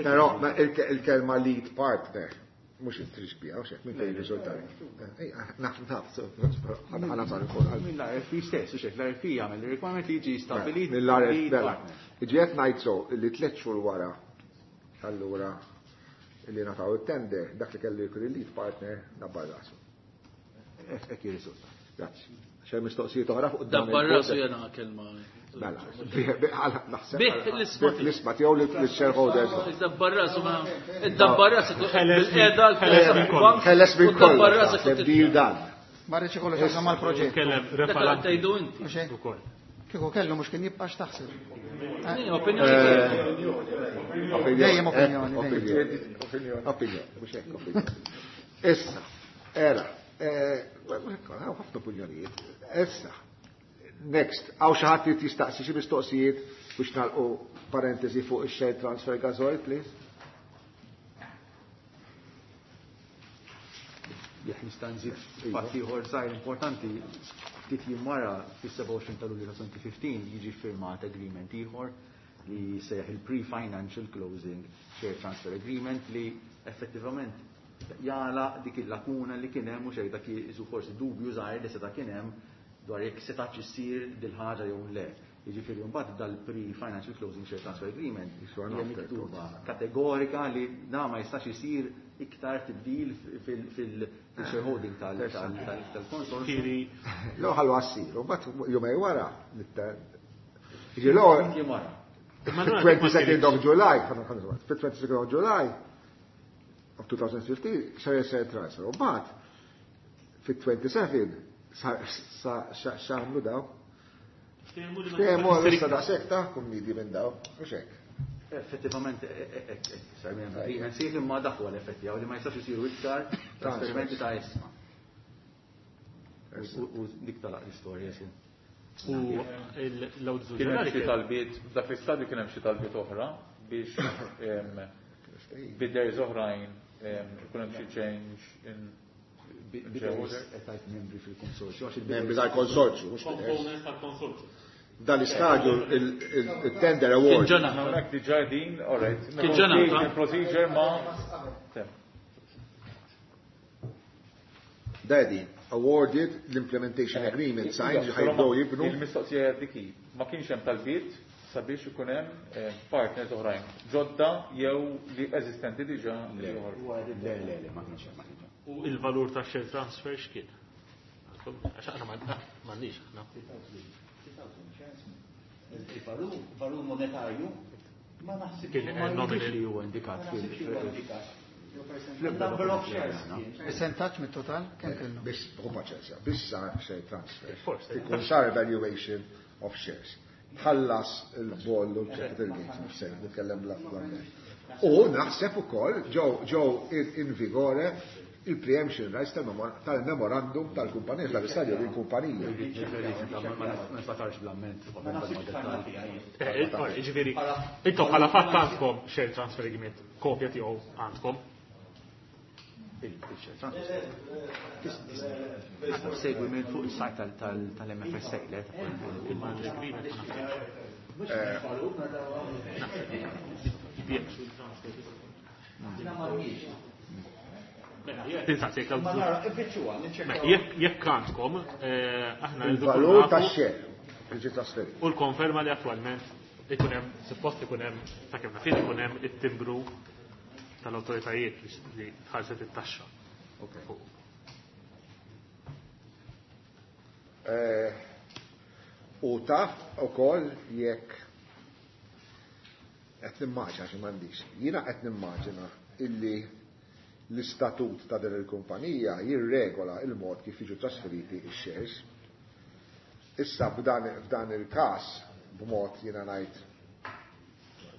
B: Però il-kelma lead partner mhux intrix biha, u xek, minn fejn riżultati. Naf, naf, ħana sar ukoll.
I: Mill-RFP stess, u xek, l-RFP jagħmel il-requirement li jiġi stabbilit.
B: Mill-RFP, mela. Jiġi qed ngħid so li tliet xhur wara allura li nataw it-tender, dak li kellu jkun il-lead partner dabbar rasu.
I: Hekk jirriżulta.
B: Grazzi. Xejn mistoqsijiet oħra fuq dan.
C: Dabbar rasu jena kelma.
B: Mela, naħseb.
C: Bih l-isma
B: L-isma tiegħu lill-shareholders.
C: Dabbar rasu ma. Dabbar rasu bil-qiegħda l-bank.
B: Ħeles minn kollox. Deal dan.
F: Ma rridx ikollu x'jaqsam mal-proġett.
E: Kellem refalanti.
C: Tgħidu inti.
E: Ukoll.
F: Kieku kellu mhux kien jibqa' x'taħseb.
C: Opinjoni.
F: Dejjem opinjoni.
B: Opinjoni. Opinjoni, mhux hekk opinjoni. Issa, era, ħafna opinjonijiet. Issa, next, hawn xi ħadd irid jistaqsi xi mistoqsijiet biex nagħlqu parentesi fuq ix-share transfer gasoil, please.
I: Jekk nista' nżid fatt ieħor żgħir importanti, ftit jiem wara fis-27 ta' Lulju ta' 2015 jiġi ffirmat agreement ieħor li jsejjaħ il-pre-financial closing share transfer agreement li effettivament jagħlaq dik il-lakuna li kien hemm u xejn dak isu forsi dubju żgħir li seta' kien hemm dwar jekk setax issir dil-ħaġa jew le. Jiġifieri mbagħad dal-pre-financial closing share transfer agreement hija miktuba kategorika li da ma jistax isir iktar tibdil fil-shareholding tal-konsorzju.
B: L ħallu għassir, u mbagħad jumej wara. Jiġi l-ewwel 22nd of July, 22nd of July of 2015, sar share transfer. U mbagħad fit-27 x'għamlu daw? Ftehmu għal daqshekk ta' kummidi minn daw, mhux hekk.
I: Effettivament, sar minn agreement sieħ imma dak huwa l-effetti li ma jistax isiru iktar trasferimenti ta' isma. U dik talaq l-istorja su.
E: U l-awditur
G: Kien hemm xi talbiet, f'dak l-istadju kien hemm xi talbiet oħra biex bidders oħrajn ikun hemm xi change in
I: Bidders qed tgħid membri fil-konsorzju, għax il-bidders
B: Membri tal-konsorzju, mhux bidders.
E: Components tal-konsorzju.
B: Dan l-istadju il-tender award.
C: Kien ġenata.
G: Hawnhekk diġà din, all right.
C: Kien ġenata.
G: Procedure ma.
B: Daddy, awarded l-implementation agreement signed li ħajbdew jibnu.
G: Il-mistoqsija dik hi, ma kienx hemm talbiet sabiex ikun hemm partners oħrajn, ġodda jew li eżistenti diġà li joħorġu.
I: Le, le, le, ma kienx hemm, ma kienx hemm.
E: U il-valur ta' share transfer x'kien? Għax aħna m'għandniex aħna.
D: Il-valur, valur monetarju. Ma naħsibx
E: Kien nominal.
I: li huwa indikat fil
F: Number of shares. Percentaġġ mit-total kemm kellu?
B: Biss, u paċenzja, biss sar share transfer.
E: Forse.
B: Ikun sar evaluation of shares. Tħallas il-boll u l-capital gains, mhux se nitkellem bl-ammont. U naħseb ukoll ġew in vigore il-preemption rights tal-memorandum tal-kumpanija, tal-istadju il-kumpanija.
I: Ma niftakarx bl-amment.
E: Ġifieri, intom bħala fatt għandkom share transfer agreement, kopja tiegħu għandkom.
I: Segwi minn fuq il-sajt tal-MFSA, le?
E: Tinsaqsik Jekk għandkom, aħna
B: Il-valur tax-share li ġie trasferit.
E: U l-konferma li attualment ikun hemm, suppost ikun hemm, sakemm naf jien ikun hemm it-timbru tal-awtoritajiet li tħallset it-taxxa.
B: U taf ukoll jekk qed nimmaġina xi m'għandix. Jiena qed nimmaġina illi l-istatut ta' din il-kumpanija jirregola il-mod kif jiġu trasferiti x-shares. Issa f'dan il-każ b'mod jiena ngħid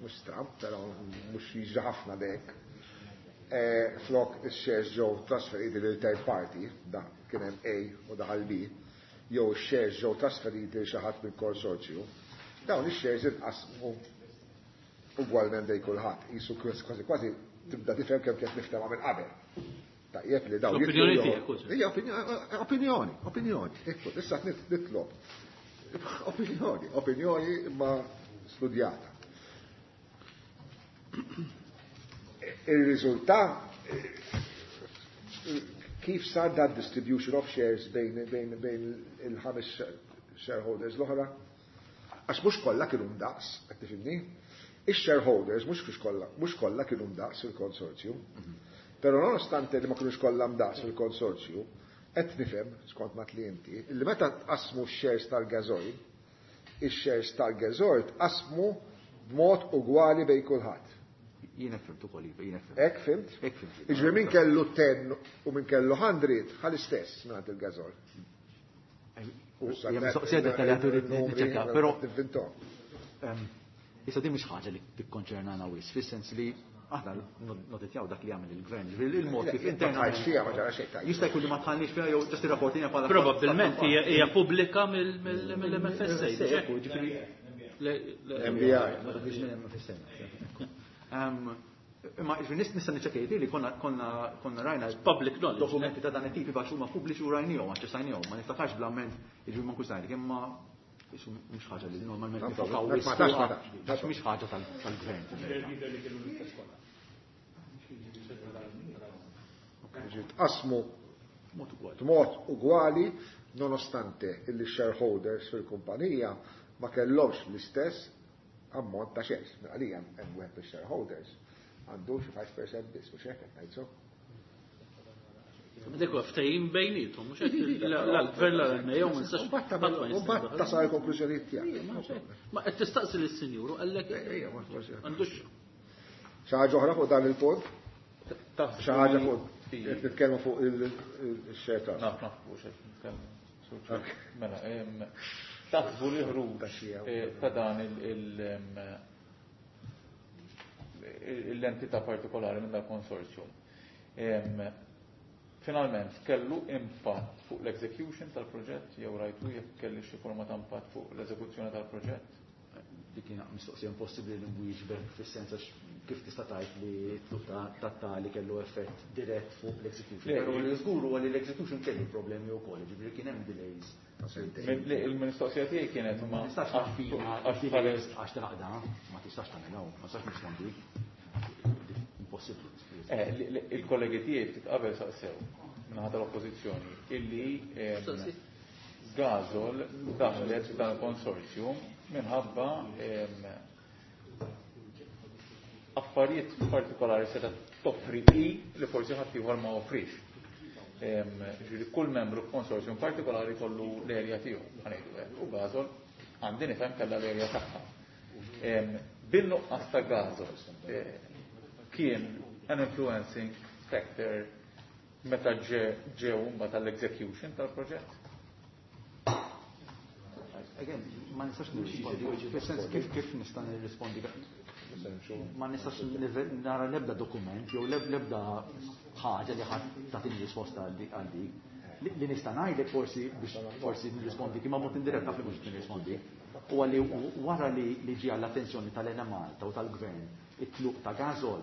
B: mhux stramb, però mhux jiġri ħafna dek. Flok ix-shares ġew trasferiti lil third party, da kien hemm A u daħal B, jew ix-shares ġew trasferiti lil xi ħadd mill-konsorzju, dawn ix-shares inqasmu ugwalment bejn kulħadd. Qisu kważi kważi tibda tifhem kemm kienet miftehma minn qabel. Tajjeb li dawn
C: L-opinjoni
B: jitlu
C: tiegħek, użu.
B: Hija opinjoni, opinjoni. Ekku, issa nitlob. Opinjoni, opinjoni imma studjata. Il-riżultat kif sar dat distribution of shares bejn il-ħames shareholders l-oħra? Għax mhux kollha kienu ndaqs, qed tifhimni? Ix-shareholders mhux kollha kienu ndaqs fil-konsorzju. Però nonostante li ma kinux kollha ndaqs fil-konsorzju, qed nifhem skont ma tli inti, li meta tqasmu x-shares tal-gażoil, ix-shares tal-gażoil tqasmu b'mod ugwali bejn kulħadd.
I: Jiena fhimt ukoll, iva, jiena fhimt.
B: Hekk fhimt?
I: Hekk fhimt.
B: Jiġifieri min kellu 10 u min kellu 100 ħal istess mingħand il-gażoil.
I: Hija mistoqsija dettaljata rrid niċċekkja, però
B: Tivvintom.
I: Issa din mhix ħaġa li tikkonċernana wis, fis-sens li aħna noditjaw dak li jagħmel il-gvern, ġifieri il-mod kif
B: Le,
I: internament
B: ma tħallx fiha, ma ġara xejn tajjeb.
I: Jista' jkun li ma tħallniex fiha jew ġast irrapportina bħala
C: Probabbilment hija pubblika mill-MFSA,
I: Ekku, ġifieri
C: Le, le,
B: MBI.
I: Ma tafx minn MFSA. Imma ġifieri nista' niċċekkja li konna rajna
C: Public knowledge.
I: dokumenti ta' dan it-tipi għax huma pubbliċi u rajnihom, aċċessajnihom, ma niftakarx bl-amment, jiġifieri ma nkunx ngħidlek, imma isu mhux ħaġa li normalment
B: Ma
I: nifokaw
B: ma
I: wisq
B: tax, ma
I: fuqha,
B: tax,
I: għax mhix ħaġa tal-gvern.
B: Tqasmu
I: Mod ugwali.
B: b'mod ugwali nonostante illi shareholders fil-kumpanija ma kellhomx l-istess ammont ta' shares. Mela għalija hemm wieħed fix-shareholders għandu xi 5% biss, mhux hekk qed ngħid so.
C: Dik huwa ftehim bejniethom, mhux hekk l-gvern la l-NAO ma nistax
B: U mbagħad
C: ħadd ma
B: tagħmel- u
C: jista'
B: mbagħad
C: jdaħħal.
B: tasal il-konklużjonijiet tiegħek.
C: Ma qed tistaqsi lis-sinjur u qallek
B: Ejja, ma forsi.
C: għandux
B: Xi ħaġa oħra fuq dan il-punt?
G: Taħsbu
B: Xi ħaġa
G: li
B: fuq qed nitkellmu fuq il-share transfer.
G: Naf, naf, fuq xejn nitkellmu. Mela, taħsbu li ħruġ ta' dan l-entità partikolari minn dal-konsorzjum. Finalment, kellu impatt fuq l-execution tal-proġett, jew rajtu jekk kelli xi forma ta' impatt fuq l-eżekuzzjoni tal-proġett?
I: Dik hija mistoqsija impossibbli li nwieġbek fis-sens għax kif tista' tgħid li t-tluq ta' tali kellu effett dirett fuq l-execution.
G: Le,
I: Però li żgur huwa li l-execution kellu problemi wkoll, jiġifieri kien hemm delays.
G: Il-mistoqsija tiegħi kienet
I: Ma
G: ma
I: tistax
G: għax
I: tagħfina
G: għax
I: delays
G: bħalis
I: għax tilaqda, ma tistax tagħmilha, ma tistax nirrispondi. Impossibbli.
G: Il-kollegi tiegħi ftit qabel saqsew minħabba tal-oppożizzjoni illi
C: Saqsi.
G: Gasol daħlet f'dan il-konsorzju minħabba affarijiet partikolari seta' toffri i li forsi ħadd ieħor ma offrix. Ġifieri kull membru f'konsorzjum partikolari kollu l-erja tiegħu, ħa ngħidu hekk, u Gasol għandi nifhem kellha l-erja tagħha. Bin-nuqqas ta' Gasol kien an influencing factor meta ġew mbagħad tal-execution tal-proġett?
I: Again, ma nistax nirrispondi, fis-sens kif nista' nirrispondi? Ma nistax nara l-ebda dokument jew l-ebda ħaġa li ħadd tagħtini risposta għal dik. Li nista' ngħidlek forsi biex forsi nirrispondi kif ma mod indirett naf li mhux nirrispondi. Huwa li wara li ġie għall-attenzjoni tal-Enemalta u tal-Gvern it-tluq ta' Gasol,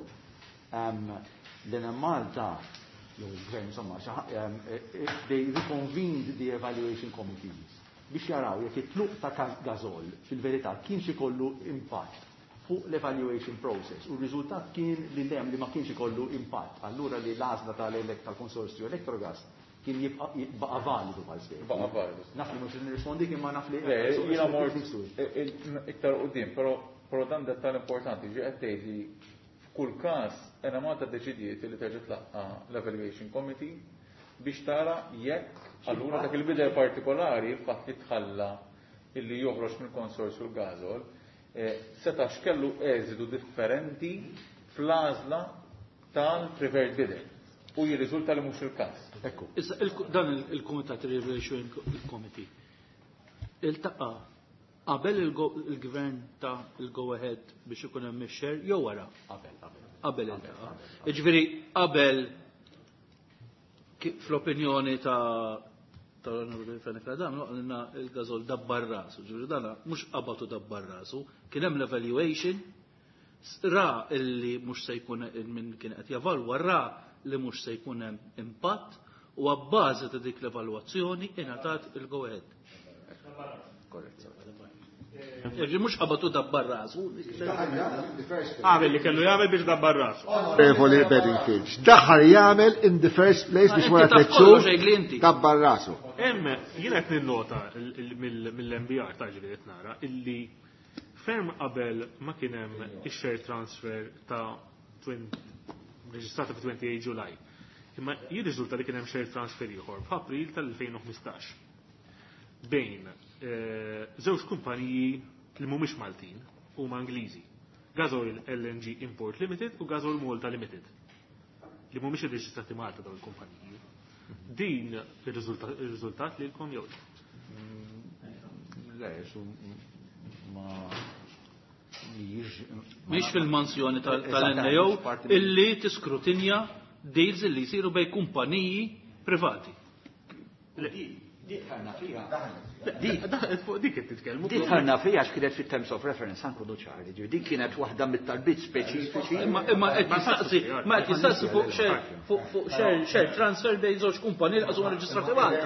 I: l-Enemalta jew il-Gvern insomma, they reconvened the evaluation committees biex jaraw jekk it-tluq ta' Gasol fil-verità kienx ikollu impatt fuq l-evaluation process u r-riżultat kien li lem li ma kienx ikollu impatt. Allura li l-għażla tal-konsorzju Electrogas kien jibqa' validu bħal spjeg.
G: Baqa' validu.
I: Naf li mhux nirrispondi imma naf li
G: Jiena mort iktar quddiem, però dan dettal importanti ġie qed tgħid li f'kull każ Enemalta ddeċidiet li terġa' tlaqqa' l-evaluation committee biex tara jekk allura dak il-bidel partikolari il-fatt li tħalla illi joħroġ mill-konsorzju l-Gasol setax kellu eżitu differenti fl-għażla tal-preferred bidder. U jirriżulta li mhux il-każ.
I: Ekku.
C: Issa dan il-Kumitat Evaluation Committee iltaqa' qabel il-gvern ta' il-go ahead biex ikun hemm ix-share jew wara?
I: Qabel, qabel.
C: Qabel iltaqa'. Jiġifieri qabel fl-opinjoni tal-Onorevoli Fenech Adami, għalina il-Gasol dabbar rasu, ġifieri dana mhux qabatu dabbar rasu, kien hemm l-evaluation, ra illi mhux se jkun minn kien qed javalwa, ra li mhux se jkun hemm impatt u għabbażi ta' dik l-evalwazzjoni ingħatat il-go ahead.
I: Korrett.
C: Ġifieri mhux qabatu dabbar rasu.
E: Għamel li kellu jagħmel biex dabbar rasu.
B: Onorevoli Bedingfield, x'daħal jagħmel in the first place biex wara
C: Inti taf
B: tliet xhur
C: kollox jgħid li inti.
B: dabbar rasu.
E: Hemm jiena qed ninnota mill-MBR ta' ġifieri qed nara illi ferm qabel ma kien hemm ix-share transfer ta' reġistrata fi 28 July. Imma jirriżulta li kien hemm share transfer ieħor f'April tal-2015 bejn żewġ kumpaniji li mhumiex Maltin huma Ingliżi. Gasoil LNG Import Limited u Gasoil Malta Limited. Li mhumiex irreġistrati Malta dawn il-kumpaniji. Din ir-riżultat lilkom jew le?
I: Le, su ma
C: Mhix fil-mansjoni
I: Eżatt,
C: tal-NAO
I: mhix parti minn-
C: illi tiskrutinja deals illi jsiru bej kumpaniji privati.
D: Di tħarna fija.
E: Daħlet fuq dik qed titkellmu.
D: Di tħarna fija għax kienet fit-terms of reference anku ċari, ġifieri din kienet waħda mit-talbiet speċifiċi.
C: Imma qed jistaqsi, ma qed jistaqsi fuq share, fuq, fuq share, share transfer bejn żewġ kumpaniji li qasuma reġistrati Malta.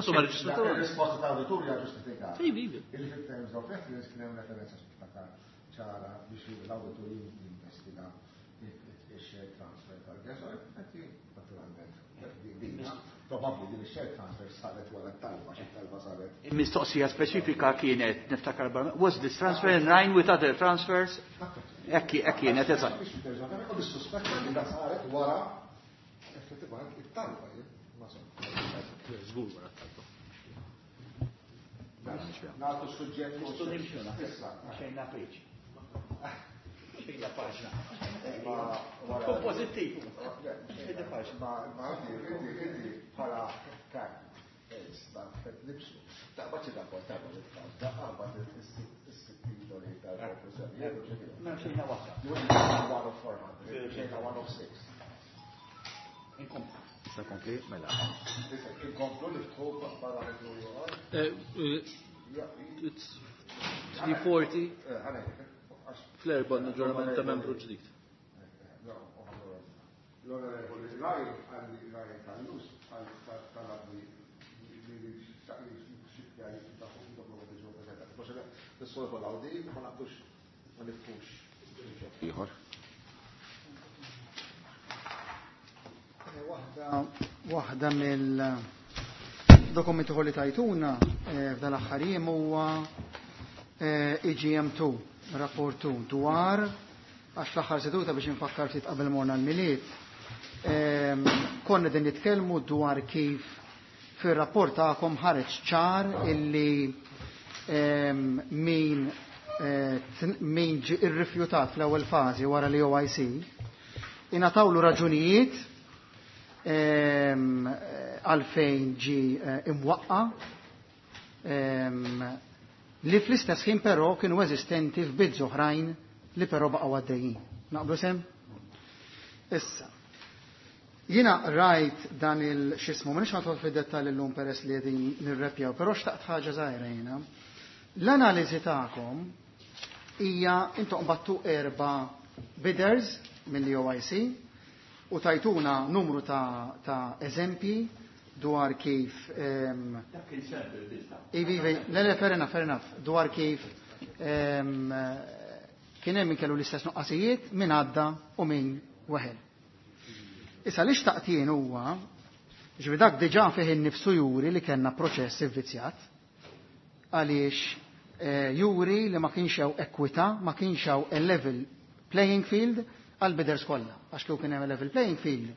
C: Qasuma reġistrati Malta.
B: Il-risposta ta' awditur hija ġustifikata.
C: Ivi, ivi.
B: Illi fit-terms of reference kien hemm referenza ċara biex l-awditur jinvestiga il-share transfer tal-Gasoil, qed naturalment probabbli din ix-share transfer saret wara t-talba, xi talba saret.
D: Il-mistoqsija speċifika kienet, niftakar barra, was this transfer in line with other transfers? Ekki, ekki kienet, eżatt.
B: Biex terġa' tagħmel, u bis-suspett li da saret wara effettivament it-talba, jien, ma so.
E: Żgur wara t-talba.
B: Nagħtu suġġett
D: Nistgħu nimxu, naħseb.
B: Issa.
D: Xejn napriċ. Xejn paġna.
B: Ma-
D: Tkun pożittiv.
B: Ma inti, inti, bħala kar, sta, qed nibsu. Taqbad xi rapport, taqbad it-tfal, taqbad is-sitt titoli tal-konklużjoni.
D: Ma xejna waħda.
B: You went one of 400, xejna one of six.
D: Inkomplu.
I: Issa kompli, mela.
B: Issa, inkomplu li ftħu parametru ieħor.
C: It's 340 fl-erba' aġġornament ta' membru ġdid.
B: L-Onorevoli Raj, għalli Raj Kallus, talabni li xikja dokumenti ġew preżentati. Forse nissolvu l-awdi, ma naqdux, ma nifhux. Ieħor.
F: Waħda mill-dokumenti li tajtuna f'dan l-aħħar jiem huwa EGM2, rapport 2, dwar għax fl-aħħar seduta biex infakkar ftit qabel morna l-Milied. Konna din nitkellmu dwar kif fir-rapport tagħkom ħareġ ċar illi min min ġie irrifjutat fl-ewwel fażi wara li OIC ingħatawlu raġunijiet għalfejn ġie imwaqqa li fl-istess ħin però kienu eżistenti f'bids oħrajn li però baqgħu għaddejjin. Naqblu sem? Issa, jiena rajt dan il-xismu, ma nix nidħol fid-dettall illum peress li qegħdin nirrepjaw, però xtaqt ħaġa żgħira jiena. L-analiżi tagħkom hija intom battu 4 bidders mill-OIC u tajtuna numru ta' eżempji dwar kif Ivi, le, fair enough, fair enough, dwar kif kien hemm min kellu l-istess nuqqasijiet, min għadda u min weħel. Issa li xtaqt jien huwa, ġifieri dak diġà fih innifsu juri li kellna proċess ivvizzjat, għaliex juri li ma kienx hawn ekwità, ma kienx hawn a level playing field għal bidders kollha. Għax kieku kien hemm a level playing field,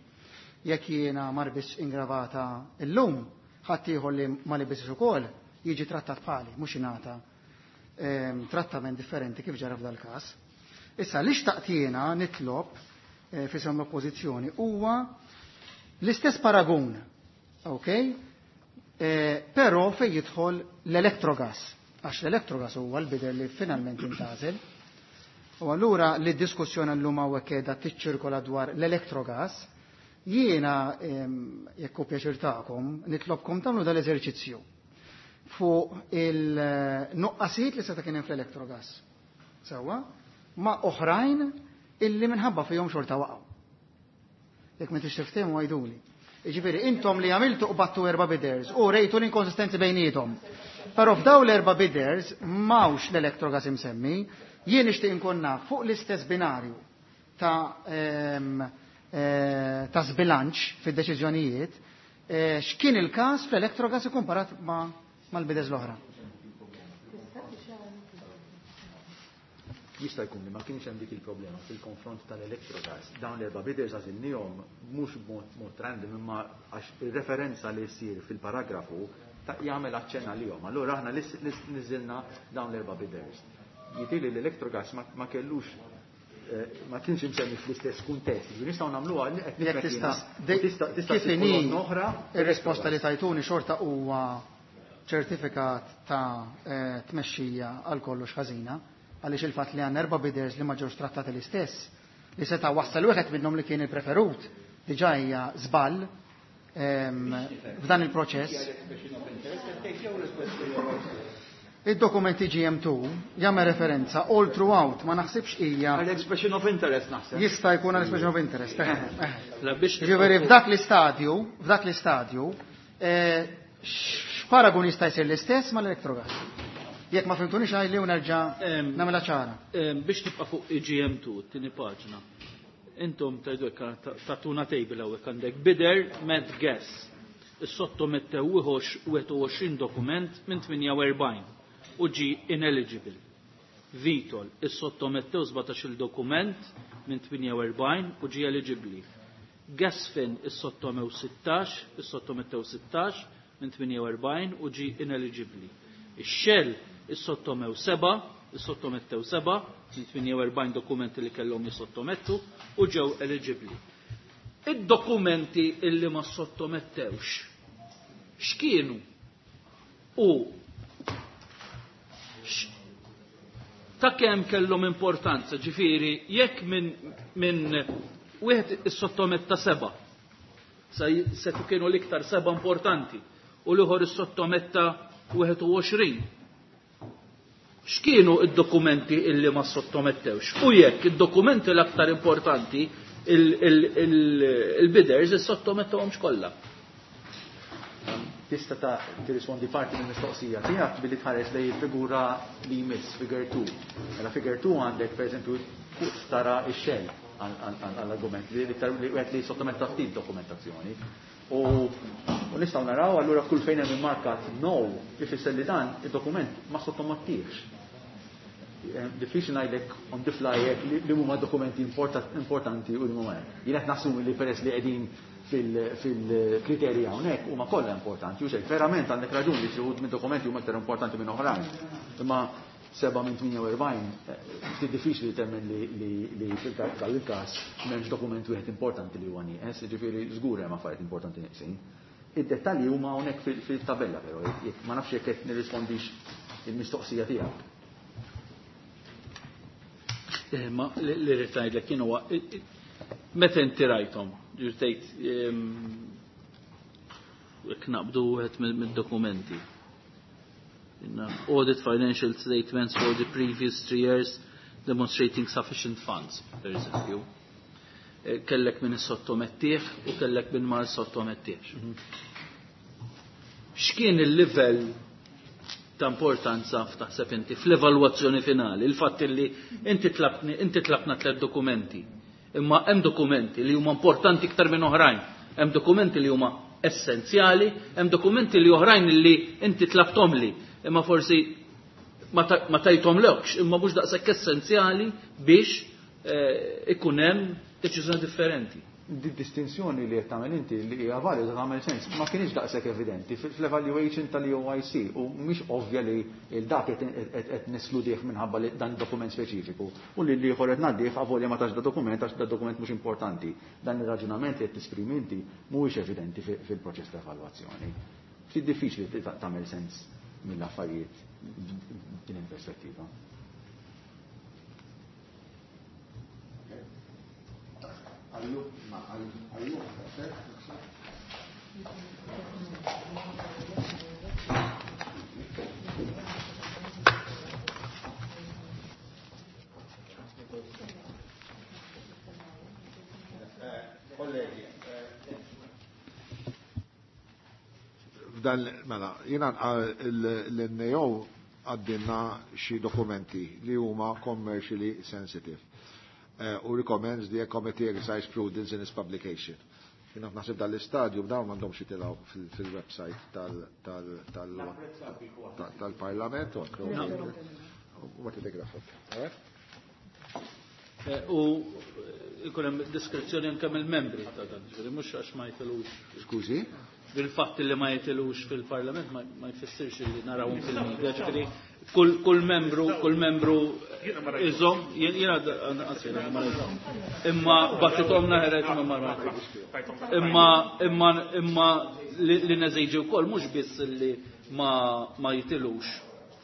F: jekk jiena ma rbistx ingravata llum, ħadd ieħor li ma libisx ukoll jiġi trattat bħali, mhux jingħata trattament differenti kif ġara f'dal każ. Issa li xtaqt jiena nitlob fisem l-oppożizzjoni huwa l-istess paragun, ok? Però fejn jidħol l-Electrogas, għax l-Electrogas huwa l-bidder li finalment intgħażel. U allura li d-diskussjoni llum hawnhekk qiegħda tiċċirkola dwar l-Electrogas, jiena jekk hu pjaċir tagħkom nitlobkom tagħmlu dal-eżerċizzju fuq il-nuqqasijiet li seta' kien hemm fl-Electrogas. Sewwa, ma' oħrajn illi minħabba fihom xorta waqgħu. Jekk ma tix tiftehmu għiduli. Jiġifieri intom li għamiltu qbattu 4 bidders u rejtu l-inkonsistenzi bejniethom. Però f'daw l-4 bidders m'hawnx l-Electrogas imsemmi, jien nixtieq inkun naf fuq l-istess binarju ta' sbilanċ fid-deċiżjonijiet, x'kien il-każ fl-Electrogas ikkomparat mal-bidders l-oħra.
I: Jista' jkun li ma kienx hemm dik il-problema fil-konfront tal-Electrogas. Dawn l-4 bidders għażilniehom mhux b'mod random, imma għax ir-referenza li ssir fil-paragrafu jagħmel aċċenn għalihom. Allura aħna niżilna dawn l-4 bidders. Jidhirli l-Electrogas ma kellux ma kienx imsemmi fl-istess kuntest. Ġifieri nistgħu nagħmluha li qed
F: Jekk
I: nifhem
F: tista'
I: jiena. Tista'
F: kif
I: ssib
F: inhi
I: kolonna oħra.
F: Ir-risposta li tajtuni xorta huwa ċertifikat ta' tmexxija għal kollox ħażina, għaliex il-fatt li għandna 4 bidders li ma ġewx trattati l-istess, li seta' wassal wieħed minnhom li kien il-preferut, diġà hija żball f'dan il-proċess. Id-dokumenti GM2 jagħmel referenza all throughout, ma naħsibx hija
D: Għal expression of interest naħseb.
F: Jista' jkun għal expression of interest.
C: La biex
F: Ġifieri f'dak l-istadju, f'dak l-istadju, x'paragun jista' jsir l-istess mal-Electrogas? Jekk ma fimtunix għajli u nerġa' nagħmilha ċara.
C: Biex tibqa' fuq GM2, tieni paġna. Intom tgħidu hekk tatuna table hawnhekk għandek bidder met gas. Is-sottomettew 21 dokument minn 48 u ġi ineligible. Vitol, is-sottomettew 17 dokument minn 48 u ġi eligibbli. Gasfin is-sottomew 16, is-sottomettew 16 minn 48 u ġi ineligibbli. Ix-Shell is-sottomew 7, is-sottomettew 7 minn 48 dokumenti li kellhom jissottomettu u ġew eligibbli. Id-dokumenti illi ma sottomettewx x'kienu u ta' kemm kellhom importanza, ġifieri jekk minn wieħed issottometta 7, se kienu l-iktar 7 importanti, u l-ieħor issottometta 21. X'kienu id-dokumenti illi ma sottomettewx? U jekk id-dokumenti l-aktar importanti il-bidders issottomettewhomx kollha.
I: Tista' ta' tirrispondi parti mill-mistoqsija tiegħek billi tħares lejn il-figura li jmiss, figure 2. Mela figure 2 għandek pereżempju fuq tara x-Shell għall-argument li iktar li wieħed li sottometta ftit dokumentazzjoni. U nistgħu naraw allura kull fejn hemm immarkat no ifisser li dan id-dokument ma sottomettihx. Diffiċli ngħidlek on the fly hekk li huma dokumenti importanti u li huma hekk. Jien qed nassumi li peress li qegħdin fil-kriterji hawnhekk huma kollha importanti u xejn. Verament għandek raġun li xi wħud minn dokumenti huma aktar importanti minn oħrajn. Imma 7 minn 48, ftit diffiċli li temmen li fil il-każ m'hemmx dokument wieħed importanti li huwa nieqes, jiġifieri żgur hemm affarijiet importanti nieqsin. Id-dettalji huma hawnhekk fil-tabella però, jekk ma nafx jekk qed nirrispondix il-mistoqsija tiegħek.
C: Ma li rrid ngħidlek jien huwa meta inti rajthom, ġifieri tgħid jekk naqbdu wieħed mid-dokumenti. Audit financial statements for the previous 3 years demonstrating sufficient funds, per eżempju. Kellek min sottomettih u kellek min ma sottomettihx. X'kien il-livell ta' importanza f'taħseb inti fl-evalwazzjoni finali, il-fatt li inti tlabtni, inti tlabtna tliet dokumenti, imma hemm dokumenti li huma importanti iktar minn oħrajn, hemm dokumenti li huma essenzjali, hemm dokumenti li oħrajn li inti tlabthom li, imma forsi ma tajthom lekx, imma mhux daqshekk essenzjali biex ikun hemm deċiżjoni differenti.
I: Di distinzjoni li qed tagħmel inti li hija valida, tagħmel sens, ma kienx daqshekk evidenti fl-evaluation tal-EOIC u mhix ovvja li il-dak qed neskludih minħabba li dan dokument speċifiku u li l-ieħor qed ngħaddih avolja ma tax da dokument għax da dokument mhux importanti. Dan ir-raġunament li qed tesprimi inti mhuwiex evidenti fil-proċess ta' evalwazzjoni. Ftit diffiċli li tagħmel sens mill-affarijiet din il-perspettiva.
B: Għallu, ma għallu, naħseb. Kollegi, f'dan, mela, jiena l-NAO għaddinna xi dokumenti li huma commercially sensitive u recommends the committee exercise prudence in its publication. Jiena naħseb dal-istadju dawn m'għandhomx jitilgħu fil-website tal-Parlament u ma tiddegrafok.
C: U ikun hemm diskrezzjoni anke mill-membri ta' dan, ġifieri mhux għax ma jitilux.
B: Skużi?
C: Bil-fatt li ma jitilux fil-Parlament ma jfissirx li narawhom fil-media, ġifieri kull membru iżomm, jiena anzi jiena ma rajthom. Imma bagħtithom naħret imma ma rajthom. Imma li neżiġi wkoll mhux biss li ma jitilux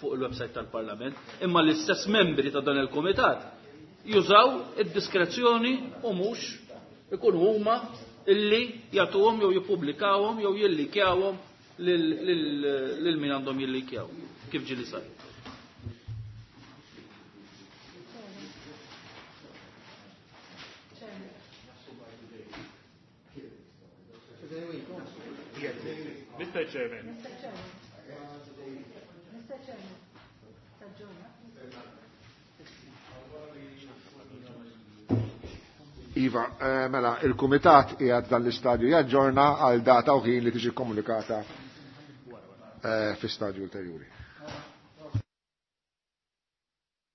C: fuq il-website tal-Parlament, imma l-istess membri ta' dan il-komitat jużaw id-diskrezzjoni u mhux ikun huma illi jagħtuhom jew jippubblikawhom jew jillikjawhom lil min għandhom jillikjaw kif ġili sar.
E: Mr. Chairman.
A: Mr. Chairman. Mr. Chairman. Taġġorna.
B: Iva, mela, il-Kumitat qiegħed dan l-istadju jaġġorna għal data u ħin li tiġi komunikata fi stadju ulterjuri.